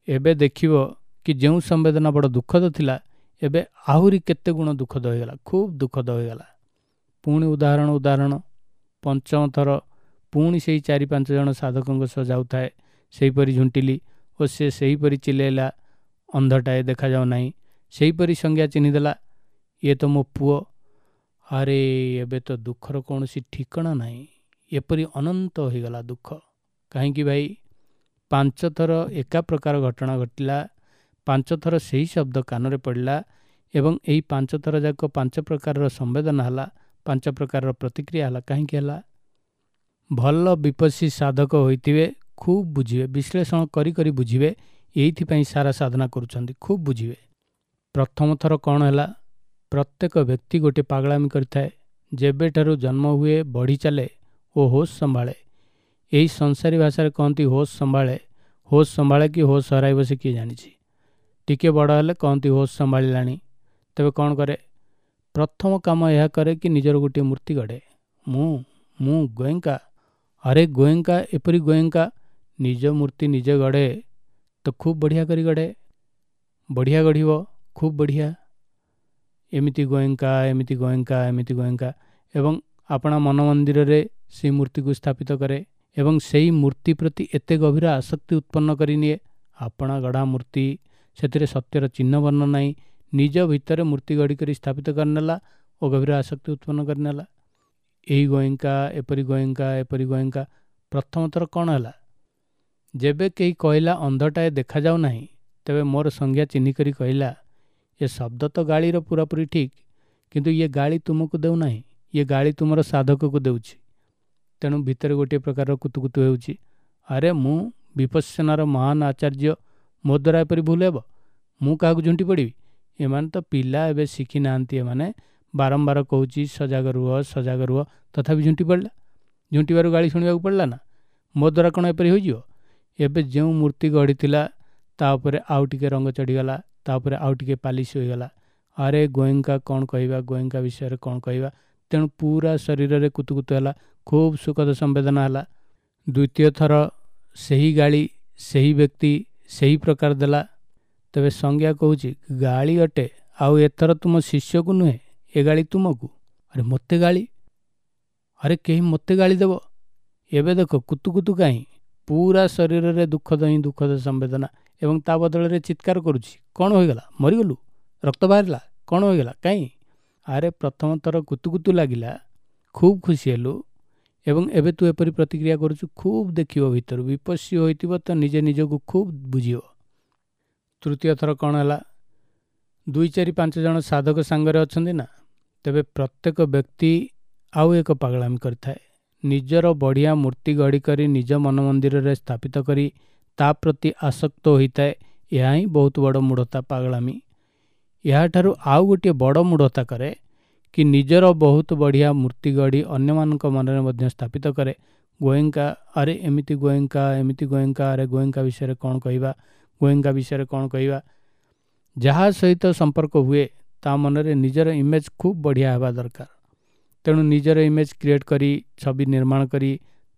ଏବେ ଦେଖିବ କି ଯେଉଁ ସମ୍ବେଦନା ବଡ଼ ଦୁଃଖଦ ଥିଲା, ଏବେ ଆହୁରି କେତେ ଗୁଣ ଦୁଃଖଦ ହୋଇଗଲା, ଖୁବ୍ ଦୁଃଖଦ ହୋଇଗଲା। ପୁଣି ଉଦାହରଣ ଉଦାହରଣ। ପଞ୍ଚମ ଥର ପୁଣି ସେଇ 4-5 ଜଣ ସାଧକଙ୍କ ସହ ଯାଉଥାଏ। ସେହିପରି ଝୁଣ୍ଟିଲି ଓ ସେ ସେହିପରି ଚିଲେଇଲା, ଅନ୍ଧଟାଏ ଦେଖାଯାଉ ନାହିଁ। ସେହିପରି ସଂଜ୍ଞା ଚିହ୍ନିଦେଲା, ଇଏ ତ ମୋ ପୁଅ। ଆରେ ଏବେ ତ ଦୁଃଖର କୌଣସି ଠିକଣା ନାହିଁ। ଏପରି ଅନନ୍ତ ହୋଇଗଲା ଦୁଃଖ। କାହିଁକି ଭାଇ? 5 ଥର ଏକା ପ୍ରକାର ଘଟଣା ଘଟିଲା, 5 ଥର ସେହି ଶବ୍ଦ କାନରେ ପଡ଼ିଲା ଏବଂ ଏହି 5 ଥର ଯାକ 5 ପ୍ରକାରର ସମ୍ବେଦନା ହେଲା, 5 ପ୍ରକାରର ପ୍ରତିକ୍ରିୟା ହେଲା। କାହିଁକି ହେଲା? ଭଲ ବିପස්සୀ ସାଧକ ହୋଇଥିବେ, ଖୁବ୍ ବୁଝିବେ, ବିଶ୍ଳେଷଣ କରି କରି ବୁଝିବେ। ଏଇଥିପାଇଁ ସାରା ସାଧନା କରୁଛନ୍ତି, ଖୁବ୍ ବୁଝିବେ। ପ୍ରଥମ ଥର କ'ଣ ହେଲା? ପ୍ରତ୍ୟେକ ବ୍ୟକ୍ତି ଗୋଟିଏ ପାଗଳାମି କରିଥାଏ। ଯେବେଠାରୁ ଜନ୍ମ ହୁଏ, ବଢ଼ି ଚାଲେ ଓ ହୋସ୍ ସମ୍ଭାଳେ। ଏହି ସଂସାରୀ ଭାଷାରେ କହନ୍ତି ହୋସ୍ ସମ୍ଭାଳେ। ହୋସ୍ ସମ୍ଭାଳେ କି ହୋସ୍ ହରାଇବ ସେ କିଏ ଜାଣିଛି। ଟିକେ ବଡ଼ ହେଲେ କହନ୍ତି ହୋସ୍ ସମ୍ଭାଳିଲାଣି। ତେବେ କ'ଣ କରେ? ପ୍ରଥମ କାମ ଏହା କରେ କି ନିଜର ଗୋଟିଏ ମୂର୍ତ୍ତି ଗଢ଼େ। ମୁଁ ମୁଁ ଗୋଏଙ୍କା। ଆରେ ଗୋଏଙ୍କା, ଏପରି ଗୋଏଙ୍କା ନିଜ ମୂର୍ତ୍ତି ନିଜେ ଗଢ଼େ ତ ଖୁବ୍ ବଢ଼ିଆ କରି ଗଢ଼େ। ବଢ଼ିଆ ଗଢ଼ିବ, ଖୁବ୍ ବଢ଼ିଆ। ଏମିତି ଗୋଏଙ୍କା, ଏମିତି ଗୋଏଙ୍କା, ଏମିତି ଗୋଏଙ୍କା, ଏବଂ ଆପଣା ମନ ମନ୍ଦିରରେ ସେଇ ମୂର୍ତ୍ତିକୁ ସ୍ଥାପିତ କରେ ଏବଂ ସେଇ ମୂର୍ତ୍ତି ପ୍ରତି ଏତେ ଗଭୀର ଆସକ୍ତି ଉତ୍ପନ୍ନ କରିନିଏ। ଆପଣା ଗଢ଼ା ମୂର୍ତ୍ତି, ସେଥିରେ ସତ୍ୟର ଚିହ୍ନ ବର୍ଣ୍ଣ ନାହିଁ, ନିଜ ଭିତରେ ମୂର୍ତ୍ତି ଗଢ଼ି କରି ସ୍ଥାପିତ କରିନେଲା ଓ ଗଭୀର ଆସକ୍ତି ଉତ୍ପନ୍ନ କରିନେଲା। ଏହି ଗୋଏଙ୍କା, ଏପରି ଗୋଏଙ୍କା, ଏପରି ଗୋଏଙ୍କା। ପ୍ରଥମ ଥର କ'ଣ ହେଲା? ଯେବେ କେହି କହିଲା ଅନ୍ଧଟାଏ ଦେଖାଯାଉ ନାହିଁ, ତେବେ ମୋର ସଂଜ୍ଞା ଚିହ୍ନିକରି କହିଲା, ଏ ଶବ୍ଦ ତ ଗାଳିର ପୁରାପୁରି ଠିକ୍, କିନ୍ତୁ ଇଏ ଗାଳି ତୁମକୁ ଦେଉନାହିଁ, ଇଏ ଗାଳି ତୁମର ସାଧକକୁ ଦେଉଛି। ତେଣୁ ଭିତରେ ଗୋଟିଏ ପ୍ରକାରର କୁତୁକୁତୁ ହେଉଛି। ଆରେ ମୁଁ ବିପස්සନାର ମହାନ ଆଚାର୍ଯ୍ୟ, ମୋ ଦ୍ୱାରା ଏପରି ଭୁଲ ହେବ? ମୁଁ କାହାକୁ ଝୁଣ୍ଟି ପଡ଼ିବି? ଏମାନେ ତ ପିଲା, ଏବେ ଶିଖି ନାହାନ୍ତି। ଏମାନେ ବାରମ୍ବାର କହୁଛି ସଜାଗ ରୁହ, ସଜାଗ ରୁହ, ତଥାପି ଝୁଣ୍ଟି ପଡ଼ିଲା। ଝୁଣ୍ଟିବାରୁ ଗାଳି ଶୁଣିବାକୁ ପଡ଼ିଲା ନା? ମୋ ଦ୍ୱାରା କ'ଣ ଏପରି ହୋଇଯିବ? ଏବେ ଯେଉଁ ମୂର୍ତ୍ତି ଗଢ଼ିଥିଲା ତା ଉପରେ ଆଉ ଟିକେ ରଙ୍ଗ ଚଢ଼ିଗଲା, ତା ଉପରେ ଆଉ ଟିକେ ପାଲିସ ହୋଇଗଲା। ଆରେ ଗୋଏଙ୍କା କ'ଣ କହିବା, ଗୋଏଙ୍କା ବିଷୟରେ କ'ଣ କହିବା। ତେଣୁ ପୁରା ଶରୀରରେ କୁତୁକୁତୁ ହେଲା, ଖୁବ୍ ସୁଖଦ ସମ୍ବେଦନା ହେଲା। ଦ୍ୱିତୀୟ ଥର ସେହି ଗାଳି ସେହି ବ୍ୟକ୍ତି ସେହି ପ୍ରକାର ଦେଲା। ତେବେ ସଂଜ୍ଞା କହୁଛି ଗାଳି ଅଟେ, ଆଉ ଏଥର ତୁମ ଶିଷ୍ୟକୁ ନୁହେଁ, ଏ ଗାଳି ତୁମକୁ। ଆରେ ମୋତେ ଗାଳି? ଆରେ କେହି ମୋତେ ଗାଳି ଦେବ? ଏବେ ଦେଖ କୁତୁକୁତୁ କାହିଁ, ପୁରା ଶରୀରରେ ଦୁଃଖଦ ହିଁ ଦୁଃଖଦ ସମ୍ବେଦନା, ଏବଂ ତା ବଦଳରେ ଚିତ୍କାର କରୁଛି, କ'ଣ ହୋଇଗଲା? ମରିଗଲୁ? ରକ୍ତ ବାହାରିଲା? କ'ଣ ହୋଇଗଲା? କାହିଁ? ଆରେ ପ୍ରଥମ ଥର କୁତୁକୁତୁ ଲାଗିଲା, ଖୁବ୍ ଖୁସି ହେଲୁ, ଏବଂ ଏବେ ତୁ ଏପରି ପ୍ରତିକ୍ରିୟା କରୁଛୁ। ଖୁବ୍ ଦେଖିବ ଭିତରୁ, ବିପස්සୀ ହୋଇଥିବ ତ ନିଜେ ନିଜକୁ ଖୁବ୍ ବୁଝିବ। ତୃତୀୟ ଥର କ'ଣ ହେଲା? 2, 4, 5 ଜଣ ସାଧକ ସାଙ୍ଗରେ ଅଛନ୍ତି ନା, ତେବେ ପ୍ରତ୍ୟେକ ବ୍ୟକ୍ତି ଆଉ ଏକ ପାଗଳାମି କରିଥାଏ। ନିଜର ବଢ଼ିଆ ମୂର୍ତ୍ତି ଗଢ଼ି କରି ନିଜ ମନ ମନ୍ଦିରରେ ସ୍ଥାପିତ କରି ତା ପ୍ରତି ଆସକ୍ତ ହୋଇଥାଏ। ଏହା ହିଁ ବହୁତ ବଡ଼ ମୂଢ଼ତା, ପାଗଳାମି। ଏହାଠାରୁ ଆଉ ଗୋଟିଏ ବଡ଼ ମୂଢ଼ତା କରେ କି ନିଜର ବହୁତ ବଢ଼ିଆ ମୂର୍ତ୍ତି ଗଢ଼ି ଅନ୍ୟମାନଙ୍କ ମନରେ ମଧ୍ୟ ସ୍ଥାପିତ କରେ। ଗୋଏଙ୍କା, ଆରେ ଏମିତି ଗୋଏଙ୍କା, ଏମିତି ଗୋଏଙ୍କା, ଆରେ ଗୋଏଙ୍କା ବିଷୟରେ କ'ଣ କହିବା, ଗୋଏଙ୍କା ବିଷୟରେ କ'ଣ କହିବା। ଯାହା ସହିତ ସମ୍ପର୍କ ହୁଏ ତା ମନରେ ନିଜର ଇମେଜ୍ ଖୁବ୍ ବଢ଼ିଆ ହେବା ଦରକାର। ତେଣୁ ନିଜର ଇମେଜ୍ କ୍ରିଏଟ୍ କରି ଛବି ନିର୍ମାଣ କରି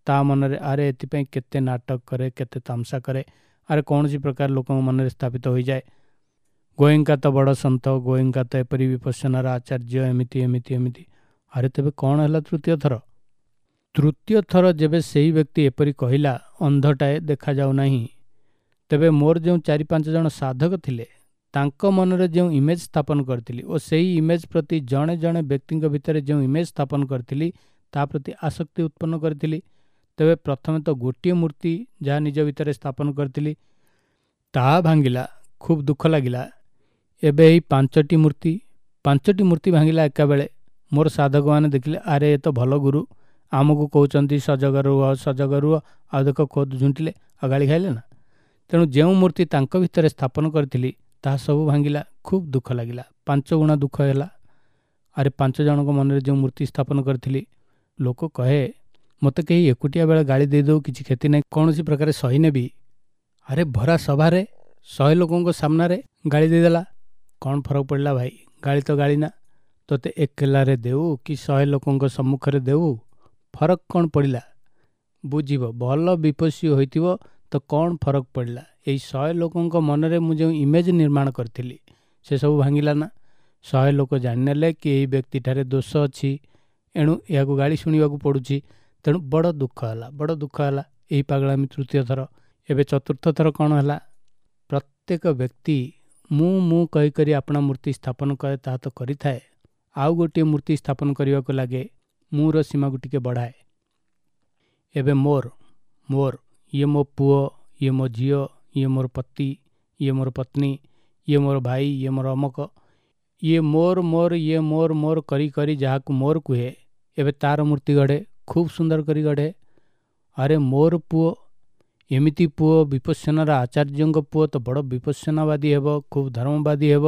ତା ମନରେ ଆରେ ଏଥିପାଇଁ କେତେ ନାଟକ କରେ, କେତେ ତାମସା କରେ, ଆରେ କୌଣସି ପ୍ରକାର ଲୋକଙ୍କ ମନରେ ସ୍ଥାପିତ ହୋଇଯାଏ। ଗୋଏଙ୍କା ତ ବଡ଼ ସନ୍ଥ, ଗୋଏଙ୍କା ତ ଏପରି ବିପස්සନାର ଆଚାର୍ଯ୍ୟ, ଏମିତି ଏମିତି ଏମିତି। ଆରେ ତେବେ କ'ଣ ହେଲା ତୃତୀୟ ଥର? ତୃତୀୟ ଥର ଯେବେ ସେହି ବ୍ୟକ୍ତି ଏପରି କହିଲା, ଅନ୍ଧଟାଏ ଦେଖାଯାଉନାହିଁ, ତେବେ ମୋର ଯେଉଁ 4-5 ଜଣ ସାଧକ ଥିଲେ ତାଙ୍କ ମନରେ ଯେଉଁ ଇମେଜ୍ ସ୍ଥାପନ କରିଥିଲି ଓ ସେହି ଇମେଜ୍ ପ୍ରତି ଜଣେ ଜଣେ ବ୍ୟକ୍ତିଙ୍କ ଭିତରେ ଯେଉଁ ଇମେଜ୍ ସ୍ଥାପନ କରିଥିଲି ତା ପ୍ରତି ଆସକ୍ତି ଉତ୍ପନ୍ନ କରିଥିଲି। ତେବେ ପ୍ରଥମେ ତ ଗୋଟିଏ ମୂର୍ତ୍ତି ଯାହା ନିଜ ଭିତରେ ସ୍ଥାପନ କରିଥିଲି ତାହା ଭାଙ୍ଗିଲା, ଖୁବ୍ ଦୁଃଖ ଲାଗିଲା। ଏବେ ଏହି 5ଟି ମୂର୍ତ୍ତି, 5ଟି ମୂର୍ତ୍ତି ଭାଙ୍ଗିଲା ଏକାବେଳେ। ମୋର ସାଧକମାନେ ଦେଖିଲେ, ଆରେ ଏ ତ ଭଲ ଗୁରୁ, ଆମକୁ କହୁଛନ୍ତି ସଜଗ ରୁହ ସଜଗ ରୁହ, ଆଉ ଦେଖ ଖୋଦ ଝୁଣ୍ଟିଲେ ଆଉ ଗାଳି ଖାଇଲେ ନା। ତେଣୁ ଯେଉଁ ମୂର୍ତ୍ତି ତାଙ୍କ ଭିତରେ ସ୍ଥାପନ କରିଥିଲି ତାହା ସବୁ ଭାଙ୍ଗିଲା, ଖୁବ୍ ଦୁଃଖ ଲାଗିଲା, 5 ଗୁଣା ଦୁଃଖ ହେଲା। ଆରେ 5 ଜଣଙ୍କ ମନରେ ଯେଉଁ ମୂର୍ତ୍ତି ସ୍ଥାପନ କରିଥିଲି, ଲୋକ କହେ ମୋତେ କେହି ଏକୁଟିଆ ବେଳେ ଗାଳି ଦେଇଦେଉ କିଛି କ୍ଷତି ନାହିଁ, କୌଣସି ପ୍ରକାରେ ସହି ନେବି। ଆରେ ଭରା ସଭାରେ 100 ଲୋକଙ୍କ ସାମ୍ନାରେ ଗାଳି ଦେଇଦେଲା, କ'ଣ ଫରକ ପଡ଼ିଲା ଭାଇ, ଗାଳି ତ ଗାଳି ନା, ତୋତେ ଏକଲାରେ ଦେଉ କି 100 ଲୋକଙ୍କ ସମ୍ମୁଖରେ ଦେଉ, ଫରକ କ'ଣ ପଡ଼ିଲା? ବୁଝିବ, ଭଲ ବିପස්සୀ ହୋଇଥିବ ତ କ'ଣ ଫରକ ପଡ଼ିଲା? ଏଇ 100 ଲୋକଙ୍କ ମନରେ ମୁଁ ଯେଉଁ ଇମେଜ୍ ନିର୍ମାଣ କରିଥିଲି ସେସବୁ ଭାଙ୍ଗିଲା ନା। 100 ଲୋକ ଜାଣିନେଲେ କି ଏହି ବ୍ୟକ୍ତିଠାରେ ଦୋଷ ଅଛି, ଏଣୁ ଏହାକୁ ଗାଳି ଶୁଣିବାକୁ ପଡ଼ୁଛି। ତେଣୁ ବଡ଼ ଦୁଃଖ ହେଲା, ବଡ଼ ଦୁଃଖ ହେଲା ଏହି ପାଗଳାମି ତୃତୀୟ ଥର। ଏବେ ଚତୁର୍ଥ ଥର କ'ଣ ହେଲା? ପ୍ରତ୍ୟେକ ବ୍ୟକ୍ତି ମୁଁ ମୁଁ କହିକରି ଆପଣା ମୂର୍ତ୍ତି ସ୍ଥାପନ କରେ, ତାହା ତ କରିଥାଏ, ଆଉ ଗୋଟିଏ ମୂର୍ତ୍ତି ସ୍ଥାପନ କରିବାକୁ ଲାଗେ, ମୁଁର ସୀମାକୁ ଟିକେ ବଢ଼ାଏ। ଏବେ ମୋର ମୋର ଇଏ ମୋ ପୁଅ, ଇଏ ମୋ ଝିଅ, ଇଏ ମୋର ପତି, ଇଏ ମୋର ପତ୍ନୀ, ଇଏ ମୋର ଭାଇ, ଇଏ ମୋର ଅମକ, ଇଏ ମୋର ମୋର, ଇଏ ମୋର ମୋର କରି କରି ଯାହାକୁ ମୋର କୁହେ, ଏବେ ତାର ମୂର୍ତ୍ତି ଗଢ଼େ, ଖୁବ୍ ସୁନ୍ଦର କରି ଗଢ଼େ। ଆରେ ମୋର ପୁଅ, ଏମିତି ପୁଅ, ବିପස්සନାର ଆଚାର୍ଯ୍ୟଙ୍କ ପୁଅ ତ ବଡ଼ ବିପස්සନାବାଦୀ ହେବ, ଖୁବ୍ ଧର୍ମବାଦୀ ହେବ,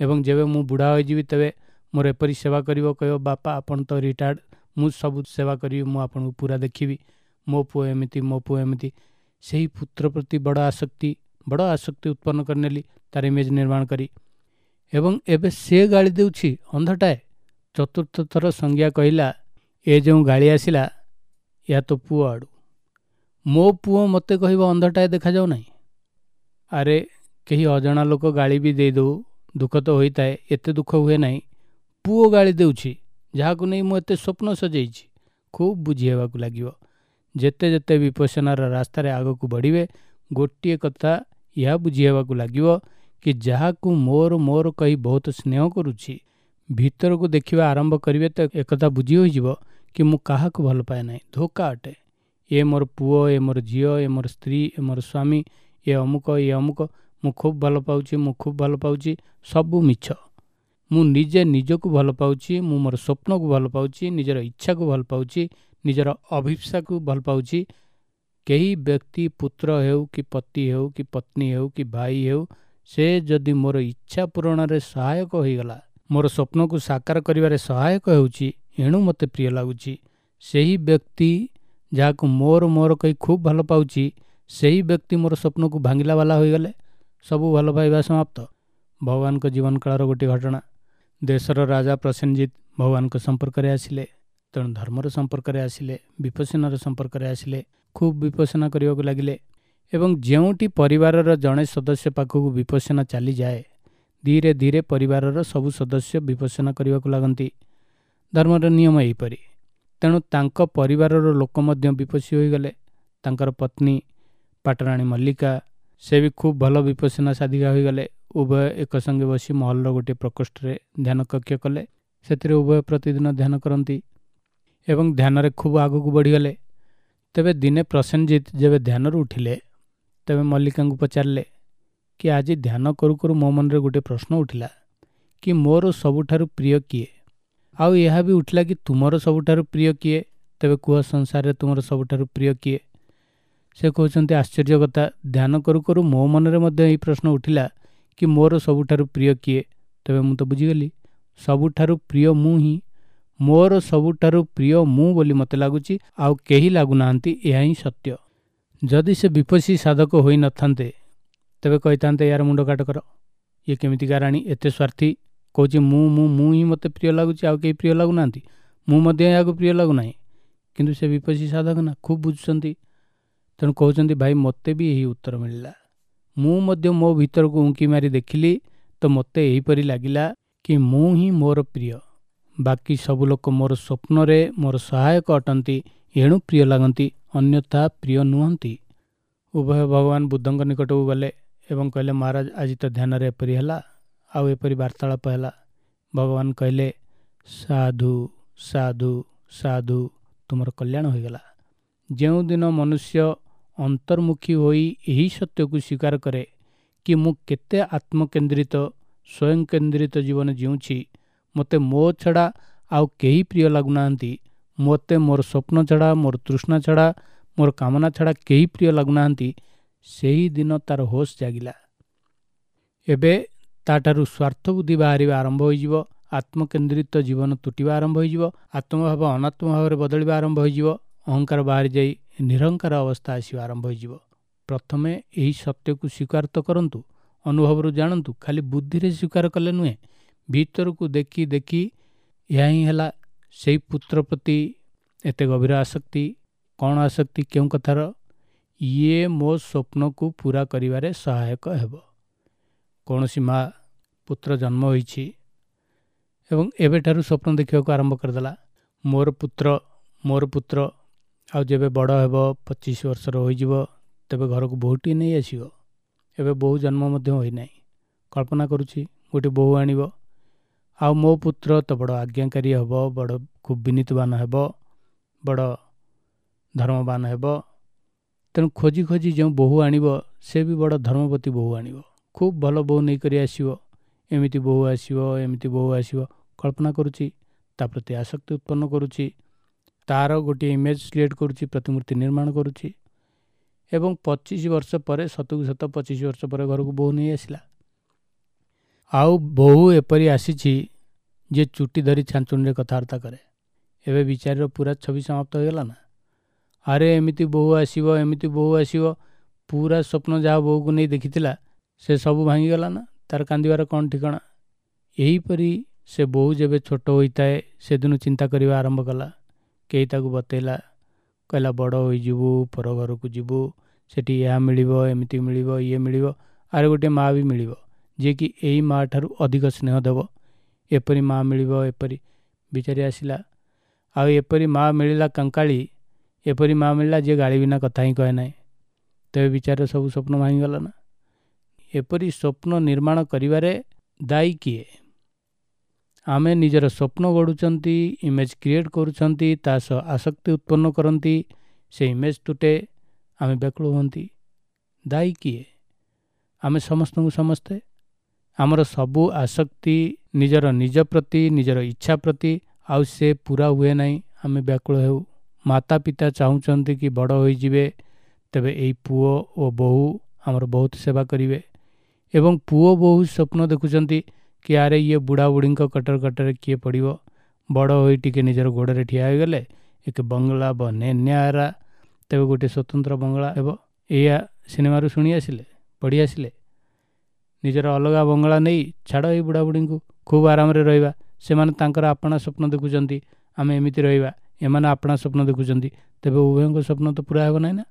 ଏବଂ ଯେବେ ମୁଁ ବୁଢ଼ା ହୋଇଯିବି ତେବେ ମୋର ଏପରି ସେବା କରିବ, କହିବ ବାପା ଆପଣ ତ ରିଟାୟାର୍ଡ଼, ମୁଁ ସବୁ ସେବା କରିବି, ମୁଁ ଆପଣଙ୍କୁ ପୁରା ଦେଖିବି, ମୋ ପୁଅ ଏମିତି, ମୋ ପୁଅ ଏମିତି। ସେହି ପୁତ୍ର ପ୍ରତି ବଡ଼ ଆସକ୍ତି, ବଡ଼ ଆସକ୍ତି ଉତ୍ପନ୍ନ କରିନେଲି ତାର ଇମେଜ୍ ନିର୍ମାଣ କରି। ଏବଂ ଏବେ ସେ ଗାଳି ଦେଉଛି ଅନ୍ଧଟାଏ। ଚତୁର୍ଥ ଥର ସଂଜ୍ଞା କହିଲା, ଏ ଯେଉଁ ଗାଳି ଆସିଲା ଏହା ତୋ ପୁଅ ଆଡ଼ୁ, ମୋ ପୁଅ ମୋତେ କହିବ ଅନ୍ଧଟାଏ ଦେଖାଯାଉ ନାହିଁ। ଆରେ କେହି ଅଜଣା ଲୋକ ଗାଳି ବି ଦେଇଦେଉ ଦୁଃଖ ତ ହୋଇଥାଏ, ଏତେ ଦୁଃଖ ହୁଏ ନାହିଁ। ପୁଅ ଗାଳି ଦେଉଛି ଯାହାକୁ ନେଇ ମୁଁ ଏତେ ସ୍ୱପ୍ନ ସଜେଇଛି। ଖୁବ୍ ବୁଝି ହେବାକୁ ଲାଗିବ। ଯେତେ ଯେତେ ବିପස්සନାର ରାସ୍ତାରେ ଆଗକୁ ବଢ଼ିବେ, ଗୋଟିଏ କଥା ଏହା ବୁଝି ହେବାକୁ ଲାଗିବ କି ଯାହାକୁ ମୋର ମୋର କହି ବହୁତ ସ୍ନେହ କରୁଛି, ଭିତରକୁ ଦେଖିବା ଆରମ୍ଭ କରିବେ ତ ଏକଥା ବୁଝି ହୋଇଯିବ କି ମୁଁ କାହାକୁ ଭଲ ପାଏ ନାହିଁ, ଧୋକା ଅଟେ। ଏ ମୋର ପୁଅ, ଏ ମୋର ଝିଅ, ଏ ମୋର ସ୍ତ୍ରୀ, ଏ ମୋର ସ୍ୱାମୀ, ଏ ଅମୁକ, ଏ ଅମୁକ, ମୁଁ ଖୁବ୍ ଭଲ ପାଉଛି, ମୁଁ ଖୁବ୍ ଭଲ ପାଉଛି, ସବୁ ମିଛ। ମୁଁ ନିଜେ ନିଜକୁ ଭଲ ପାଉଛି, ମୁଁ ମୋର ସ୍ୱପ୍ନକୁ ଭଲ ପାଉଛି, ନିଜର ଇଚ୍ଛାକୁ ଭଲ ପାଉଛି, ନିଜର ଅଭୀପ୍ସାକୁ ଭଲ ପାଉଛି। କେହି ବ୍ୟକ୍ତି ପୁତ୍ର ହେଉ କି ପତି ହେଉ କି ପତ୍ନୀ ହେଉ କି ଭାଇ ହେଉ, ସେ ଯଦି ମୋର ଇଚ୍ଛା ପୂରଣରେ ସହାୟକ ହୋଇଗଲା, ମୋର ସ୍ୱପ୍ନକୁ ସାକାର କରିବାରେ ସହାୟକ ହେଉଛି, ଏଣୁ ମୋତେ ପ୍ରିୟ ଲାଗୁଛି। ସେହି ବ୍ୟକ୍ତି ଯାହାକୁ ମୋର ମୋର କହି ଖୁବ୍ ଭଲ ପାଉଛି, ସେହି ବ୍ୟକ୍ତି ମୋର ସ୍ୱପ୍ନକୁ ଭାଙ୍ଗିଲା ବାଲା ହୋଇଗଲେ ସବୁ ଭଲ ପାଇବା ସମାପ୍ତ। ଭଗବାନଙ୍କ ଜୀବନ କାଳର ଗୋଟିଏ ଘଟଣା। ଦେଶର ରାଜା ପ୍ରସେନଜିତ ଭଗବାନଙ୍କ ସମ୍ପର୍କରେ ଆସିଲେ, ତେଣୁ ଧର୍ମର ସମ୍ପର୍କରେ ଆସିଲେ, ବିପස්සନାର ସମ୍ପର୍କରେ ଆସିଲେ, ଖୁବ୍ ବିପස්සନା କରିବାକୁ ଲାଗିଲେ। ଏବଂ ଯେଉଁଠି ପରିବାରର ଜଣେ ସଦସ୍ୟ ପାଖକୁ ବିପස්සନା ଚାଲିଯାଏ, ଧୀରେ ଧୀରେ ପରିବାରର ସବୁ ସଦସ୍ୟ ବିପස්සନା କରିବାକୁ ଲାଗନ୍ତି। ଧର୍ମର ନିୟମ ଏହିପରି। ତେଣୁ ତାଙ୍କ ପରିବାରର ଲୋକ ମଧ୍ୟ ବିପස්සୀ ହୋଇଗଲେ। ତାଙ୍କର ପତ୍ନୀ ପାଟରାଣୀ ମଲ୍ଲିକା, ସେ ବି ଖୁବ୍ ଭଲ ବିପස්සନା ସାଧିକା ହୋଇଗଲେ। ଉଭୟ ଏକ ସଙ୍ଗେ ବସି ମହଲର ଗୋଟିଏ ପ୍ରକୋଷ୍ଠରେ ଧ୍ୟାନ କକ୍ଷ କଲେ। ସେଥିରେ ଉଭୟ ପ୍ରତିଦିନ ଧ୍ୟାନ କରନ୍ତି ଏବଂ ଧ୍ୟାନରେ ଖୁବ୍ ଆଗକୁ ବଢ଼ିଗଲେ। ତେବେ ଦିନେ ପ୍ରସେନଜିତ ଯେବେ ଧ୍ୟାନରୁ ଉଠିଲେ, ତେବେ ମଲ୍ଲିକାଙ୍କୁ ପଚାରିଲେ କି ଆଜି ଧ୍ୟାନ କରୁ କରୁ ମୋ ମନରେ ଗୋଟିଏ ପ୍ରଶ୍ନ ଉଠିଲା କି ମୋର ସବୁଠାରୁ ପ୍ରିୟ କିଏ? ଆଉ ଏହା ବି ଉଠିଲା କି ତୁମର ସବୁଠାରୁ ପ୍ରିୟ କିଏ? ତେବେ କୁହ ସଂସାରରେ ତୁମର ସବୁଠାରୁ ପ୍ରିୟ କିଏ? ସେ କହୁଛନ୍ତି ଆଶ୍ଚର୍ଯ୍ୟ କଥା, ଧ୍ୟାନ କରୁ କରୁ ମୋ ମନରେ ମଧ୍ୟ ଏହି ପ୍ରଶ୍ନ ଉଠିଲା କି ମୋର ସବୁଠାରୁ ପ୍ରିୟ କିଏ? ତେବେ ମୁଁ ତ ବୁଝିଗଲି ସବୁଠାରୁ ପ୍ରିୟ ମୁଁ ହିଁ, ମୋର ସବୁଠାରୁ ପ୍ରିୟ ମୁଁ ବୋଲି ମୋତେ ଲାଗୁଛି, ଆଉ କେହି ଲାଗୁନାହାନ୍ତି, ଏହା ହିଁ ସତ୍ୟ। ଯଦି ସେ ବିପස්සୀ ସାଧକ ହୋଇନଥାନ୍ତେ ତେବେ କହିଥାନ୍ତେ ୟାର ମୁଣ୍ଡ କାଟ କର, ଇଏ କେମିତିକା ରାଣୀ, ଏତେ ସ୍ୱାର୍ଥୀ, କହୁଛି ମୁଁ ମୁଁ ମୁଁ ହିଁ ମୋତେ ପ୍ରିୟ ଲାଗୁଛି, ଆଉ କେହି ପ୍ରିୟ ଲାଗୁନାହାନ୍ତି, ମୁଁ ମଧ୍ୟ ଏହାକୁ ପ୍ରିୟ ଲାଗୁନାହିଁ। କିନ୍ତୁ ସେ ବିପස්සୀ ସାଧକ ନା, ଖୁବ୍ ବୁଝୁଛନ୍ତି। ତେଣୁ କହୁଛନ୍ତି ଭାଇ ମୋତେ ବି ଏହି ଉତ୍ତର ମିଳିଲା, ମୁଁ ମଧ୍ୟ ମୋ ଭିତରକୁ ଉଙ୍କି ମାରି ଦେଖିଲି ତ ମୋତେ ଏହିପରି ଲାଗିଲା କି ମୁଁ ହିଁ ମୋର ପ୍ରିୟ, ବାକି ସବୁ ଲୋକ ମୋର ସ୍ୱପ୍ନରେ ମୋର ସହାୟକ ଅଟନ୍ତି, ଏଣୁ ପ୍ରିୟ ଲାଗନ୍ତି, ଅନ୍ୟଥା ପ୍ରିୟ ନୁହନ୍ତି। ଉଭୟ ଭଗବାନ ବୁଦ୍ଧଙ୍କ ନିକଟକୁ ଗଲେ ଏବଂ କହିଲେ, ମହାରାଜ, ଆଜି ତ ଧ୍ୟାନରେ ଏପରି ହେଲା ଆଉ ଏପରି ବାର୍ତ୍ତାଳାପ ହେଲା। ଭଗବାନ କହିଲେ, ସାଧୁ ସାଧୁ ସାଧୁ, ତୁମର କଲ୍ୟାଣ ହୋଇଗଲା। ଯେଉଁଦିନ ମନୁଷ୍ୟ ଅନ୍ତର୍ମୁଖୀ ହୋଇ ଏହି ସତ୍ୟକୁ ସ୍ୱୀକାର କରେ କି ମୁଁ କେତେ ଆତ୍ମକେନ୍ଦ୍ରିତ, ସ୍ୱୟଂକେନ୍ଦ୍ରିତ ଜୀବନ ଜିଉଁଛି, ମୋତେ ମୋ ଛଡ଼ା ଆଉ କେହି ପ୍ରିୟ ଲାଗୁନାହାନ୍ତି, ମୋତେ ମୋର ସ୍ୱପ୍ନ ଛଡ଼ା, ମୋର ତୃଷ୍ଣା ଛଡ଼ା, ମୋର କାମନା ଛଡ଼ା କେହି ପ୍ରିୟ ଲାଗୁନାହାନ୍ତି, ସେହି ଦିନ ତାର ହୋସ୍ ଜାଗିଲା। ଏବେ ତାଠାରୁ ସ୍ୱାର୍ଥ ବୁଦ୍ଧି ବାହାରିବା ଆରମ୍ଭ ହୋଇଯିବ, ଆତ୍ମକେନ୍ଦ୍ରିତ ଜୀବନ ତୁଟିବା ଆରମ୍ଭ ହୋଇଯିବ, ଆତ୍ମଭାବ ଅନାତ୍ମ ଭାବରେ ବଦଳିବା ଆରମ୍ଭ ହୋଇଯିବ, ଅହଙ୍କାର ବାହାରି ଯାଇ ନିରହଙ୍କାର ଅବସ୍ଥା ଆସିବା ଆରମ୍ଭ ହୋଇଯିବ। ପ୍ରଥମେ ଏହି ସତ୍ୟକୁ ସ୍ୱୀକାର ତ କରନ୍ତୁ, ଅନୁଭବରୁ ଜାଣନ୍ତୁ, ଖାଲି ବୁଦ୍ଧିରେ ସ୍ୱୀକାର କଲେ ନୁହେଁ, ଭିତରକୁ ଦେଖି ଦେଖି। ଏହା ହିଁ ହେଲା ସେଇ ପୁତ୍ର ପ୍ରତି ଏତେ ଗଭୀର ଆସକ୍ତି। କ'ଣ ଆସକ୍ତି? କେଉଁ କଥାର? ଇଏ ମୋ ସ୍ୱପ୍ନକୁ ପୂରା କରିବାରେ ସହାୟକ ହେବ। କୌଣସି ମା ପୁତ୍ର ଜନ୍ମ ହୋଇଛି ଏବଂ ଏବେଠାରୁ ସ୍ୱପ୍ନ ଦେଖିବାକୁ ଆରମ୍ଭ କରିଦେଲା, ମୋର ପୁତ୍ର, ମୋର ପୁତ୍ର। ଆଉ ଯେବେ ବଡ଼ ହେବ, 25 ବର୍ଷର ହୋଇଯିବ, ତେବେ ଘରକୁ ବୋହୂଟିଏ ନେଇ ଆସିବ। ଏବେ ବୋହୂ ଜନ୍ମ ମଧ୍ୟ ହୋଇନାହିଁ, କଳ୍ପନା କରୁଛି ଗୋଟିଏ ବୋହୂ ଆଣିବ। ଆଉ ମୋ ପୁତ୍ର ତ ବଡ଼ ଆଜ୍ଞାକାରୀ ହେବ, ବଡ଼ ଖୁବ୍ ବିନୀତବାନ ହେବ, ବଡ଼ ଧର୍ମବାନ ହେବ। ତେଣୁ ଖୋଜି ଖୋଜି ଯେଉଁ ବୋହୂ ଆଣିବ ସେ ବି ବଡ଼ ଧର୍ମବତୀ ବୋହୂ ଆଣିବ, ଖୁବ୍ ଭଲ ବୋହୂ ନେଇକରି ଆସିବ। ଏମିତି ବୋହୂ ଆସିବ, ଏମିତି ବୋହୂ ଆସିବ, କଳ୍ପନା କରୁଛି, ତା ପ୍ରତି ଆସକ୍ତି ଉତ୍ପନ୍ନ କରୁଛି, ତାର ଗୋଟିଏ ଇମେଜ୍ କ୍ରିଏଟ୍ କରୁଛି, ପ୍ରତିମୂର୍ତ୍ତି ନିର୍ମାଣ କରୁଛି। ଏବଂ 25 ବର୍ଷ ପରେ, ସତକୁ ସତ 25 ବର୍ଷ ପରେ ଘରକୁ ବୋହୂ ନେଇ ଆସିଲା। ଆଉ ବୋହୂ ଏପରି ଆସିଛି ଯେ ଚୁଟି ଧରି ଛାଞ୍ଚୁଣିରେ କଥାବାର୍ତ୍ତା କରେ। ଏବେ ବିଚାରୀର ପୁରା ଛବି ସମାପ୍ତ ହୋଇଗଲା ନା? ଆରେ ଏମିତି ବୋହୂ ଆସିବ, ଏମିତି ବୋହୂ ଆସିବ, ପୁରା ସ୍ୱପ୍ନ ଯାହା ବୋହୂକୁ ନେଇ ଦେଖିଥିଲା ସେ ସବୁ ଭାଙ୍ଗିଗଲା ନା? ତାର କାନ୍ଦିବାର କ'ଣ ଠିକଣା? ଏହିପରି ସେ ବୋହୂ ଯେବେ ଛୋଟ ହୋଇଥାଏ ସେଦିନୁ ଚିନ୍ତା କରିବା ଆରମ୍ଭ କଲା। କେହି ତାକୁ ବତେଇଲା, କହିଲା ବଡ଼ ହୋଇଯିବୁ, ପର ଘରକୁ ଯିବୁ, ସେଠି ଏହା ମିଳିବ, ଏମିତି ମିଳିବ, ଇଏ ମିଳିବ, ଆରେ ଗୋଟିଏ ମା ବି ମିଳିବ ଯିଏକି ଏଇ ମା ଠାରୁ ଅଧିକ ସ୍ନେହ ଦେବ, ଏପରି ମା ମିଳିବ। ଏପରି ବିଚାରି ଆସିଲା। ଆଉ ଏପରି ମା ମିଳିଲା କଙ୍କାଳି, ଏପରି ମା ମିଳିଲା ଯିଏ ଗାଳି ବିନା କଥା ହିଁ କହେ ନାହିଁ। ତେବେ ବିଚାରିର ସବୁ ସ୍ୱପ୍ନ ଭାଙ୍ଗିଗଲା ନା? ଏପରି ସ୍ୱପ୍ନ ନିର୍ମାଣ କରିବାରେ ଦାୟୀ କିଏ? ଆମେ ନିଜର ସ୍ୱପ୍ନ ଗଢ଼ୁଛନ୍ତି, ଇମେଜ୍ କ୍ରିଏଟ୍ କରୁଛନ୍ତି, ତା ସହ ଆସକ୍ତି ଉତ୍ପନ୍ନ କରନ୍ତି, ସେ ଇମେଜ୍ ତୁଟେ, ଆମେ ବ୍ୟାକୁଳ ହୁଅନ୍ତି। ଦାୟୀ କିଏ? ଆମେ ସମସ୍ତଙ୍କୁ ସମସ୍ତେ। ଆମର ସବୁ ଆସକ୍ତି ନିଜର ନିଜ ପ୍ରତି, ନିଜର ଇଚ୍ଛା ପ୍ରତି, ଆଉ ସେ ପୂରା ହୁଏ ନାହିଁ, ଆମେ ବ୍ୟାକୁଳ ହେଉ। ମାତା ପିତା ଚାହୁଁଛନ୍ତି କି ବଡ଼ ହୋଇଯିବେ ତେବେ ଏଇ ପୁଅ ଓ ବୋହୂ ଆମର ବହୁତ ସେବା କରିବେ, ଏବଂ ପୁଅ ବୋହୂ ସ୍ୱପ୍ନ ଦେଖୁଛନ୍ତି କି ଆରେ ଇଏ ବୁଢ଼ା ବୁଢ଼ୀଙ୍କ କଟର କଟରେ କିଏ ପଡ଼ିବ, ବଡ଼ ହୋଇ ଟିକେ ନିଜର ଗୋଡ଼ରେ ଠିଆ ହୋଇଗଲେ ଏକ ବଙ୍ଗଳା ବନେ ନ୍ୟାରା, ତେବେ ଗୋଟିଏ ସ୍ୱତନ୍ତ୍ର ବଙ୍ଗଳା ହେବ। ଏଇଆ ସିନେମାରୁ ଶୁଣି ଆସିଲେ, ପଢ଼ି ଆସିଲେ। ନିଜର ଅଲଗା ବଙ୍ଗଳା ନେଇ ଛାଡ଼ ଏଇ ବୁଢ଼ା ବୁଢ଼ୀଙ୍କୁ, ଖୁବ୍ ଆରାମରେ ରହିବା। ସେମାନେ ତାଙ୍କର ଆପଣା ସ୍ୱପ୍ନ ଦେଖୁଛନ୍ତି, ଆମେ ଏମିତି ରହିବା, ଏମାନେ ଆପଣା ସ୍ୱପ୍ନ ଦେଖୁଛନ୍ତି। ତେବେ ଉଭୟଙ୍କ ସ୍ୱପ୍ନ ତ ପୂରା ହେବ ନାହିଁ ନା?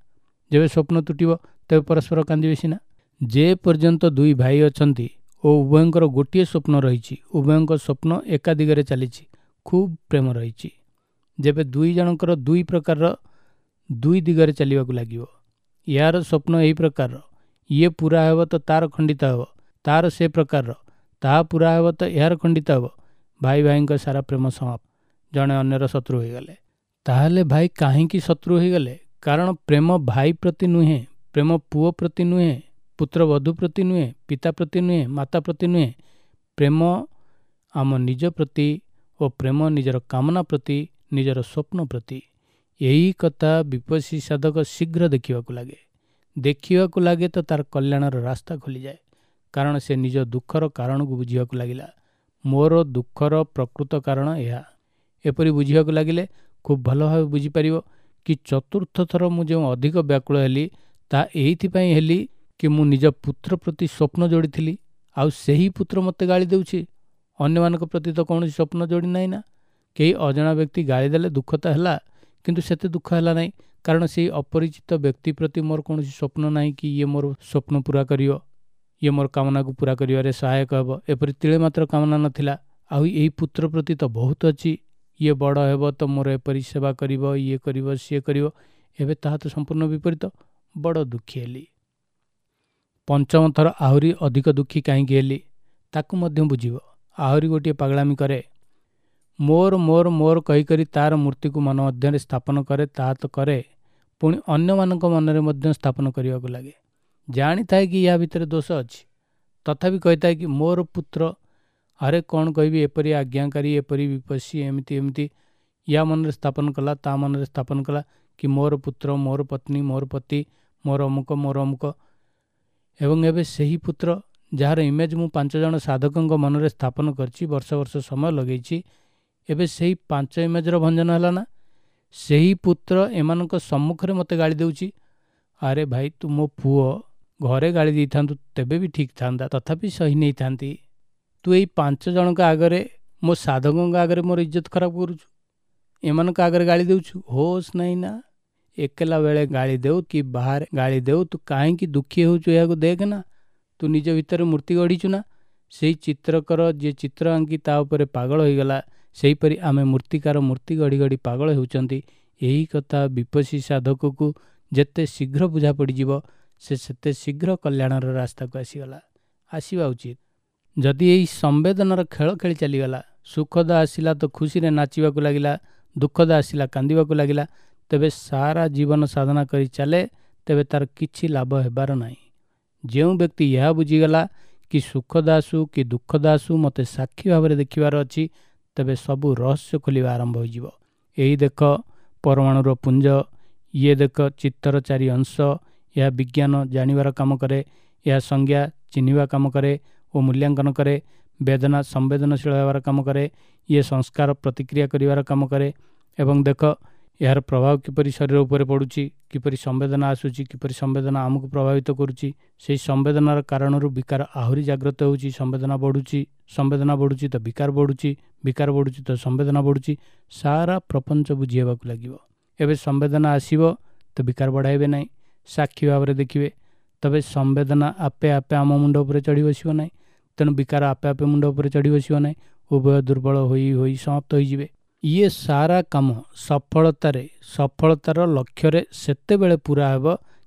ଯେବେ ସ୍ୱପ୍ନ ତୁଟିବ ତେବେ ପରସ୍ପର କାନ୍ଦିବେ ସିନା। ଯେ ପର୍ଯ୍ୟନ୍ତ ଦୁଇ ଭାଇ ଅଛନ୍ତି ଓ ଉଭୟଙ୍କର ଗୋଟିଏ ସ୍ୱପ୍ନ ରହିଛି, ଉଭୟଙ୍କ ସ୍ୱପ୍ନ ଏକା ଦିଗରେ ଚାଲିଛି, ଖୁବ୍ ପ୍ରେମ ରହିଛି। ଯେବେ ଦୁଇ ଜଣଙ୍କର ଦୁଇ ପ୍ରକାରର ଦୁଇ ଦିଗରେ ଚାଲିବାକୁ ଲାଗିବ, ୟାର ସ୍ୱପ୍ନ ଏହି ପ୍ରକାରର, ଇଏ ପୂରା ହେବ ତ ତାର ଖଣ୍ଡିତ ହେବ, ତାର ସେ ପ୍ରକାରର, ତାହା ପୂରା ହେବ ତ ଏହାର ଖଣ୍ଡିତ ହେବ, ଭାଇ ଭାଇଙ୍କ ସାରା ପ୍ରେମ ସମାପ୍ତ, ଜଣେ ଅନ୍ୟର ଶତ୍ରୁ ହୋଇଗଲେ। ତାହେଲେ ଭାଇ କାହିଁକି ଶତ୍ରୁ ହୋଇଗଲେ? କାରଣ ପ୍ରେମ ଭାଇ ପ୍ରତି ନୁହେଁ, ପ୍ରେମ ପୁଅ ପ୍ରତି ନୁହେଁ, ପୁତ୍ରବଧୂ ପ୍ରତି ନୁହେଁ, ପିତା ପ୍ରତି ନୁହେଁ, ମାତା ପ୍ରତି ନୁହେଁ, ପ୍ରେମ ଆମ ନିଜ ପ୍ରତି ଓ ପ୍ରେମ ନିଜର କାମନା ପ୍ରତି, ନିଜର ସ୍ୱପ୍ନ ପ୍ରତି। ଏହି କଥା ବିପସୀ ସାଧକ ଶୀଘ୍ର ଦେଖିବାକୁ ଲାଗେ। ଦେଖିବାକୁ ଲାଗେ ତ ତାର କଲ୍ୟାଣର ରାସ୍ତା ଖୋଲିଯାଏ। କାରଣ ସେ ନିଜ ଦୁଃଖର କାରଣକୁ ବୁଝିବାକୁ ଲାଗିଲା। ମୋର ଦୁଃଖର ପ୍ରକୃତ କାରଣ ଏହା। ଏପରି ବୁଝିବାକୁ ଲାଗିଲେ ଖୁବ୍ ଭଲ ଭାବେ ବୁଝିପାରିବ କି ଚତୁର୍ଥ ଥର ମୁଁ ଯେଉଁ ଅଧିକ ବ୍ୟାକୁଳ ହେଲି ତାହା ଏଇଥିପାଇଁ ହେଲି କି ମୁଁ ନିଜ ପୁତ୍ର ପ୍ରତି ସ୍ୱପ୍ନ ଯୋଡ଼ିଥିଲି, ଆଉ ସେହି ପୁତ୍ର ମୋତେ ଗାଳି ଦେଉଛି। ଅନ୍ୟମାନଙ୍କ ପ୍ରତି ତ କୌଣସି ସ୍ୱପ୍ନ ଯୋଡ଼ି ନାହିଁ ନା। କେହି ଅଜଣା ବ୍ୟକ୍ତି ଗାଳି ଦେଲେ ଦୁଃଖ ତ ହେଲା, କିନ୍ତୁ ସେତେ ଦୁଃଖ ହେଲା ନାହିଁ, କାରଣ ସେଇ ଅପରିଚିତ ବ୍ୟକ୍ତି ପ୍ରତି ମୋର କୌଣସି ସ୍ୱପ୍ନ ନାହିଁ କି ଇଏ ମୋର ସ୍ୱପ୍ନ ପୂରା କରିବ, ଇଏ ମୋର କାମନାକୁ ପୂରା କରିବାରେ ସହାୟକ ହେବ, ଏପରି ତିଳେ ମାତ୍ର କାମନା ନଥିଲା। ଆଉ ଏଇ ପୁତ୍ର ପ୍ରତି ତ ବହୁତ ଅଛି, ଇଏ ବଡ଼ ହେବ ତ ମୋର ଏପରି ସେବା କରିବ, ଇଏ କରିବ, ସିଏ କରିବ। ଏବେ ତାହା ତ ସମ୍ପୂର୍ଣ୍ଣ ବିପରୀତ। ବଡ଼ ଦୁଃଖୀ ହେଲି। ପଞ୍ଚମ ଥର ଆହୁରି ଅଧିକ ଦୁଃଖୀ କାହିଁକି ହେଲି ତାକୁ ମଧ୍ୟ ବୁଝିବ। ଆହୁରି ଗୋଟିଏ ପାଗଳାମି କରେ। ମୋର ମୋର ମୋର କହିକରି ତାର ମୂର୍ତ୍ତିକୁ ମନ ମଧ୍ୟରେ ସ୍ଥାପନ କରେ, ତାହା ତ କରେ, ପୁଣି ଅନ୍ୟମାନଙ୍କ ମନରେ ମଧ୍ୟ ସ୍ଥାପନ କରିବାକୁ ଲାଗେ। ଜାଣିଥାଏ କି ୟା ଭିତରେ ଦୋଷ ଅଛି, ତଥାପି କହିଥାଏ କି ମୋର ପୁତ୍ର, ଆରେ କ'ଣ କହିବି, ଏପରି ଆଜ୍ଞାକାରୀ, ଏପରି ବିପସୀ, ଏମିତି ଏମିତି। ୟା ମନରେ ସ୍ଥାପନ କଲା, ତା ମନରେ ସ୍ଥାପନ କଲା କି ମୋର ପୁତ୍ର, ମୋର ପତ୍ନୀ, ମୋର ପତି, ମୋର ଅମୁକ, ମୋର ଅମୁକ। ଏବଂ ଏବେ ସେହି ପୁତ୍ର ଯାହାର ଇମେଜ୍ ମୁଁ 5 ଜଣ ସାଧକଙ୍କ ମନରେ ସ୍ଥାପନ କରିଛି, ବର୍ଷ ବର୍ଷ ସମୟ ଲଗେଇଛି, ଏବେ ସେହି 5 ଇମେଜ୍ର ଭଞ୍ଜନ ହେଲା ନା? ସେହି ପୁତ୍ର ଏମାନଙ୍କ ସମ୍ମୁଖରେ ମୋତେ ଗାଳି ଦେଉଛି। ଆରେ ଭାଇ, ତୁ ମୋ ପୁଅ, ଘରେ ଗାଳି ଦେଇଥାନ୍ତୁ ତେବେ ବି ଠିକ୍ ଥାନ୍ତା, ତଥାପି ସହି ନେଇଥାନ୍ତି। ତୁ ଏଇ 5 ଜଣଙ୍କ ଆଗରେ, ମୋ ସାଧକଙ୍କ ଆଗରେ ମୋର ଇଜ୍ଜତ ଖରାପ କରୁଛୁ, ଏମାନଙ୍କ ଆଗରେ ଗାଳି ଦେଉଛୁ। ହୋସ୍ ନାହିଁ ନା? ଏକଲା ବେଳେ ଗାଳି ଦେଉ କି ବାହାରେ ଗାଳି ଦେଉ, ତୁ କାହିଁକି ଦୁଃଖୀ ହେଉଛୁ ଏହାକୁ ଦେଖ ନା। ତୁ ନିଜ ଭିତରେ ମୂର୍ତ୍ତି ଗଢ଼ିଛୁ ନା? ସେଇ ଚିତ୍ରକର ଯିଏ ଚିତ୍ର ଆଙ୍କି ତା ଉପରେ ପାଗଳ ହୋଇଗଲା, ସେହିପରି ଆମେ ମୂର୍ତ୍ତିକାର ମୂର୍ତ୍ତି ଗଢ଼ି ଗଢ଼ି ପାଗଳ ହେଉଛନ୍ତି। ଏହି କଥା ବିପସୀ ସାଧକକୁ ଯେତେ ଶୀଘ୍ର ବୁଝା ପଡ଼ିଯିବ, ସେ ସେତେ ଶୀଘ୍ର କଲ୍ୟାଣର ରାସ୍ତାକୁ ଆସିଗଲା, ଆସିବା ଉଚିତ। ଯଦି ଏହି ସମ୍ବେଦନାର ଖେଳ ଖେଳି ଚାଲିଗଲା, ସୁଖଦ ଆସିଲା ତ ଖୁସିରେ ନାଚିବାକୁ ଲାଗିଲା, ଦୁଃଖଦ ଆସିଲା କାନ୍ଦିବାକୁ ଲାଗିଲା, ତେବେ ସାରା ଜୀବନ ସାଧନା କରି ଚାଲେ, ତେବେ ତାର କିଛି ଲାଭ ହେବାର ନାହିଁ। ଯେଉଁ ବ୍ୟକ୍ତି ଏହା ବୁଝିଗଲା କି ସୁଖଦ ଆସୁ କି ଦୁଃଖଦ ଆସୁ ମୋତେ ସାକ୍ଷୀ ଭାବରେ ଦେଖିବାର ଅଛି, ତେବେ ସବୁ ରହସ୍ୟ ଖୋଲିବା ଆରମ୍ଭ ହୋଇଯିବ। ଏଇ ଦେଖ ପରମାଣୁର ପୁଞ୍ଜ, ଇଏ ଦେଖ ଚିତ୍ତର 4 ଅଂଶ। ଏହା ବିଜ୍ଞାନ ଜାଣିବାର କାମ କରେ, ଏହା ସଂଜ୍ଞା ଚିହ୍ନିବା କାମ କରେ ଓ ମୂଲ୍ୟାଙ୍କନ କରେ, ବେଦନା ସମ୍ବେଦନଶୀଳ ହେବାର କାମ କରେ, ଇଏ ସଂସ୍କାର ପ୍ରତିକ୍ରିୟା କରିବାର କାମ କରେ। ଏବଂ ଦେଖ ଏହାର ପ୍ରଭାବ କିପରି ଶରୀର ଉପରେ ପଡ଼ୁଛି, କିପରି ସମ୍ବେଦନା ଆସୁଛି, କିପରି ସମ୍ବେଦନା ଆମକୁ ପ୍ରଭାବିତ କରୁଛି। ସେହି ସମ୍ବେଦନାର କାରଣରୁ ବିକାର ଆହୁରି ଜାଗ୍ରତ ହେଉଛି, ସମ୍ବେଦନା ବଢ଼ୁଛି, ସମ୍ବେଦନା ବଢ଼ୁଛି ତ ବିକାର ବଢ଼ୁଛି, ବିକାର ବଢ଼ୁଛି ତ ସମ୍ବେଦନା ବଢ଼ୁଛି। ସାରା ପ୍ରପଞ୍ଚ ବୁଝି ହେବାକୁ ଲାଗିବ। ଏବେ ସମ୍ବେଦନା ଆସିବ ତ ବିକାର ବଢ଼ାଇବେ ନାହିଁ, ସାକ୍ଷୀ ଭାବରେ ଦେଖିବେ। ତେବେ ସମ୍ବେଦନା ଆପେ ଆପେ ଆମ ମୁଣ୍ଡ ଉପରେ ଚଢ଼ି ବସିବ ନାହିଁ, ତେଣୁ ବିକାର ଆପେ ଆପେ ମୁଣ୍ଡ ଉପରେ ଚଢ଼ି ବସିବ ନାହିଁ, ଉଭୟ ଦୁର୍ବଳ ହୋଇ ହୋଇ ସମାପ୍ତ ହୋଇଯିବେ। ଇଏ ସାରା କାମ ସଫଳତାରେ, ସଫଳତାର ଲକ୍ଷ୍ୟରେ ସେତେବେଳେ ପୁରା ହେବ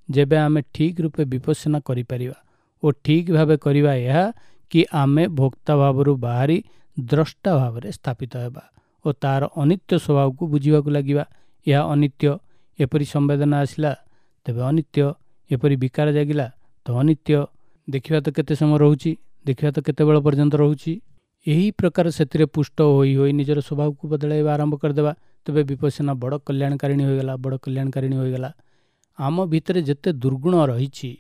ଯେବେ ଆମେ ଠିକ୍ ରୂପେ ବିପස්සନା କରିପାରିବା। ଓ ଠିକ୍ ଭାବେ କରିବା ଏହା କି ଆମେ ଭୋକ୍ତା ଭାବରୁ ବାହାରି ଦ୍ରଷ୍ଟା ଭାବରେ ସ୍ଥାପିତ ହେବା ଓ ତାର ଅନିତ୍ୟ ସ୍ୱଭାବକୁ ବୁଝିବାକୁ ଲାଗିବା। ଏହା ଅନିତ୍ୟ, ଏପରି ସମ୍ବେଦନା ଆସିଲା ତେବେ ଅନିତ୍ୟ, ଏପରି ବିକାର ଜାଗିଲା ତ ଅନିତ୍ୟ। ଦେଖିବା ତ କେତେ ସମୟ ରହୁଛି, ଦେଖିବା ତ କେତେବେଳ ପର୍ଯ୍ୟନ୍ତ ରହୁଛି। ଏହି ପ୍ରକାର ସେଥିରେ ପୁଷ୍ଟ ହୋଇ ହୋଇ ନିଜର ସ୍ୱଭାବକୁ ବଦଳାଇବା ଆରମ୍ଭ କରିଦେବା, ତେବେ ବିପස්සନା ବଡ଼ କଲ୍ୟାଣକାରିଣୀ ହୋଇଗଲା, ବଡ଼ କଲ୍ୟାଣକାରିଣୀ ହୋଇଗଲା। ଆମ ଭିତରେ ଯେତେ ଦୁର୍ଗୁଣ ରହିଛି,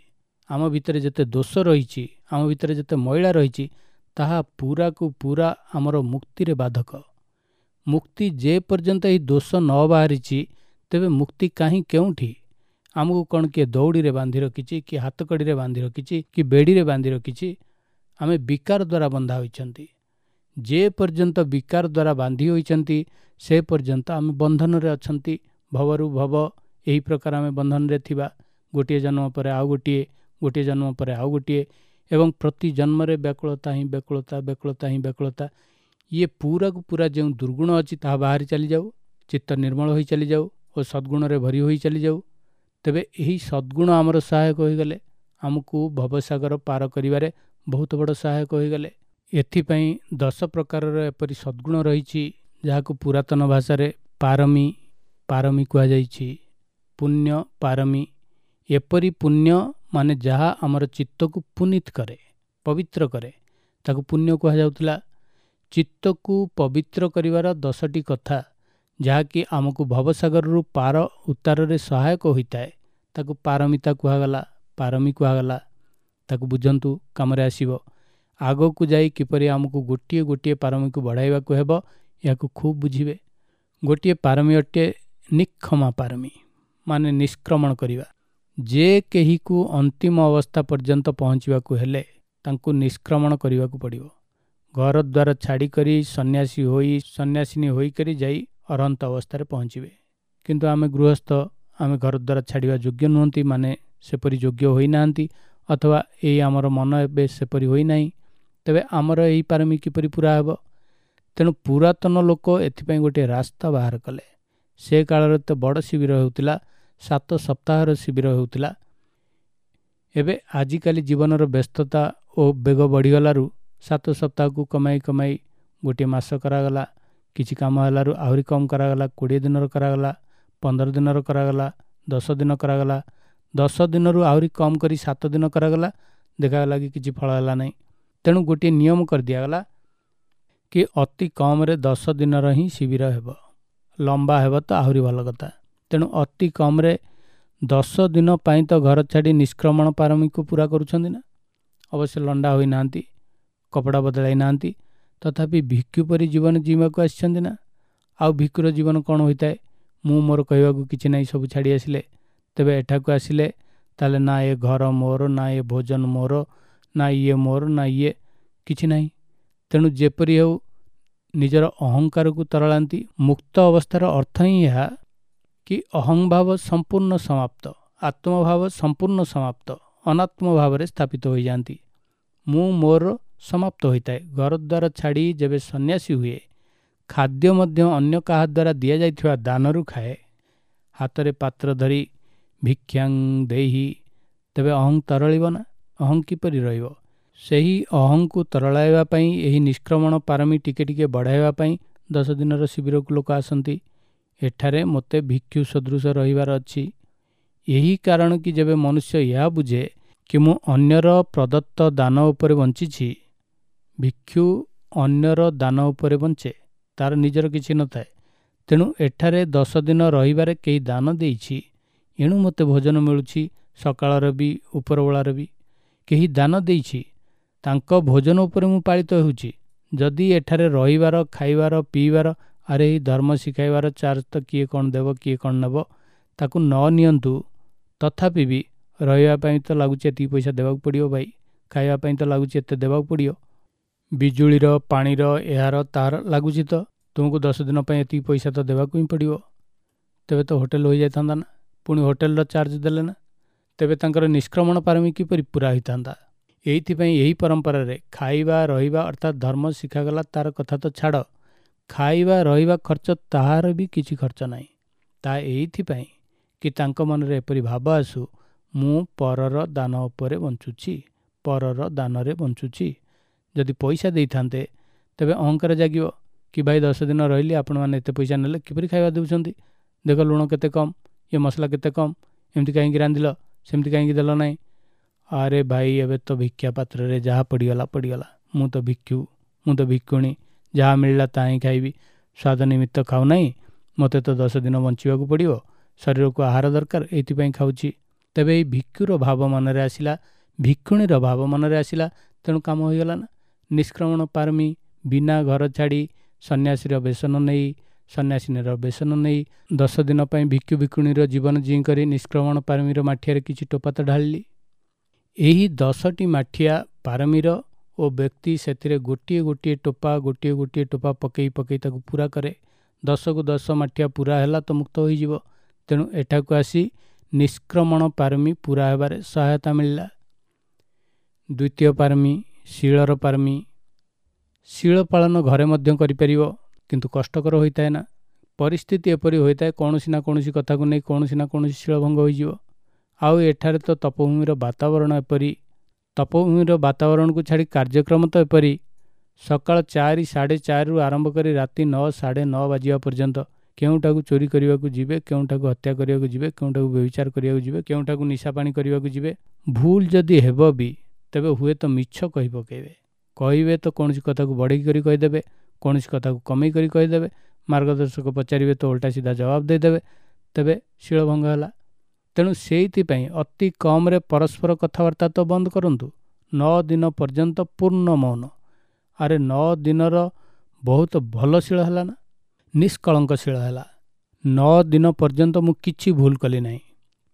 ଆମ ଭିତରେ ଯେତେ ଦୋଷ ରହିଛି, ଆମ ଭିତରେ ଯେତେ ମଇଳା ରହିଛି, ତାହା ପୁରାକୁ ପୁରା ଆମର ମୁକ୍ତିରେ ବାଧକ। ମୁକ୍ତି ଯେ ପର୍ଯ୍ୟନ୍ତ ଏହି ଦୋଷ ନ ବାହାରିଛି, ତେବେ ମୁକ୍ତି କାହିଁ କେଉଁଠି? ଆମକୁ କ'ଣ କିଏ ଦଉଡ଼ିରେ ବାନ୍ଧି ରଖିଛି, କି ହାତକଡ଼ିରେ ବାନ୍ଧି ରଖିଛି, କି ବେଡ଼ିରେ ବାନ୍ଧି ରଖିଛି? ଆମେ ବିକାର ଦ୍ୱାରା ବନ୍ଧା ହୋଇଛନ୍ତି। ଯେ ପର୍ଯ୍ୟନ୍ତ ବିକାର ଦ୍ୱାରା ବାନ୍ଧି ହୋଇଛନ୍ତି, ସେ ପର୍ଯ୍ୟନ୍ତ ଆମେ ବନ୍ଧନରେ ଅଛନ୍ତି। ଭବରୁ ଭବ, ଏହି ପ୍ରକାର ଆମେ ବନ୍ଧନରେ ଥିବା। ଗୋଟିଏ ଜନ୍ମ ପରେ ଆଉ ଗୋଟିଏ, ଗୋଟିଏ ଜନ୍ମ ପରେ ଆଉ ଗୋଟିଏ, ଏବଂ ପ୍ରତି ଜନ୍ମରେ ବ୍ୟାକୁଳତା ହିଁ ବ୍ୟାକୁଳତା, ବ୍ୟାକୁଳତା ହିଁ ବ୍ୟାକୁଳତା। ଇଏ ପୁରାକୁ ପୁରା ଯେଉଁ ଦୁର୍ଗୁଣ ଅଛି ତାହା ବାହାରି ଚାଲିଯାଉ, ଚିତ୍ତ ନିର୍ମଳ ହୋଇ ଚାଲିଯାଉ ଓ ସଦ୍ଗୁଣରେ ଭରି ହୋଇ ଚାଲିଯାଉ। ତେବେ ଏହି ସଦ୍ଗୁଣ ଆମର ସହାୟକ ହୋଇଗଲେ ଆମକୁ ଭବସାଗର ପାର କରିବାରେ ବହୁତ ବଡ଼ ସହାୟକ ହୋଇଗଲେ। ଏଥିପାଇଁ 10 ପ୍ରକାରର ଏପରି ସଦ୍ଗୁଣ ରହିଛି, ଯାହାକୁ ପୁରାତନ ଭାଷାରେ ପାରମୀ, ପାରମୀ କୁହାଯାଇଛି। ପୁଣ୍ୟ ପାରମୀ, ଏପରି ପୁଣ୍ୟ ମାନେ ଯାହା ଆମର ଚିତ୍ତକୁ ପୁନୀତ କରେ, ପବିତ୍ର କରେ, ତାକୁ ପୁଣ୍ୟ କୁହାଯାଉଥିଲା। ଚିତ୍ତକୁ ପବିତ୍ର କରିବାର 10ଟି କଥା ଯାହାକି ଆମକୁ ଭବସାଗରରୁ ପାର ଉତ୍ତାରରେ ସହାୟକ ହୋଇଥାଏ, ତାକୁ ପାରମିତା କୁହାଗଲା, ପାରମୀ କୁହାଗଲା। ତାକୁ ବୁଝନ୍ତୁ, କାମରେ ଆସିବ। ଆଗକୁ ଯାଇ କିପରି ଆମକୁ ଗୋଟିଏ ଗୋଟିଏ ପାରମୀକୁ ବଢ଼ାଇବାକୁ ହେବ, ଏହାକୁ ଖୁବ୍ ବୁଝିବେ। ଗୋଟିଏ ପାରମୀ ଅଟେ ନିକ୍ଷମା ପାରମୀ, ମାନେ ନିଷ୍କ୍ରମଣ କରିବା। ଯେ କେହିକୁ ଅନ୍ତିମ ଅବସ୍ଥା ପର୍ଯ୍ୟନ୍ତ ପହଞ୍ଚିବାକୁ ହେଲେ ତାଙ୍କୁ ନିଷ୍କ୍ରମଣ କରିବାକୁ ପଡ଼ିବ। ଘର ଦ୍ୱାର ଛାଡ଼ିକରି ସନ୍ନ୍ୟାସୀ ହୋଇ, ସନ୍ନ୍ୟାସିନୀ ହୋଇକରି ଯାଇ ଅରହନ୍ତ ଅବସ୍ଥାରେ ପହଞ୍ଚିବେ। କିନ୍ତୁ ଆମେ ଗୃହସ୍ଥ, ଆମେ ଘର ଦ୍ୱାର ଛାଡ଼ିବା ଯୋଗ୍ୟ ନୁହନ୍ତି, ମାନେ ସେପରି ଯୋଗ୍ୟ ହୋଇନାହାନ୍ତି, ଅଥବା ଏଇ ଆମର ମନ ଏବେ ସେପରି ହୋଇନାହିଁ। ତେବେ ଆମର ଏହି ପାରମୀ କିପରି ପୁରା ହେବ? ତେଣୁ ପୁରାତନ ଲୋକ ଏଥିପାଇଁ ଗୋଟିଏ ରାସ୍ତା ବାହାର କଲେ। ସେ କାଳରେ ତ ବଡ଼ ଶିବିର ହେଉଥିଲା, 7 ସପ୍ତାହର ଶିବିର ହେଉଥିଲା। ଏବେ ଆଜିକାଲି ଜୀବନର ବ୍ୟସ୍ତତା ଓ ବେଗ ବଢ଼ିଗଲାରୁ 7 ସପ୍ତାହକୁ କମାଇ କମାଇ ଗୋଟିଏ ମାସ କରାଗଲା। କିଛି କାମ ହେଲାରୁ ଆହୁରି କମ୍ କରାଗଲା, 20 ଦିନର କରାଗଲା, 15 ଦିନର କରାଗଲା, 10 ଦିନ କରାଗଲା, 10 ଦିନରୁ ଆହୁରି କମ୍ କରି 7 ଦିନ କରାଗଲା। ଦେଖାଗଲା କି କିଛି ଫଳ ହେଲା ନାହିଁ। ତେଣୁ ଗୋଟିଏ ନିୟମ କରିଦିଆଗଲା କି ଅତି କମ୍ରେ 10 ଦିନର ହିଁ ଶିବିର ହେବ, ଲମ୍ବା ହେବ ତ ଆହୁରି ଭଲ କଥା। ତେଣୁ ଅତି କମ୍ରେ 10 ଦିନ ପାଇଁ ତ ଘର ଛାଡ଼ି ନିଷ୍କ୍ରମଣ ପାରମୀକୁ ପୂରା କରୁଛନ୍ତି ନା। ଅବଶ୍ୟ ଲଣ୍ଡା ହୋଇନାହାନ୍ତି, କପଡ଼ା ବଦଳାଇ ନାହାନ୍ତି, ତଥାପି ଭିକ୍ଷୁ ପରି ଜୀବନ ଜୀଇଁବାକୁ ଆସିଛନ୍ତି ନା। ଆଉ ଭିକ୍ଷୁର ଜୀବନ କ'ଣ ହୋଇଥାଏ, ମୁଁ ମୋର କହିବାକୁ କିଛି ନାହିଁ, ସବୁ ଛାଡ଼ି ଆସିଲେ। ତେବେ ଏଠାକୁ ଆସିଲେ ତାହେଲେ ନା ଏ ଘର ମୋର, ନା ଏ ଭୋଜନ ମୋର, ନା ଇଏ ମୋର, ନା ଇଏ, କିଛି ନାହିଁ। ତେଣୁ ଯେପରି ହେଉ ନିଜର ଅହଙ୍କାରକୁ ତରଳାନ୍ତି। ମୁକ୍ତ ଅବସ୍ଥାର ଅର୍ଥ ହିଁ ଏହା କି ଅହଂଭାବ ସମ୍ପୂର୍ଣ୍ଣ ସମାପ୍ତ, ଆତ୍ମଭାବ ସମ୍ପୂର୍ଣ୍ଣ ସମାପ୍ତ, ଅନାତ୍ମ ଭାବରେ ସ୍ଥାପିତ ହୋଇଯାଆନ୍ତି। ମୁଁ ମୋର ସମାପ୍ତ ହୋଇଥାଏ। ଘରଦ୍ୱାର ଛାଡ଼ି ଯେବେ ସନ୍ନ୍ୟାସୀ ହୁଏ, ଖାଦ୍ୟ ମଧ୍ୟ ଅନ୍ୟ କାହା ଦ୍ୱାରା ଦିଆଯାଇଥିବା ଦାନରୁ ଖାଏ, ହାତରେ ପାତ୍ର ଧରି ଭିକ୍ଷାଂ ଦେହି, ତେବେ ଅହଂ ତରଳିବ ନା? ଅହଂ କିପରି ରହିବ? ସେହି ଅହଂକୁ ତରଳାଇବା ପାଇଁ, ଏହି ନିଷ୍କ୍ରମଣ ପାରମୀ ଟିକେ ଟିକେ ବଢ଼ାଇବା ପାଇଁ 10 ଦିନର ଶିବିରକୁ ଲୋକ ଆସନ୍ତି। ଏଠାରେ ମୋତେ ଭିକ୍ଷୁ ସଦୃଶ ରହିବାର ଅଛି। ଏହି କାରଣ କି ଯେବେ ମନୁଷ୍ୟ ଏହା ବୁଝେ କି ମୁଁ ଅନ୍ୟର ପ୍ରଦତ୍ତ ଦାନ ଉପରେ ବଞ୍ଚିଛି, ଭିକ୍ଷୁ ଅନ୍ୟର ଦାନ ଉପରେ ବଞ୍ଚେ, ତାର ନିଜର କିଛି ନଥାଏ। ତେଣୁ ଏଠାରେ 10 ଦିନ ରହିବାରେ କେହି ଦାନ ଦେଇଛି, ଏଣୁ ମୋତେ ଭୋଜନ ମିଳୁଛି, ସକାଳର ବି ଉପରବେଳାର ବି କେହି ଦାନ ଦେଇଛି, ତାଙ୍କ ଭୋଜନ ଉପରେ ମୁଁ ପାଳିତ ହେଉଛି। ଯଦି ଏଠାରେ ରହିବାର, ଖାଇବାର, ପିଇବାର, ଆରେ ଏହି ଧର୍ମ ଶିଖାଇବାର ଚାର୍ଜ ତ କିଏ କ'ଣ ଦେବ, କିଏ କ'ଣ ନେବ, ତାକୁ ନ ନିଅନ୍ତୁ, ତଥାପି ବି ରହିବା ପାଇଁ ତ ଲାଗୁଛି ଏତିକି ପଇସା ଦେବାକୁ ପଡ଼ିବ ଭାଇ, ଖାଇବା ପାଇଁ ତ ଲାଗୁଛି ଏତେ ଦେବାକୁ ପଡ଼ିବ, ବିଜୁଳିର, ପାଣିର, ଏହାର ତାହାର ଲାଗୁଛି ତ ତୁମକୁ 10 ଦିନ ପାଇଁ ଏତିକି ପଇସା ତ ଦେବାକୁ ହିଁ ପଡ଼ିବ। ତେବେ ତ ହୋଟେଲ ହୋଇଯାଇଥାନ୍ତା ନା, ପୁଣି ହୋଟେଲର ଚାର୍ଜ ଦେଲେ ନା, ତେବେ ତାଙ୍କର ନିଷ୍କ୍ରମଣ ପାରମୀ କିପରି ପୂରା ହୋଇଥାନ୍ତା? ଏଇଥିପାଇଁ ଏହି ପରମ୍ପରାରେ ଖାଇବା ରହିବା ଅର୍ଥାତ୍ ଧର୍ମ ଶିଖାଗଲା ତାର କଥା ତ ଛାଡ଼, ଖାଇବା ରହିବା ଖର୍ଚ୍ଚ ତାହାର ବି କିଛି ଖର୍ଚ୍ଚ ନାହିଁ। ତାହା ଏଇଥିପାଇଁ କି ତାଙ୍କ ମନରେ ଏପରି ଭାବ ଆସୁ, ମୁଁ ପରର ଦାନ ଉପରେ ବଞ୍ଚୁଛି, ପରର ଦାନରେ ବଞ୍ଚୁଛି। ଯଦି ପଇସା ଦେଇଥାନ୍ତେ ତେବେ ଅହଙ୍କାର ଜାଗିବ କି ଭାଇ 10 ଦିନ ରହିଲି, ଆପଣମାନେ ଏତେ ପଇସା ନେଲେ, କିପରି ଖାଇବା ଦେଉଛନ୍ତି, ଦେଖ ଲୁଣ କେତେ କମ୍, ଇଏ ମସଲା କେତେ କମ୍, ଏମିତି କାହିଁକି ରାନ୍ଧିଲ, ସେମିତି କାହିଁକି ଦେଲ ନାହିଁ। ଆରେ ଭାଇ ଏବେ ତ ଭିକ୍ଷା ପାତ୍ରରେ ଯାହା ପଡ଼ିଗଲା ପଡ଼ିଗଲା, ମୁଁ ତ ଭିକ୍ଷୁ, ମୁଁ ତ ଭିକ୍ଷୁଣୀ, ଯାହା ମିଳିଲା ତାହା ହିଁ ଖାଇବି, ସ୍ୱାଦ ନିମିତ୍ତ ଖାଉନାହିଁ, ମୋତେ ତ 10 ଦିନ ବଞ୍ଚିବାକୁ ପଡ଼ିବ, ଶରୀରକୁ ଆହାର ଦରକାର, ଏଇଥିପାଇଁ ଖାଉଛି। ତେବେ ଏଇ ଭିକ୍ଷୁର ଭାବ ମନରେ ଆସିଲା, ଭିକ୍ଷୁଣୀର ଭାବ ମନରେ ଆସିଲା, ତେଣୁ କାମ ହୋଇଗଲା ନା। ନିଷ୍କ୍ରମଣ ପାରମୀ ବିନା ଘର ଛାଡ଼ି ସନ୍ନ୍ୟାସୀର ବେସନ ନେଇ, ସନ୍ନ୍ୟାସିନୀର ବେସନ ନେଇ 10 ଦିନ ପାଇଁ ଭିକ୍ଷୁ ଭିକ୍ଷୁଣୀର ଜୀବନ ଜିଇଁ କରି ନିଷ୍କ୍ରମଣ ପାରମୀର ମାଠିଆରେ କିଛି ଟୋପା ତ ଢାଳିଲି। ଏହି 10ଟି ମାଠିଆ ପାରମୀର ଓ ବ୍ୟକ୍ତି ସେଥିରେ ଗୋଟିଏ ଗୋଟିଏ ଟୋପା, ଗୋଟିଏ ଗୋଟିଏ ଟୋପା ପକେଇ ପକେଇ ତାକୁ ପୂରା କରେ। 10କୁ 10 ମାଠିଆ ପୂରା ହେଲା ତ ମୁକ୍ତ ହୋଇଯିବ। ତେଣୁ ଏଠାକୁ ଆସି ନିଷ୍କ୍ରମଣ ପାରମୀ ପୂରା ହେବାରେ ସହାୟତା ମିଳିଲା। ଦ୍ୱିତୀୟ ପାରମୀ ଶୀଳର ପାରମୀ। ଶୀଳ ପାଳନ ଘରେ ମଧ୍ୟ କରିପାରିବ, କିନ୍ତୁ କଷ୍ଟକର ହୋଇଥାଏ ନା। ପରିସ୍ଥିତି ଏପରି ହୋଇଥାଏ କୌଣସି ନା କୌଣସି କଥାକୁ ନେଇ କୌଣସି ନା କୌଣସି ଶୀଳଭଙ୍ଗ ହୋଇଯିବ। ଆଉ ଏଠାରେ ତ ତପଭୂମିର ବାତାବରଣ ଏପରି, ତପଭୂମିର ବାତାବରଣକୁ ଛାଡ଼ି କାର୍ଯ୍ୟକ୍ରମ ତ ଏପରି, ସକାଳ 4, 4:30ରୁ ଆରମ୍ଭ କରି ରାତି 9, 9:30 ବାଜିବା ପର୍ଯ୍ୟନ୍ତ କେଉଁଠାକୁ ଚୋରି କରିବାକୁ ଯିବେ, କେଉଁଠାକୁ ହତ୍ୟା କରିବାକୁ ଯିବେ, କେଉଁଠାକୁ ବ୍ୟଭିଚାର କରିବାକୁ ଯିବେ, କେଉଁଠାକୁ ନିଶା ପାଣି କରିବାକୁ ଯିବେ। ଭୁଲ ଯଦି ହେବ ବି ତେବେ ହୁଏତ ମିଛ କହି ପକାଇବେ, କହିବେ ତ କୌଣସି କଥାକୁ ବଢ଼େଇ କରି କହିଦେବେ, କୌଣସି କଥାକୁ କମେଇ କରି କହିଦେବେ, ମାର୍ଗଦର୍ଶକ ପଚାରିବେ ତ ଓଲଟା ସିଧା ଜବାବ ଦେଇଦେବେ, ତେବେ ଶୀଳଭଙ୍ଗ ହେଲା। ତେଣୁ ସେଇଥିପାଇଁ ଅତି କମ୍ରେ ପରସ୍ପର କଥାବାର୍ତ୍ତା ତ ବନ୍ଦ କରନ୍ତୁ। 9 ଦିନ ପର୍ଯ୍ୟନ୍ତ ପୂର୍ଣ୍ଣ ମୌନ। ଆରେ 9 ଦିନର ବହୁତ ଭଲ ଶୀଳ ହେଲା ନା, ନିଷ୍କଳଙ୍କ ଶୀଳ ହେଲା। 9 ଦିନ ପର୍ଯ୍ୟନ୍ତ ମୁଁ କିଛି ଭୁଲ କଲି ନାହିଁ,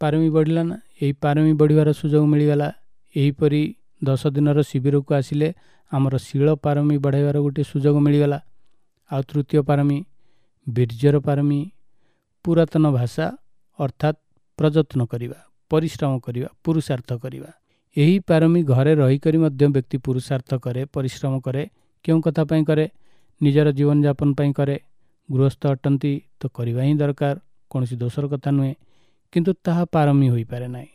ପାରମୀ ବଢ଼ିଲା ନା। ଏହି ପାରମୀ ବଢ଼ିବାର ସୁଯୋଗ ମିଳିଗଲା। ଏହିପରି 10 ଦିନର ଶିବିରକୁ ଆସିଲେ ଆମର ଶୀଳ ପାରମୀ ବଢ଼ାଇବାର ଗୋଟିଏ ସୁଯୋଗ ମିଳିଗଲା। ଆଉ ତୃତୀୟ ପାରମୀ ବୀର୍ଯ୍ୟର ପାରମୀ, ପୁରାତନ ଭାଷା ଅର୍ଥାତ୍ ପ୍ରଯତ୍ନ କରିବା, ପରିଶ୍ରମ କରିବା, ପୁରୁଷାର୍ଥ କରିବା। ଏହି ପାରମୀ ଘରେ ରହିକରି ମଧ୍ୟ ବ୍ୟକ୍ତି ପୁରୁଷାର୍ଥ କରେ, ପରିଶ୍ରମ କରେ। କେଉଁ କଥା ପାଇଁ କରେ? ନିଜର ଜୀବନଯାପନ ପାଇଁ କରେ। ଗୃହସ୍ଥ ଅଟନ୍ତି ତ କରିବା ହିଁ ଦରକାର, କୌଣସି ଦୋଷର କଥା ନୁହେଁ, କିନ୍ତୁ ତାହା ପାରମୀ ହୋଇପାରେ ନାହିଁ।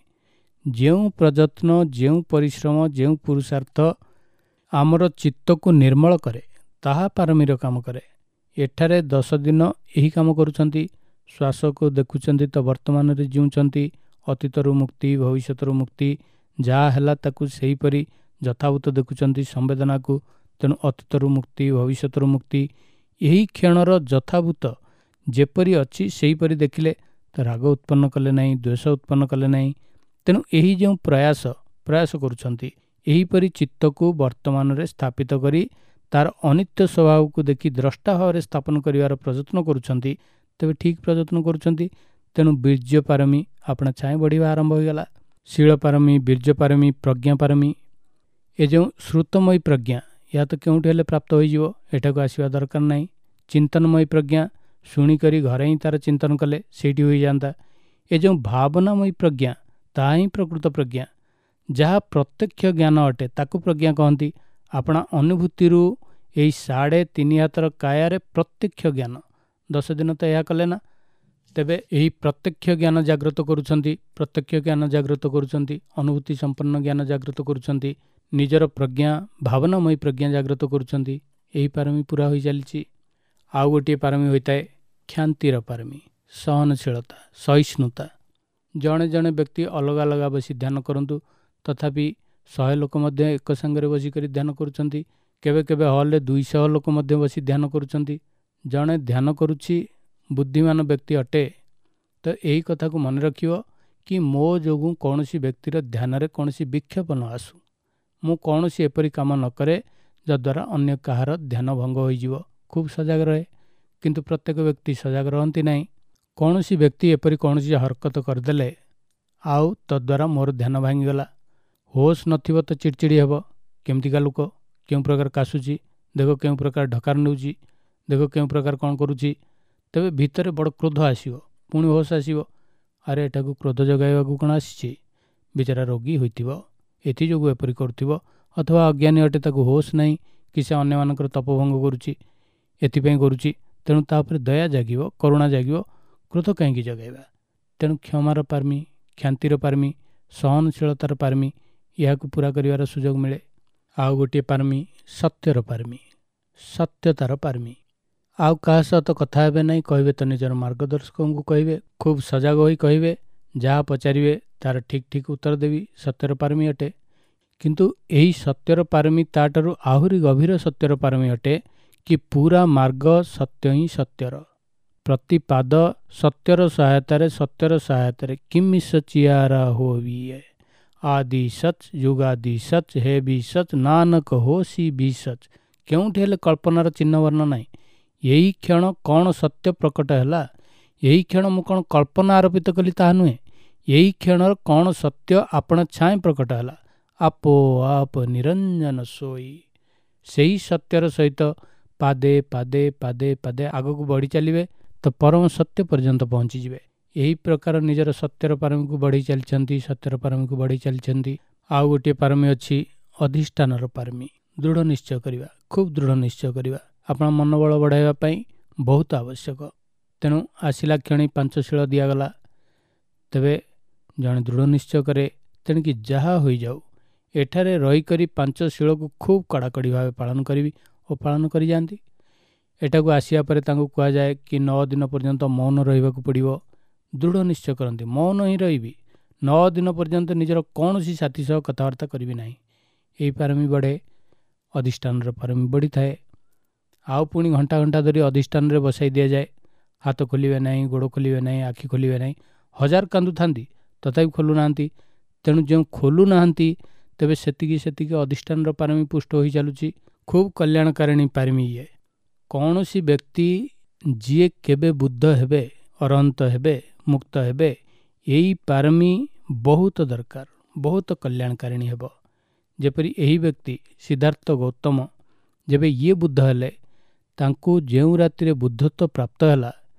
ଯେଉଁ ପ୍ରଯତ୍ନ, ଯେଉଁ ପରିଶ୍ରମ, ଯେଉଁ ପୁରୁଷାର୍ଥ ଆମର ଚିତ୍ତକୁ ନିର୍ମଳ କରେ, ତାହା ପାରମୀର କାମ କରେ। ଏଠାରେ 10 ଦିନ ଏହି କାମ କରୁଛନ୍ତି। ଶ୍ୱାସକୁ ଦେଖୁଛନ୍ତି ତ ବର୍ତ୍ତମାନରେ ଜିଉଁଛନ୍ତି, ଅତୀତରୁ ମୁକ୍ତି, ଭବିଷ୍ୟତରୁ ମୁକ୍ତି, ଯାହା ହେଲା ତାକୁ ସେହିପରି ଯଥାଭୂତ ଦେଖୁଛନ୍ତି ସମ୍ବେଦନାକୁ। ତେଣୁ ଅତୀତରୁ ମୁକ୍ତି, ଭବିଷ୍ୟତରୁ ମୁକ୍ତି, ଏହି କ୍ଷଣର ଯଥାଭୂତ ଯେପରି ଅଛି ସେହିପରି ଦେଖିଲେ ତ ରାଗ ଉତ୍ପନ୍ନ କଲେ ନାହିଁ, ଦ୍ୱେଷ ଉତ୍ପନ୍ନ କଲେ ନାହିଁ। ତେଣୁ ଏହି ଯେଉଁ ପ୍ରୟାସ କରୁଛନ୍ତି, ଏହିପରି ଚିତ୍ତକୁ ବର୍ତ୍ତମାନରେ ସ୍ଥାପିତ କରି ତାର ଅନିତ୍ୟ ସ୍ୱଭାବକୁ ଦେଖି ଦ୍ରଷ୍ଟା ଭାବରେ ସ୍ଥାପନ କରିବାର ପ୍ରଯତ୍ନ କରୁଛନ୍ତି, ତେବେ ଠିକ୍ ପ୍ରଯତ୍ନ କରୁଛନ୍ତି। ତେଣୁ ବୀର୍ଯ୍ୟ ପାରମୀ ଆପଣା ଛାଏଁ ବଢ଼ିବା ଆରମ୍ଭ ହୋଇଗଲା। ଶୀଳ ପାରମୀ, ବୀର୍ଯ୍ୟ ପାରମୀ, ପ୍ରଜ୍ଞା ପାରମୀ, ଏ ଯେଉଁ ଶ୍ରୁତମୟୀ ପ୍ରଜ୍ଞା, ଏହା ତ କେଉଁଠି ହେଲେ ପ୍ରାପ୍ତ ହୋଇଯିବ, ଏଠାକୁ ଆସିବା ଦରକାର ନାହିଁ। ଚିନ୍ତନମୟୀ ପ୍ରଜ୍ଞା, ଶୁଣିକରି ଘରେ ହିଁ ତାର ଚିନ୍ତନ କଲେ ସେଇଠି ହୋଇଯାଆନ୍ତା। ଏ ଯେଉଁ ଭାବନାମୟୀ ପ୍ରଜ୍ଞା, ତାହା ହିଁ ପ୍ରକୃତ ପ୍ରଜ୍ଞା। ଯାହା ପ୍ରତ୍ୟକ୍ଷ ଜ୍ଞାନ ଅଟେ ତାକୁ ପ୍ରଜ୍ଞା କହନ୍ତି। ଆପଣା ଅନୁଭୂତିରୁ ଏହି 3.5 ହାତର କାୟାରେ ପ୍ରତ୍ୟକ୍ଷ ଜ୍ଞାନ। 10 ଦିନ ତ ଏହା କଲେ ନା, ତେବେ ଏହି ପ୍ରତ୍ୟକ୍ଷ ଜ୍ଞାନ ଜାଗ୍ରତ କରୁଛନ୍ତି, ପ୍ରତ୍ୟକ୍ଷ ଜ୍ଞାନ ଜାଗ୍ରତ କରୁଛନ୍ତି, ଅନୁଭୂତି ସମ୍ପନ୍ନ ଜ୍ଞାନ ଜାଗ୍ରତ କରୁଛନ୍ତି, ନିଜର ପ୍ରଜ୍ଞା, ଭାବନାମୟୀ ପ୍ରଜ୍ଞା ଜାଗ୍ରତ କରୁଛନ୍ତି। ଏହି ପାରମୀ ପୁରା ହୋଇ ଚାଲିଛି। ଆଉ ଗୋଟିଏ ପାରମୀ ହୋଇଥାଏ କ୍ଷାନ୍ତିର ପାରମୀ, ସହନଶୀଳତା, ସହିଷ୍ଣୁତା। ଜଣେ ଜଣେ ବ୍ୟକ୍ତି ଅଲଗା ଅଲଗା ବସି ଧ୍ୟାନ କରନ୍ତୁ, ତଥାପି 100 ଲୋକ ମଧ୍ୟ ଏକ ସାଙ୍ଗରେ ବସିକରି ଧ୍ୟାନ କରୁଛନ୍ତି। କେବେ କେବେ ହଲ୍ରେ 200 ଲୋକ ମଧ୍ୟ ବସି ଧ୍ୟାନ କରୁଛନ୍ତି। ଜଣେ ଧ୍ୟାନ କରୁଛି, ବୁଦ୍ଧିମାନ ବ୍ୟକ୍ତି ଅଟେ, ତ ଏହି କଥାକୁ ମନେ ରଖିବ କି ମୋ ଯୋଗୁଁ କୌଣସି ବ୍ୟକ୍ତିର ଧ୍ୟାନରେ କୌଣସି ବିକ୍ଷେପ ନ ଆସୁ, ମୁଁ କୌଣସି ଏପରି କାମ ନ କରେ ଯଦ୍ୱାରା ଅନ୍ୟ କାହାର ଧ୍ୟାନ ଭଙ୍ଗ ହୋଇଯିବ। ଖୁବ୍ ସଜାଗ ରହେ, କିନ୍ତୁ ପ୍ରତ୍ୟେକ ବ୍ୟକ୍ତି ସଜାଗ ରହନ୍ତି ନାହିଁ। କୌଣସି ବ୍ୟକ୍ତି ଏପରି କୌଣସି ହରକତ କରିଦେଲେ ଆଉ ତଦ୍ୱାରା ମୋର ଧ୍ୟାନ ଭାଙ୍ଗିଗଲା, ହୋସ୍ ନଥିବ ତ ଚିଡ଼ଚିଡ଼ି ହେବ, କେମିତିକା ଲୋକ, କେଉଁ ପ୍ରକାର କାଶୁଛି, ଦେଖ କେଉଁ ପ୍ରକାର ଢକାର ନେଉଛି, ଦେଖ କେଉଁ ପ୍ରକାର କ'ଣ କରୁଛି, ତେବେ ଭିତରେ ବଡ଼ କ୍ରୋଧ ଆସିବ, ପୁଣି ହୋସ୍ ଆସିବ, ଆରେ ଏଠାକୁ କ୍ରୋଧ ଜଗାଇବାକୁ କ'ଣ ଆସିଛି, ବିଚାରା ରୋଗୀ ହୋଇଥିବ ଏଥିଯୋଗୁଁ ଏପରି କରୁଥିବ, ଅଥବା ଅଜ୍ଞାନୀ ଅଟେ ତାକୁ ହୋସ୍ ନାହିଁ କି ସେ ଅନ୍ୟମାନଙ୍କର ତପଭଙ୍ଗ କରୁଛି ଏଥିପାଇଁ କରୁଛି। ତେଣୁ ତା ଉପରେ ଦୟା ଜାଗିବ, କରୁଣା ଜାଗିବ, କ୍ରୋଧ କାହିଁକି ଜଗାଇବା। ତେଣୁ କ୍ଷମାର ପାରମୀ, କ୍ଷାନ୍ତିର ପାରମୀ, ସହନଶୀଳତାର ପାରମୀ, ଏହାକୁ ପୂରା କରିବାର ସୁଯୋଗ ମିଳେ। ଆଉ ଗୋଟିଏ ପାରମୀ ସତ୍ୟର ପାରମୀ, ସତ୍ୟତାର ପାରମୀ। ଆଉ କାହା ସହ ତ କଥା ହେବେ ନାହିଁ, କହିବେ ତ ନିଜର ମାର୍ଗଦର୍ଶକଙ୍କୁ କହିବେ, ଖୁବ୍ ସଜାଗ ହୋଇ କହିବେ, ଯାହା ପଚାରିବେ ତାର ଠିକ୍ ଠିକ୍ ଉତ୍ତର ଦେବି, ସତ୍ୟର ପାରମୀ ଅଟେ। କିନ୍ତୁ ଏହି ସତ୍ୟର ପାରମୀ ତାଠାରୁ ଆହୁରି ଗଭୀର ସତ୍ୟର ପାରମୀ ଅଟେ କି ପୁରା ମାର୍ଗ ସତ୍ୟ ହିଁ ସତ୍ୟର ପ୍ରତିପାଦ, ସତ୍ୟର ସହାୟତାରେ, ସତ୍ୟର ସହାୟତାରେ କିମିସ ଚିଆରା ହୋବିଏ ଆଦି ସଚ୍ ଯୁଗାଦି ସଚ୍ ହେ ବି ସଚ୍ ନାନକ ହୋ ସି ବି ସଚ୍। କେଉଁଠି ହେଲେ କଳ୍ପନାର ଚିହ୍ନବର୍ଣ୍ଣ ନାହିଁ। ଏହି କ୍ଷଣ କ'ଣ ସତ୍ୟ ପ୍ରକଟ ହେଲା, ଏହି କ୍ଷଣ ମୁଁ କ'ଣ କଳ୍ପନା ଆରୋପିତ କଲି ତାହା ନୁହେଁ, ଏହି କ୍ଷଣର କ'ଣ ସତ୍ୟ ଆପଣା ଛାଏଁ ପ୍ରକଟ ହେଲା, ଆପୋ ଆପ ନିରଞ୍ଜନ ସୋଇ। ସେହି ସତ୍ୟର ସହିତ ପାଦେ ପାଦେ ପାଦେ ପାଦେ ଆଗକୁ ବଢ଼ି ଚାଲିବେ ତ ପରମ ସତ୍ୟ ପର୍ଯ୍ୟନ୍ତ ପହଞ୍ଚିଯିବେ। ଏହି ପ୍ରକାର ନିଜର ସତ୍ୟର ପାରମୀକୁ ବଢ଼େଇ ଚାଲିଛନ୍ତି, ସତ୍ୟର ପାରମୀକୁ ବଢ଼େଇ ଚାଲିଛନ୍ତି। ଆଉ ଗୋଟିଏ ପାରମୀ ଅଛି ଅଧିଷ୍ଠାନର ପାରମୀ, ଦୃଢ଼ ନିଶ୍ଚୟ କରିବା, ଖୁବ୍ ଦୃଢ଼ ନିଶ୍ଚୟ କରିବା ଆପଣ ମନୋବଳ ବଢ଼ାଇବା ପାଇଁ ବହୁତ ଆବଶ୍ୟକ। ତେଣୁ ଆସିଲା କ୍ଷଣି ପାଞ୍ଚଶୀଳ ଦିଆଗଲା, ତେବେ ଜଣେ ଦୃଢ଼ ନିଶ୍ଚୟ କରେ, ତେଣିକି ଯାହା ହୋଇଯାଉ ଏଠାରେ ରହିକରି ପାଞ୍ଚଶୀଳକୁ ଖୁବ୍ କଡ଼ାକଡ଼ି ଭାବେ ପାଳନ କରିବି ଓ ପାଳନ କରିଯାଆନ୍ତି। ଏଠାକୁ ଆସିବା ପରେ ତାଙ୍କୁ କୁହାଯାଏ କି 9 ଦିନ ପର୍ଯ୍ୟନ୍ତ ମୌନ ରହିବାକୁ ପଡ଼ିବ। ଦୃଢ଼ ନିଶ୍ଚୟ କରନ୍ତି, ମୌନ ହିଁ ରହିବି, 9 ଦିନ ପର୍ଯ୍ୟନ୍ତ ନିଜର କୌଣସି ସାଥୀ ସହ କଥାବାର୍ତ୍ତା କରିବି ନାହିଁ। ଏହି ପାରମୀ ବଢ଼େ, ଅଧିଷ୍ଠାନର ପାରମୀ ବଢ଼ିଥାଏ। ଆଉ ପୁଣି ଘଣ୍ଟା ଘଣ୍ଟା ଧରି ଅଧିଷ୍ଠାନରେ ବସାଇ ଦିଆଯାଏ, ହାତ ଖୋଲିବେ ନାହିଁ, ଗୋଡ଼ ଖୋଲିବେ ନାହିଁ, ଆଖି ଖୋଲିବେ ନାହିଁ, ହଜାର କାନ୍ଦୁଥାନ୍ତି ତଥାପି ଖୋଲୁନାହାନ୍ତି। ତେଣୁ ଯେଉଁ ଖୋଲୁନାହାନ୍ତି ତେବେ ସେତିକି ସେତିକି ଅଧିଷ୍ଠାନର ପାରମୀ ପୁଷ୍ଟ ହୋଇ ଚାଲୁଛି। ଖୁବ୍ କଲ୍ୟାଣକାରିଣୀ ପାରମୀ ଇଏ। କୌଣସି ବ୍ୟକ୍ତି ଯିଏ କେବେ ବୁଦ୍ଧ ହେବେ, ଅରହନ୍ତ ହେବେ, ମୁକ୍ତ ହେବେ, ଏଇ ପାରମୀ ବହୁତ ଦରକାର, ବହୁତ କଲ୍ୟାଣକାରିଣୀ ହେବ। ଯେପରି ଏହି ବ୍ୟକ୍ତି ସିଦ୍ଧାର୍ଥ ଗୌତମ ଯେବେ ଇଏ ବୁଦ୍ଧ ହେଲେ, ତାଙ୍କୁ ଯେଉଁ ରାତିରେ ବୁଦ୍ଧତ୍ୱ ପ୍ରାପ୍ତ ହେଲା,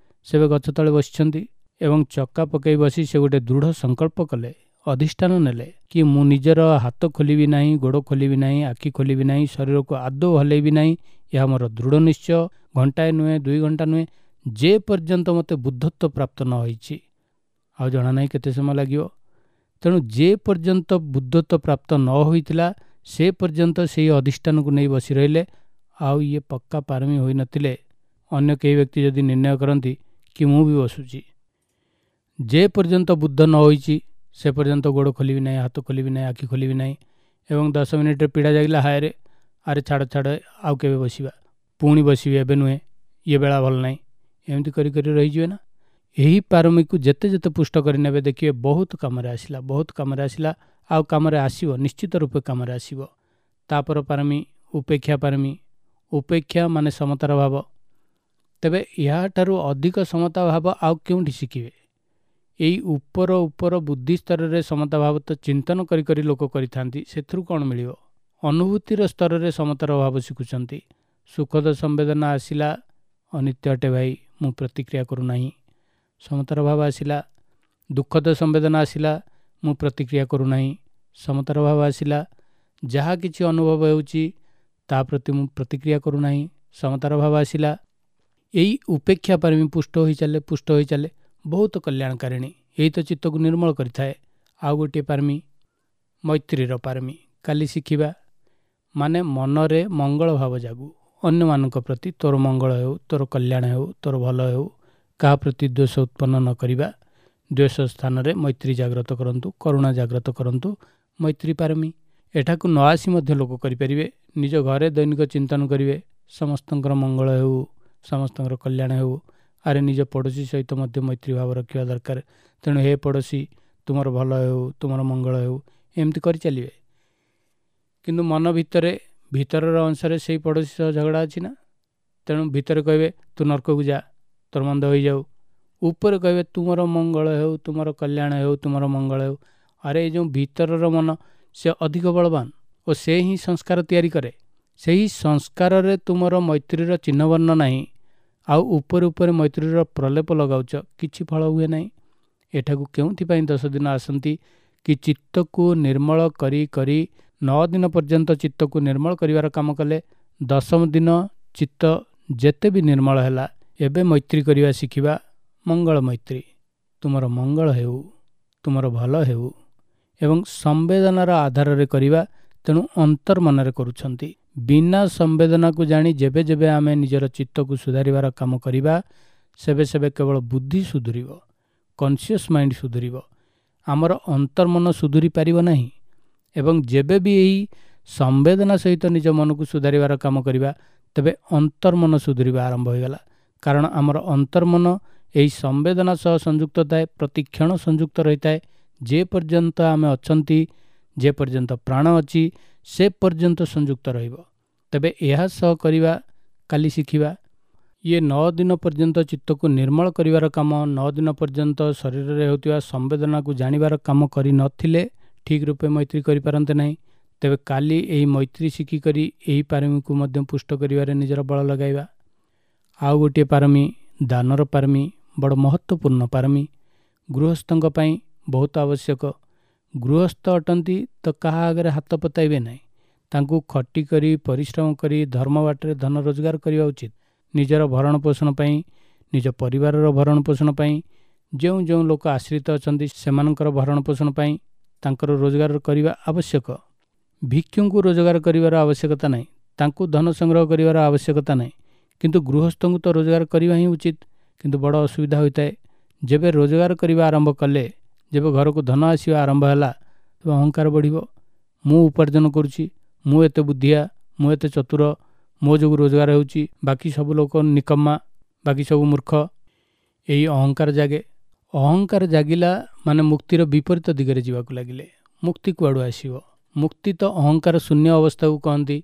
ସେବେ ଗଛ ତଳେ ବସିଛନ୍ତି ଏବଂ ଚକା ପକାଇ ବସି ସେ ଗୋଟେ ଦୃଢ଼ ସଂକଳ୍ପ କଲେ, ଅଧିଷ୍ଠାନ ନେଲେ କି ମୁଁ ନିଜର ହାତ ଖୋଲିବି ନାହିଁ, ଗୋଡ଼ ଖୋଲିବି ନାହିଁ, ଆଖି ଖୋଲିବି ନାହିଁ, ଶରୀରକୁ ଆଦୌ ହଲେଇବି ନାହିଁ, ଏହା ମୋର ଦୃଢ଼ ନିଶ୍ଚୟ। ଘଣ୍ଟାଏ ନୁହେଁ, 2 ଘଣ୍ଟା ନୁହେଁ, ଯେ ପର୍ଯ୍ୟନ୍ତ ମୋତେ ବୁଦ୍ଧତ୍ୱ ପ୍ରାପ୍ତ ନ ହୋଇଛି। ଆଉ ଜଣା ନାହିଁ କେତେ ସମୟ ଲାଗିବ। ତେଣୁ ଯେ ପର୍ଯ୍ୟନ୍ତ ବୁଦ୍ଧତ୍ୱ ପ୍ରାପ୍ତ ନ ହୋଇଥିଲା ସେ ପର୍ଯ୍ୟନ୍ତ ସେଇ ଅଧିଷ୍ଠାନକୁ ନେଇ ବସି ରହିଲେ। ଆଉ ଇଏ ପକ୍କା ପାରମୀ ହୋଇନଥିଲେ ଅନ୍ୟ କେହି ବ୍ୟକ୍ତି ଯଦି ନିର୍ଣ୍ଣୟ କରନ୍ତି କି ମୁଁ ବି ବସୁଛି, ଯେ ପର୍ଯ୍ୟନ୍ତ ବୁଦ୍ଧ ନ ହୋଇଛି ସେ ପର୍ଯ୍ୟନ୍ତ ଗୋଡ଼ ଖୋଲିବି ନାହିଁ, ହାତ ଖୋଲିବି ନାହିଁ, ଆଖି ଖୋଲିବି ନାହିଁ। ଏବଂ 10 ମିନିଟ୍ରେ ପୀଡ଼ା ଜାଗିଲା, ହାୟରେ ଆରେ ଛାଡ଼ ଛାଡ଼, ଆଉ କେବେ ବସିବା, ପୁଣି ବସିବି, ଏବେ ନୁହେଁ, ଇଏ ବେଳା ଭଲ ନାହିଁ, ଏମିତି କରି କରି ରହିଯିବେ ନା। ଏହି ପାରମୀକୁ ଯେତେ ଯେତେ ପୁଷ୍ଟ କରିନେବେ ଦେଖିବେ ବହୁତ କାମରେ ଆସିଲା, ବହୁତ କାମରେ ଆସିଲା, ଆଉ କାମରେ ଆସିବ, ନିଶ୍ଚିତ ରୂପେ କାମରେ ଆସିବ। ତାପର ପାରମୀ ଉପେକ୍ଷା ପାରମୀ। ଉପେକ୍ଷା ମାନେ ସମତାର ଭାବ। ତେବେ ଏହାଠାରୁ ଅଧିକ ସମତା ଭାବ ଆଉ କେଉଁଠି ଶିଖିବେ? ଏଇ ଉପର ଉପର ବୁଦ୍ଧି ସ୍ତରରେ ସମତା ଭାବ ତ ଚିନ୍ତନ କରି କରି ଲୋକ କରିଥାନ୍ତି, ସେଥିରୁ କ'ଣ ମିଳିବ? ଅନୁଭୂତିର ସ୍ତରରେ ସମତାର ଭାବ ଶିଖୁଛନ୍ତି। ସୁଖଦ ସମ୍ବେଦନା ଆସିଲା, ଅନିତ୍ୟ ଅଟେ ଭାଇ, ମୁଁ ପ୍ରତିକ୍ରିୟା କରୁନାହିଁ, ସମତାର ଭାବ ଆସିଲା। ଦୁଃଖଦ ସମ୍ବେଦନା ଆସିଲା, ମୁଁ ପ୍ରତିକ୍ରିୟା କରୁନାହିଁ, ସମତାର ଭାବ ଆସିଲା। ଯାହା କିଛି ଅନୁଭବ ହେଉଛି ତା ପ୍ରତି ମୁଁ ପ୍ରତିକ୍ରିୟା କରୁନାହିଁ, ସମତାର ଭାବ ଆସିଲା। ଏଇ ଉପେକ୍ଷା ପାରମୀ ପୁଷ୍ଟ ହୋଇ ଚାଲେ, ପୁଷ୍ଟ ହୋଇ ଚାଲେ, ବହୁତ କଲ୍ୟାଣକାରିଣୀ। ଏଇ ତ ଚିତ୍ତକୁ ନିର୍ମଳ କରିଥାଏ। ଆଉ ଗୋଟିଏ ପାରମୀ ମୈତ୍ରୀର ପାରମୀ, କାଲି ଶିଖିବା। ମାନେ ମନରେ ମଙ୍ଗଳ ଭାବ ଜାଗୁ, ଅନ୍ୟମାନଙ୍କ ପ୍ରତି ତୋର ମଙ୍ଗଳ ହେଉ, ତୋର କଲ୍ୟାଣ ହେଉ, ତୋର ଭଲ ହେଉ, କାହା ପ୍ରତି ଦ୍ୱେଷ ଉତ୍ପନ୍ନ ନ କରିବା। ଦ୍ୱେଷ ସ୍ଥାନରେ ମୈତ୍ରୀ ଜାଗ୍ରତ କରନ୍ତୁ, କରୁଣା ଜାଗ୍ରତ କରନ୍ତୁ, ମୈତ୍ରୀ ପାରମୀ। ଏଠାକୁ ନ ଆସି ମଧ୍ୟ ଲୋକ କରିପାରିବେ। ନିଜ ଘରେ ଦୈନିକ ଚିନ୍ତନ କରିବେ, ସମସ୍ତଙ୍କର ମଙ୍ଗଳ ହେଉ, ସମସ୍ତଙ୍କର କଲ୍ୟାଣ ହେଉ। ଆରେ ନିଜ ପଡ଼ୋଶୀ ସହିତ ମଧ୍ୟ ମୈତ୍ରୀ ଭାବ ରଖିବା ଦରକାର। ତେଣୁ ହେ ପଡ଼ୋଶୀ, ତୁମର ଭଲ ହେଉ, ତୁମର ମଙ୍ଗଳ ହେଉ, ଏମିତି କରିଚାଲିବେ। କିନ୍ତୁ ମନ ଭିତରେ, ଭିତରର ଅଂଶରେ ସେଇ ପଡ଼ୋଶୀ ସହ ଝଗଡ଼ା ଅଛି ନା, ତେଣୁ ଭିତରେ କହିବେ ତୁ ନର୍କକୁ ଯା, ତୋର ମନ୍ଦ ହୋଇଯାଉ। ଉପରେ କହିବେ ତୁମର ମଙ୍ଗଳ ହେଉ, ତୁମର କଲ୍ୟାଣ ହେଉ, ତୁମର ମଙ୍ଗଳ ହେଉ। ଆରେ ଏ ଯେଉଁ ଭିତରର ମନ, ସେ ଅଧିକ ବଳବାନ ଓ ସେ ହିଁ ସଂସ୍କାର ତିଆରି କରେ। ସେହି ସଂସ୍କାରରେ ତୁମର ମୈତ୍ରୀର ଚିହ୍ନବର୍ଣ୍ଣ ନାହିଁ, ଆଉ ଉପରେ ଉପରେ ମୈତ୍ରୀର ପ୍ରଲେପ ଲଗାଉଛ, କିଛି ଫଳ ହୁଏ ନାହିଁ। ଏଠାକୁ କେଉଁଥିପାଇଁ 10 ଦିନ ଆସନ୍ତି କି ଚିତ୍ତକୁ ନିର୍ମଳ କରି କରି 9 ଦିନ ପର୍ଯ୍ୟନ୍ତ ଚିତ୍ତକୁ ନିର୍ମଳ କରିବାର କାମ କଲେ। 10ମ ଦିନ ଚିତ୍ତ ଯେତେ ବି ନିର୍ମଳ ହେଲା, ଏବେ ମୈତ୍ରୀ କରିବା ଶିଖିବା। ମଙ୍ଗଳ ମୈତ୍ରୀ, ତୁମର ମଙ୍ଗଳ ହେଉ, ତୁମର ଭଲ ହେଉ, ଏବଂ ସମ୍ବେଦନାର ଆଧାରରେ କରିବା। ତେଣୁ ଅନ୍ତର୍ମନରେ କରୁଛନ୍ତି। ବିନା ସମ୍ବେଦନାକୁ ଜାଣି ଯେବେ ଯେବେ ଆମେ ନିଜର ଚିତ୍ତକୁ ସୁଧାରିବାର କାମ କରିବା, ସେବେ ସେବେ କେବଳ ବୁଦ୍ଧି ସୁଧୁରିବ, କନସିୟସ୍ ମାଇଣ୍ଡ ସୁଧୁରିବ, ଆମର ଅନ୍ତର୍ମନ ସୁଧୁରି ପାରିବ ନାହିଁ। ଏବଂ ଯେବେ ବି ଏହି ସମ୍ବେଦନା ସହିତ ନିଜ ମନକୁ ସୁଧାରିବାର କାମ କରିବା, ତେବେ ଅନ୍ତର୍ମନ ସୁଧୁରିବା ଆରମ୍ଭ ହୋଇଗଲା। କାରଣ ଆମର ଅନ୍ତର୍ମନ ଏହି ସମ୍ବେଦନା ସହ ସଂଯୁକ୍ତ ଥାଏ, ପ୍ରତିକ୍ଷଣ ସଂଯୁକ୍ତ ରହିଥାଏ। ଯେ ପର୍ଯ୍ୟନ୍ତ ଆମେ ଅଛନ୍ତି, ଯେ ପର୍ଯ୍ୟନ୍ତ ପ୍ରାଣ ଅଛି, ସେ ପର୍ଯ୍ୟନ୍ତ ସଂଯୁକ୍ତ ରହିବ। ତେବେ ଏହା ସହ କରିବା କାଲି ଶିଖିବା। ଇଏ 9 ଦିନ ପର୍ଯ୍ୟନ୍ତ ଚିତ୍ତକୁ ନିର୍ମଳ କରିବାର କାମ, 9 ଦିନ ପର୍ଯ୍ୟନ୍ତ ଶରୀରରେ ହେଉଥିବା ସମ୍ବେଦନାକୁ ଜାଣିବାର କାମ କରିନଥିଲେ ଠିକ୍ ରୂପେ ମୈତ୍ରୀ କରିପାରନ୍ତେ ନାହିଁ। ତେବେ କାଲି ଏହି ମୈତ୍ରୀ ଶିଖିକରି ଏହି ପାରମୀକୁ ମଧ୍ୟ ପୁଷ୍ଟ କରିବାରେ ନିଜର ବଳ ଲଗାଇବା। ଆଉ ଗୋଟିଏ ପାରମୀ ଦାନର ପାରମୀ, ବଡ଼ ମହତ୍ତ୍ୱପୂର୍ଣ୍ଣ ପାରମୀ, ଗୃହସ୍ଥଙ୍କ ପାଇଁ ବହୁତ ଆବଶ୍ୟକ। ଗୃହସ୍ଥ ଅଟନ୍ତି ତ କାହା ଆଗରେ ହାତ ପତାଇବେ ନାହିଁ। ତାଙ୍କୁ ଖଟି କରି ପରିଶ୍ରମ କରି ଧର୍ମ ବାଟରେ ଧନ ରୋଜଗାର କରିବା ଉଚିତ। ନିଜର ଭରଣ ପୋଷଣ ପାଇଁ, ନିଜ ପରିବାରର ଭରଣ ପୋଷଣ ପାଇଁ, ଯେଉଁ ଯେଉଁ ଲୋକ ଆଶ୍ରିତ ଅଛନ୍ତି ସେମାନଙ୍କର ଭରଣ ପୋଷଣ ପାଇଁ ତାଙ୍କର ରୋଜଗାର କରିବା ଆବଶ୍ୟକ। ଭିକ୍ଷୁଙ୍କୁ ରୋଜଗାର କରିବାର ଆବଶ୍ୟକତା ନାହିଁ, ତାଙ୍କୁ ଧନ ସଂଗ୍ରହ କରିବାର ଆବଶ୍ୟକତା ନାହିଁ, କିନ୍ତୁ ଗୃହସ୍ଥଙ୍କୁ ତ ରୋଜଗାର କରିବା ହିଁ ଉଚିତ। କିନ୍ତୁ ବଡ଼ ଅସୁବିଧା ହୋଇଥାଏ, ଯେବେ ରୋଜଗାର କରିବା ଆରମ୍ଭ କଲେ, ଯେବେ ଘରକୁ ଧନ ଆସିବା ଆରମ୍ଭ ହେଲା, ତେବେ ଅହଙ୍କାର ବଢ଼ିବ। ମୁଁ ଉପାର୍ଜନ କରୁଛି, ମୁଁ ଏତେ ବୁଦ୍ଧିଆ, ମୁଁ ଏତେ ଚତୁର, ମୋ ଯୋଗୁଁ ରୋଜଗାର ହେଉଛି, ବାକି ସବୁ ଲୋକ ନିକମ୍ମା, ବାକି ସବୁ ମୂର୍ଖ। ଏହି ଅହଙ୍କାର ଜାଗେ। ଅହଙ୍କାର ଜାଗିଲା ମାନେ ମୁକ୍ତିର ବିପରୀତ ଦିଗରେ ଯିବାକୁ ଲାଗିଲେ। ମୁକ୍ତି କୁଆଡ଼ୁ ଆସିବ? ମୁକ୍ତି ତ ଅହଙ୍କାର ଶୂନ୍ୟ ଅବସ୍ଥାକୁ କହନ୍ତି।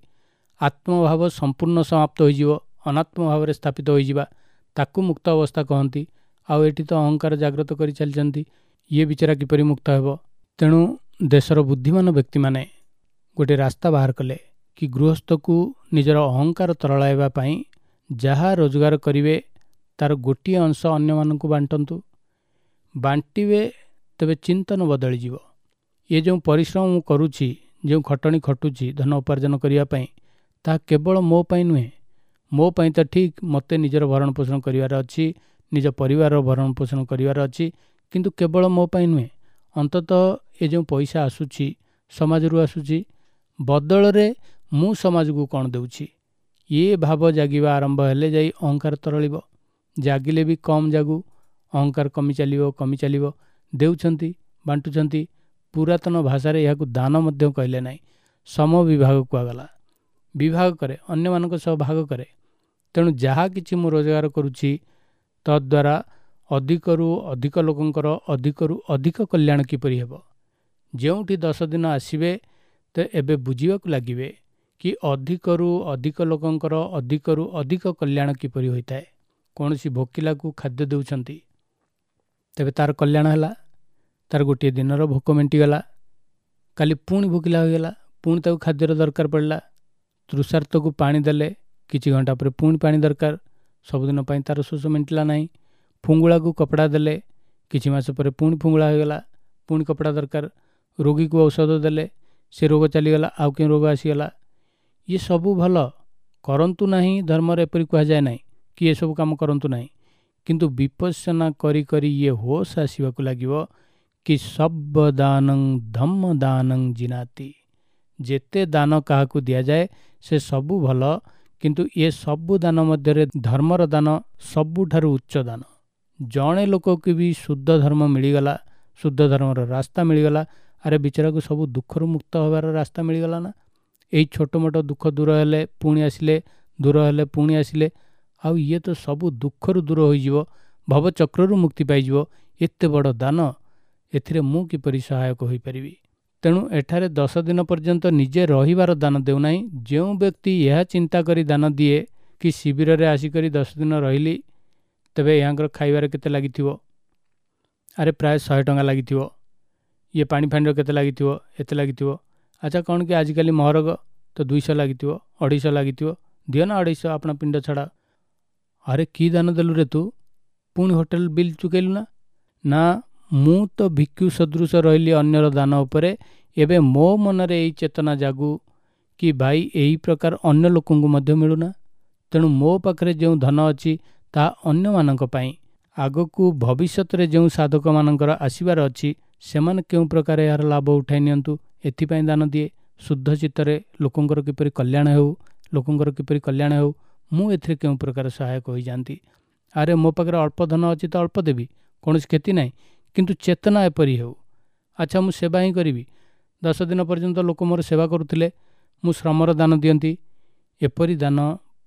ଆତ୍ମଭାବ ସମ୍ପୂର୍ଣ୍ଣ ସମାପ୍ତ ହୋଇଯିବ, ଅନାତ୍ମ ଭାବରେ ସ୍ଥାପିତ ହୋଇଯିବା, ତାକୁ ମୁକ୍ତ ଅବସ୍ଥା କହନ୍ତି। ଆଉ ଏଠି ତ ଅହଙ୍କାର ଜାଗ୍ରତ କରି ଚାଲିଛନ୍ତି, ଇଏ ବିଚାରା କିପରି ମୁକ୍ତ ହେବ? ତେଣୁ ଦେଶର ବୁଦ୍ଧିମାନ ବ୍ୟକ୍ତିମାନେ ଗୋଟିଏ ରାସ୍ତା ବାହାର କଲେ କି ଗୃହସ୍ଥକୁ ନିଜର ଅହଙ୍କାର ତରଳାଇବା ପାଇଁ ଯାହା ରୋଜଗାର କରିବେ ତାର ଗୋଟିଏ ଅଂଶ ଅନ୍ୟମାନଙ୍କୁ ବାଣ୍ଟନ୍ତୁ। ବାଣ୍ଟିବେ ତେବେ ଚିନ୍ତନ ବଦଳିଯିବ। ଏ ଯେଉଁ ପରିଶ୍ରମ ମୁଁ କରୁଛି, ଯେଉଁ ଖଟଣି ଖଟୁଛି ଧନ ଉପାର୍ଜନ କରିବା ପାଇଁ, ତାହା କେବଳ ମୋ ପାଇଁ ନୁହେଁ, ମୋ ପାଇଁ ତ ଠିକ୍, ମୋତେ ନିଜର ଭରଣ ପୋଷଣ କରିବାର ଅଛି, ନିଜ ପରିବାରର ଭରଣ ପୋଷଣ କରିବାର ଅଛି, କିନ୍ତୁ କେବଳ ମୋ ପାଇଁ ନୁହେଁ, ଅନ୍ତତଃ ଏ ଯେଉଁ ପଇସା ଆସୁଛି ସମାଜରୁ ଆସୁଛି, ବଦଳରେ ମୁଁ ସମାଜକୁ କ'ଣ ଦେଉଛି, ଇଏ ଭାବ ଜାଗିବା ଆରମ୍ଭ ହେଲେ ଯାଇ ଅହଙ୍କାର ତରଳିବ। ଜାଗିଲେ ବି କମ୍ ଜାଗୁ, ଅହଙ୍କାର କମି ଚାଲିବ, କମି ଚାଲିବ। ଦେଉଛନ୍ତି, ବାଣ୍ଟୁଛନ୍ତି, ପୁରାତନ ଭାଷାରେ ଏହାକୁ ଦାନ ମଧ୍ୟ କହିଲେ ନାହିଁ, ସମବିଭାଗ କୁହାଗଲା। ବିଭାଗ କରେ, ଅନ୍ୟମାନଙ୍କ ସହ ଭାଗ କରେ। ତେଣୁ ଯାହା କିଛି ମୁଁ ରୋଜଗାର କରୁଛି ତଦ୍ୱାରା ଅଧିକରୁ ଅଧିକ ଲୋକଙ୍କର ଅଧିକରୁ ଅଧିକ କଲ୍ୟାଣ କିପରି ହେବ। ଯେଉଁଠି 10 ଦିନ ଆସିବେ ତ ଏବେ ବୁଝିବାକୁ ଲାଗିବେ କି ଅଧିକରୁ ଅଧିକ ଲୋକଙ୍କର ଅଧିକରୁ ଅଧିକ କଲ୍ୟାଣ କିପରି ହୋଇଥାଏ। କୌଣସି ଭୋକିଲାକୁ ଖାଦ୍ୟ ଦେଉଛନ୍ତି, ତେବେ ତାର କଲ୍ୟାଣ ହେଲା, ତାର ଗୋଟିଏ ଦିନର ଭୋକ ମେଣ୍ଟିଗଲା। କାଲି ପୁଣି ଭୋକିଲା ହୋଇଗଲା, ପୁଣି ତାକୁ ଖାଦ୍ୟର ଦରକାର ପଡ଼ିଲା। ତୃଷାର୍ତ୍ତକୁ ପାଣି ଦେଲେ, କିଛି ଘଣ୍ଟା ପରେ ପୁଣି ପାଣି ଦରକାର, ସବୁଦିନ ପାଇଁ ତାର ଶୋଷ ମେଣ୍ଟିଲା ନାହିଁ। ଫୁଙ୍ଗୁଳାକୁ କପଡ଼ା ଦେଲେ, କିଛି ମାସ ପରେ ପୁଣି ଫୁଙ୍ଗୁଳା ହୋଇଗଲା, ପୁଣି କପଡ଼ା ଦରକାର। ରୋଗୀକୁ ଔଷଧ ଦେଲେ, ସେ ରୋଗ ଚାଲିଗଲା, ଆଉ କେଉଁ ରୋଗ ଆସିଗଲା। ଇଏ ସବୁ ଭଲ କରନ୍ତୁ ନାହିଁ, ଧର୍ମରେ ଏପରି କୁହାଯାଏ ନାହିଁ କି ଏସବୁ କାମ କରନ୍ତୁ ନାହିଁ, କିନ୍ତୁ ବିପස්සନା କରି କରି ଇଏ ହୋସ୍ ଆସିବାକୁ ଲାଗିବ କି ସବ୍ବ ଦାନଂ ଧମ୍ମ ଦାନଂ ଜିନାତି। ଯେତେ ଦାନ କାହାକୁ ଦିଆଯାଏ ସେ ସବୁ ଭଲ, କିନ୍ତୁ ଏ ସବୁ ଦାନ ମଧ୍ୟରେ ଧର୍ମର ଦାନ ସବୁଠାରୁ ଉଚ୍ଚ ଦାନ। ଜଣେ ଲୋକକୁ ବି ଶୁଦ୍ଧ ଧର୍ମ ମିଳିଗଲା, ଶୁଦ୍ଧ ଧର୍ମର ରାସ୍ତା ମିଳିଗଲା, ଆରେ ବିଚାରାକୁ ସବୁ ଦୁଃଖରୁ ମୁକ୍ତ ହେବାର ରାସ୍ତା ମିଳିଗଲା ନା। ଏଇ ଛୋଟ ମୋଟ ଦୁଃଖ ଦୂର ହେଲେ ପୁଣି ଆସିଲେ, ଦୂର ହେଲେ ପୁଣି ଆସିଲେ, ଆଉ ଇଏ ତ ସବୁ ଦୁଃଖରୁ ଦୂର ହୋଇଯିବ, ଭବଚକ୍ରରୁ ମୁକ୍ତି ପାଇଯିବ। ଏତେ ବଡ଼ ଦାନ, ଏଥିରେ ମୁଁ କିପରି ସହାୟକ ହୋଇପାରିବି? ତେଣୁ ଏଠାରେ 10 ଦିନ ପର୍ଯ୍ୟନ୍ତ ନିଜେ ରହିବାର ଦାନ ଦେଉନାହିଁ। ଯେଉଁ ବ୍ୟକ୍ତି ଏହା ଚିନ୍ତା କରି ଦାନ ଦିଏ କି ଶିବିରରେ ଆସିକରି 10 ଦିନ ରହିଲି, ତେବେ ଏହାଙ୍କର ଖାଇବାରେ କେତେ ଲାଗିଥିବ, ଆରେ ପ୍ରାୟ 100 ଟଙ୍କା ଲାଗିଥିବ, ଇଏ ପାଣି ଫାଣିର କେତେ ଲାଗିଥିବ, ଏତେ ଲାଗିଥିବ। ଆଚ୍ଛା କ'ଣ କି ଆଜିକାଲି ମହରଗ ତ 200 ଲାଗିଥିବ, 250 ଲାଗିଥିବ, ଦିଅ ନା 250 ଆପଣ ପିଣ୍ଡ ଛଡ଼ା। ଆରେ କି ଦାନ ଦେଲୁ ରେ ତୁ, ପୁଣି ହୋଟେଲ ବିଲ୍ ଚୁକେଇଲୁ ନା? ନା, ମୁଁ ତ ଭିକ୍ଷୁ ସଦୃଶ ରହିଲି ଅନ୍ୟର ଦାନ ଉପରେ। ଏବେ ମୋ ମନରେ ଏଇ ଚେତନା ଜାଗୁ କି ଭାଇ ଏହି ପ୍ରକାର ଅନ୍ୟ ଲୋକଙ୍କୁ ମଧ୍ୟ ମିଳୁନା, ତେଣୁ ମୋ ପାଖରେ ଯେଉଁ ଧନ ଅଛି ତାହା ଅନ୍ୟମାନଙ୍କ ପାଇଁ। ଆଗକୁ ଭବିଷ୍ୟତରେ ଯେଉଁ ସାଧକମାନଙ୍କର ଆସିବାର ଅଛି ସେମାନେ କେଉଁ ପ୍ରକାର ଏହାର ଲାଭ ଉଠାଇ ନିଅନ୍ତୁ, ଏଥିପାଇଁ ଦାନ ଦିଏ। ଶୁଦ୍ଧ ଚିତ୍ତରେ ଲୋକଙ୍କର କିପରି କଲ୍ୟାଣ ହେଉ, ଲୋକଙ୍କର କିପରି କଲ୍ୟାଣ ହେଉ, ମୁଁ ଏଥିରେ କେଉଁ ପ୍ରକାର ସହାୟକ ହୋଇଯାଆନ୍ତି। ଆରେ ମୋ ପାଖରେ ଅଳ୍ପ ଧନ ଅଛି ତ ଅଳ୍ପ ଦେବି, କୌଣସି କ୍ଷତି ନାହିଁ, କିନ୍ତୁ ଚେତନା ଏପରି ହେଉ। ଆଚ୍ଛା ମୁଁ ସେବା ହିଁ କରିବି। 10 ଦିନ ପର୍ଯ୍ୟନ୍ତ ଲୋକ ମୋର ସେବା କରୁଥିଲେ, ମୁଁ ଶ୍ରମର ଦାନ ଦିଅନ୍ତି। ଏପରି ଦାନ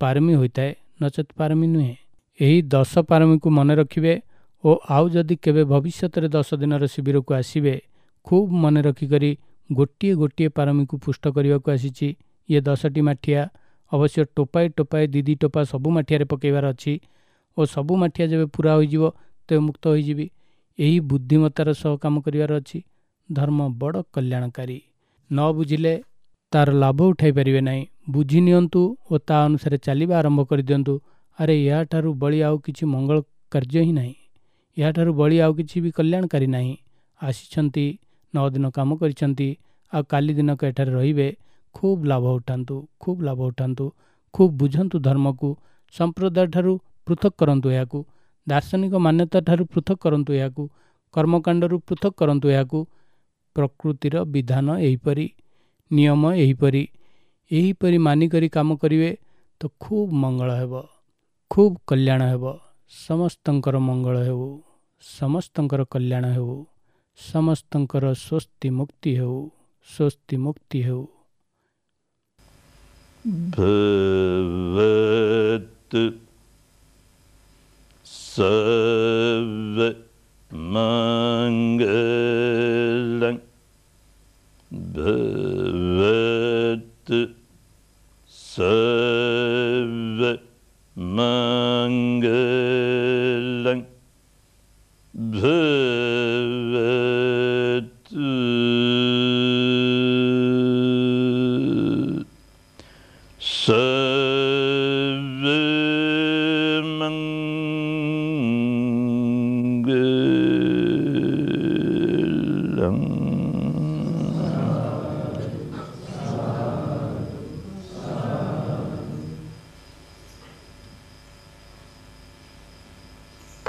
ପାରମୀ ହୋଇଥାଏ, ନଚେତ୍ ପାରମୀ ନୁହେଁ। ଏହି 10 ପାରମୀକୁ ମନେ ରଖିବେ ଓ ଆଉ ଯଦି କେବେ ଭବିଷ୍ୟତରେ 10 ଦିନର ଶିବିରକୁ ଆସିବେ, ଖୁବ୍ ମନେ ରଖିକରି ଗୋଟିଏ ଗୋଟିଏ ପାରମୀକୁ ପୁଷ୍ଟ କରିବାକୁ ଆସିଛି। ଇଏ 10ଟି ମାଠିଆ, ଅବଶ୍ୟ ଟୋପାଏ ଟୋପାଏ 2 ଟୋପା ସବୁ ମାଠିଆରେ ପକାଇବାର ଅଛି ଓ ସବୁ ମାଠିଆ ଯେବେ ପୁରା ହୋଇଯିବ ତେବେ ମୁକ୍ତ ହୋଇଯିବି। ଏହି ବୁଦ୍ଧିମତ୍ତାର ସହ କାମ କରିବାର ଅଛି। ଧର୍ମ ବଡ଼ କଲ୍ୟାଣକାରୀ, ନ ବୁଝିଲେ ତାର ଲାଭ ଉଠାଇ ପାରିବେ ନାହିଁ। ବୁଝି ନିଅନ୍ତୁ ଓ ତା ଅନୁସାରେ ଚାଲିବା ଆରମ୍ଭ କରିଦିଅନ୍ତୁ। ଆରେ ଏହାଠାରୁ ବଳି ଆଉ କିଛି ମଙ୍ଗଳ କାର୍ଯ୍ୟ ହିଁ ନାହିଁ, ଏହାଠାରୁ ବଳି ଆଉ କିଛି ବି କଲ୍ୟାଣକାରୀ ନାହିଁ। ଆସିଛନ୍ତି, 9 ଦିନ କାମ କରିଛନ୍ତି, ଆଉ କାଲି ଦିନକ ଏଠାରେ ରହିବେ। ଖୁବ୍ ଲାଭ ଉଠାନ୍ତୁ, ଖୁବ୍ ଲାଭ ଉଠାନ୍ତୁ, ଖୁବ୍ ବୁଝନ୍ତୁ ଧର୍ମକୁ। ସମ୍ପ୍ରଦାୟ ଠାରୁ ପୃଥକ କରନ୍ତୁ ଏହାକୁ, ଦାର୍ଶନିକ ମାନ୍ୟତା ଠାରୁ ପୃଥକ କରନ୍ତୁ ଏହାକୁ, କର୍ମକାଣ୍ଡରୁ ପୃଥକ କରନ୍ତୁ ଏହାକୁ। ପ୍ରକୃତିର ବିଧାନ ଏହିପରି, ନିୟମ ଏହିପରି। ଏହିପରି ମାନିକରି କାମ କରିବେ ତ ଖୁବ୍ ମଙ୍ଗଳ ହେବ, ଖୁବ୍ କଲ୍ୟାଣ ହେବ। ସମସ୍ତଙ୍କର ମଙ୍ଗଳ ହେଉ, ସମସ୍ତଙ୍କର କଲ୍ୟାଣ ହେଉ, ସମସ୍ତଙ୍କର ସ୍ୱସ୍ତି ମୁକ୍ତି ହେଉ, ସ୍ୱସ୍ତି ମୁକ୍ତି ହେଉ। ଭବତୁ ସବ୍ବ ମଙ୍ଗଳଂ, ଭବତୁ ସବ୍ବ ମଙ୍ଗଳଂ, ଭବତୁ ସବ୍ବ ମଙ୍ଗଳଂ।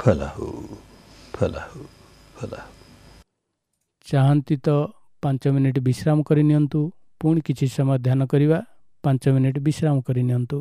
Phalahu, phalahu, phalahu. ଚାହାନ୍ତି ତ 5 ମିନିଟ୍ ବିଶ୍ରାମ କରିନିଅନ୍ତୁ। ପୁଣି କିଛି ସମୟ ଧ୍ୟାନ କରିବା, 5 ମିନିଟ୍ ବିଶ୍ରାମ କରିନିଅନ୍ତୁ।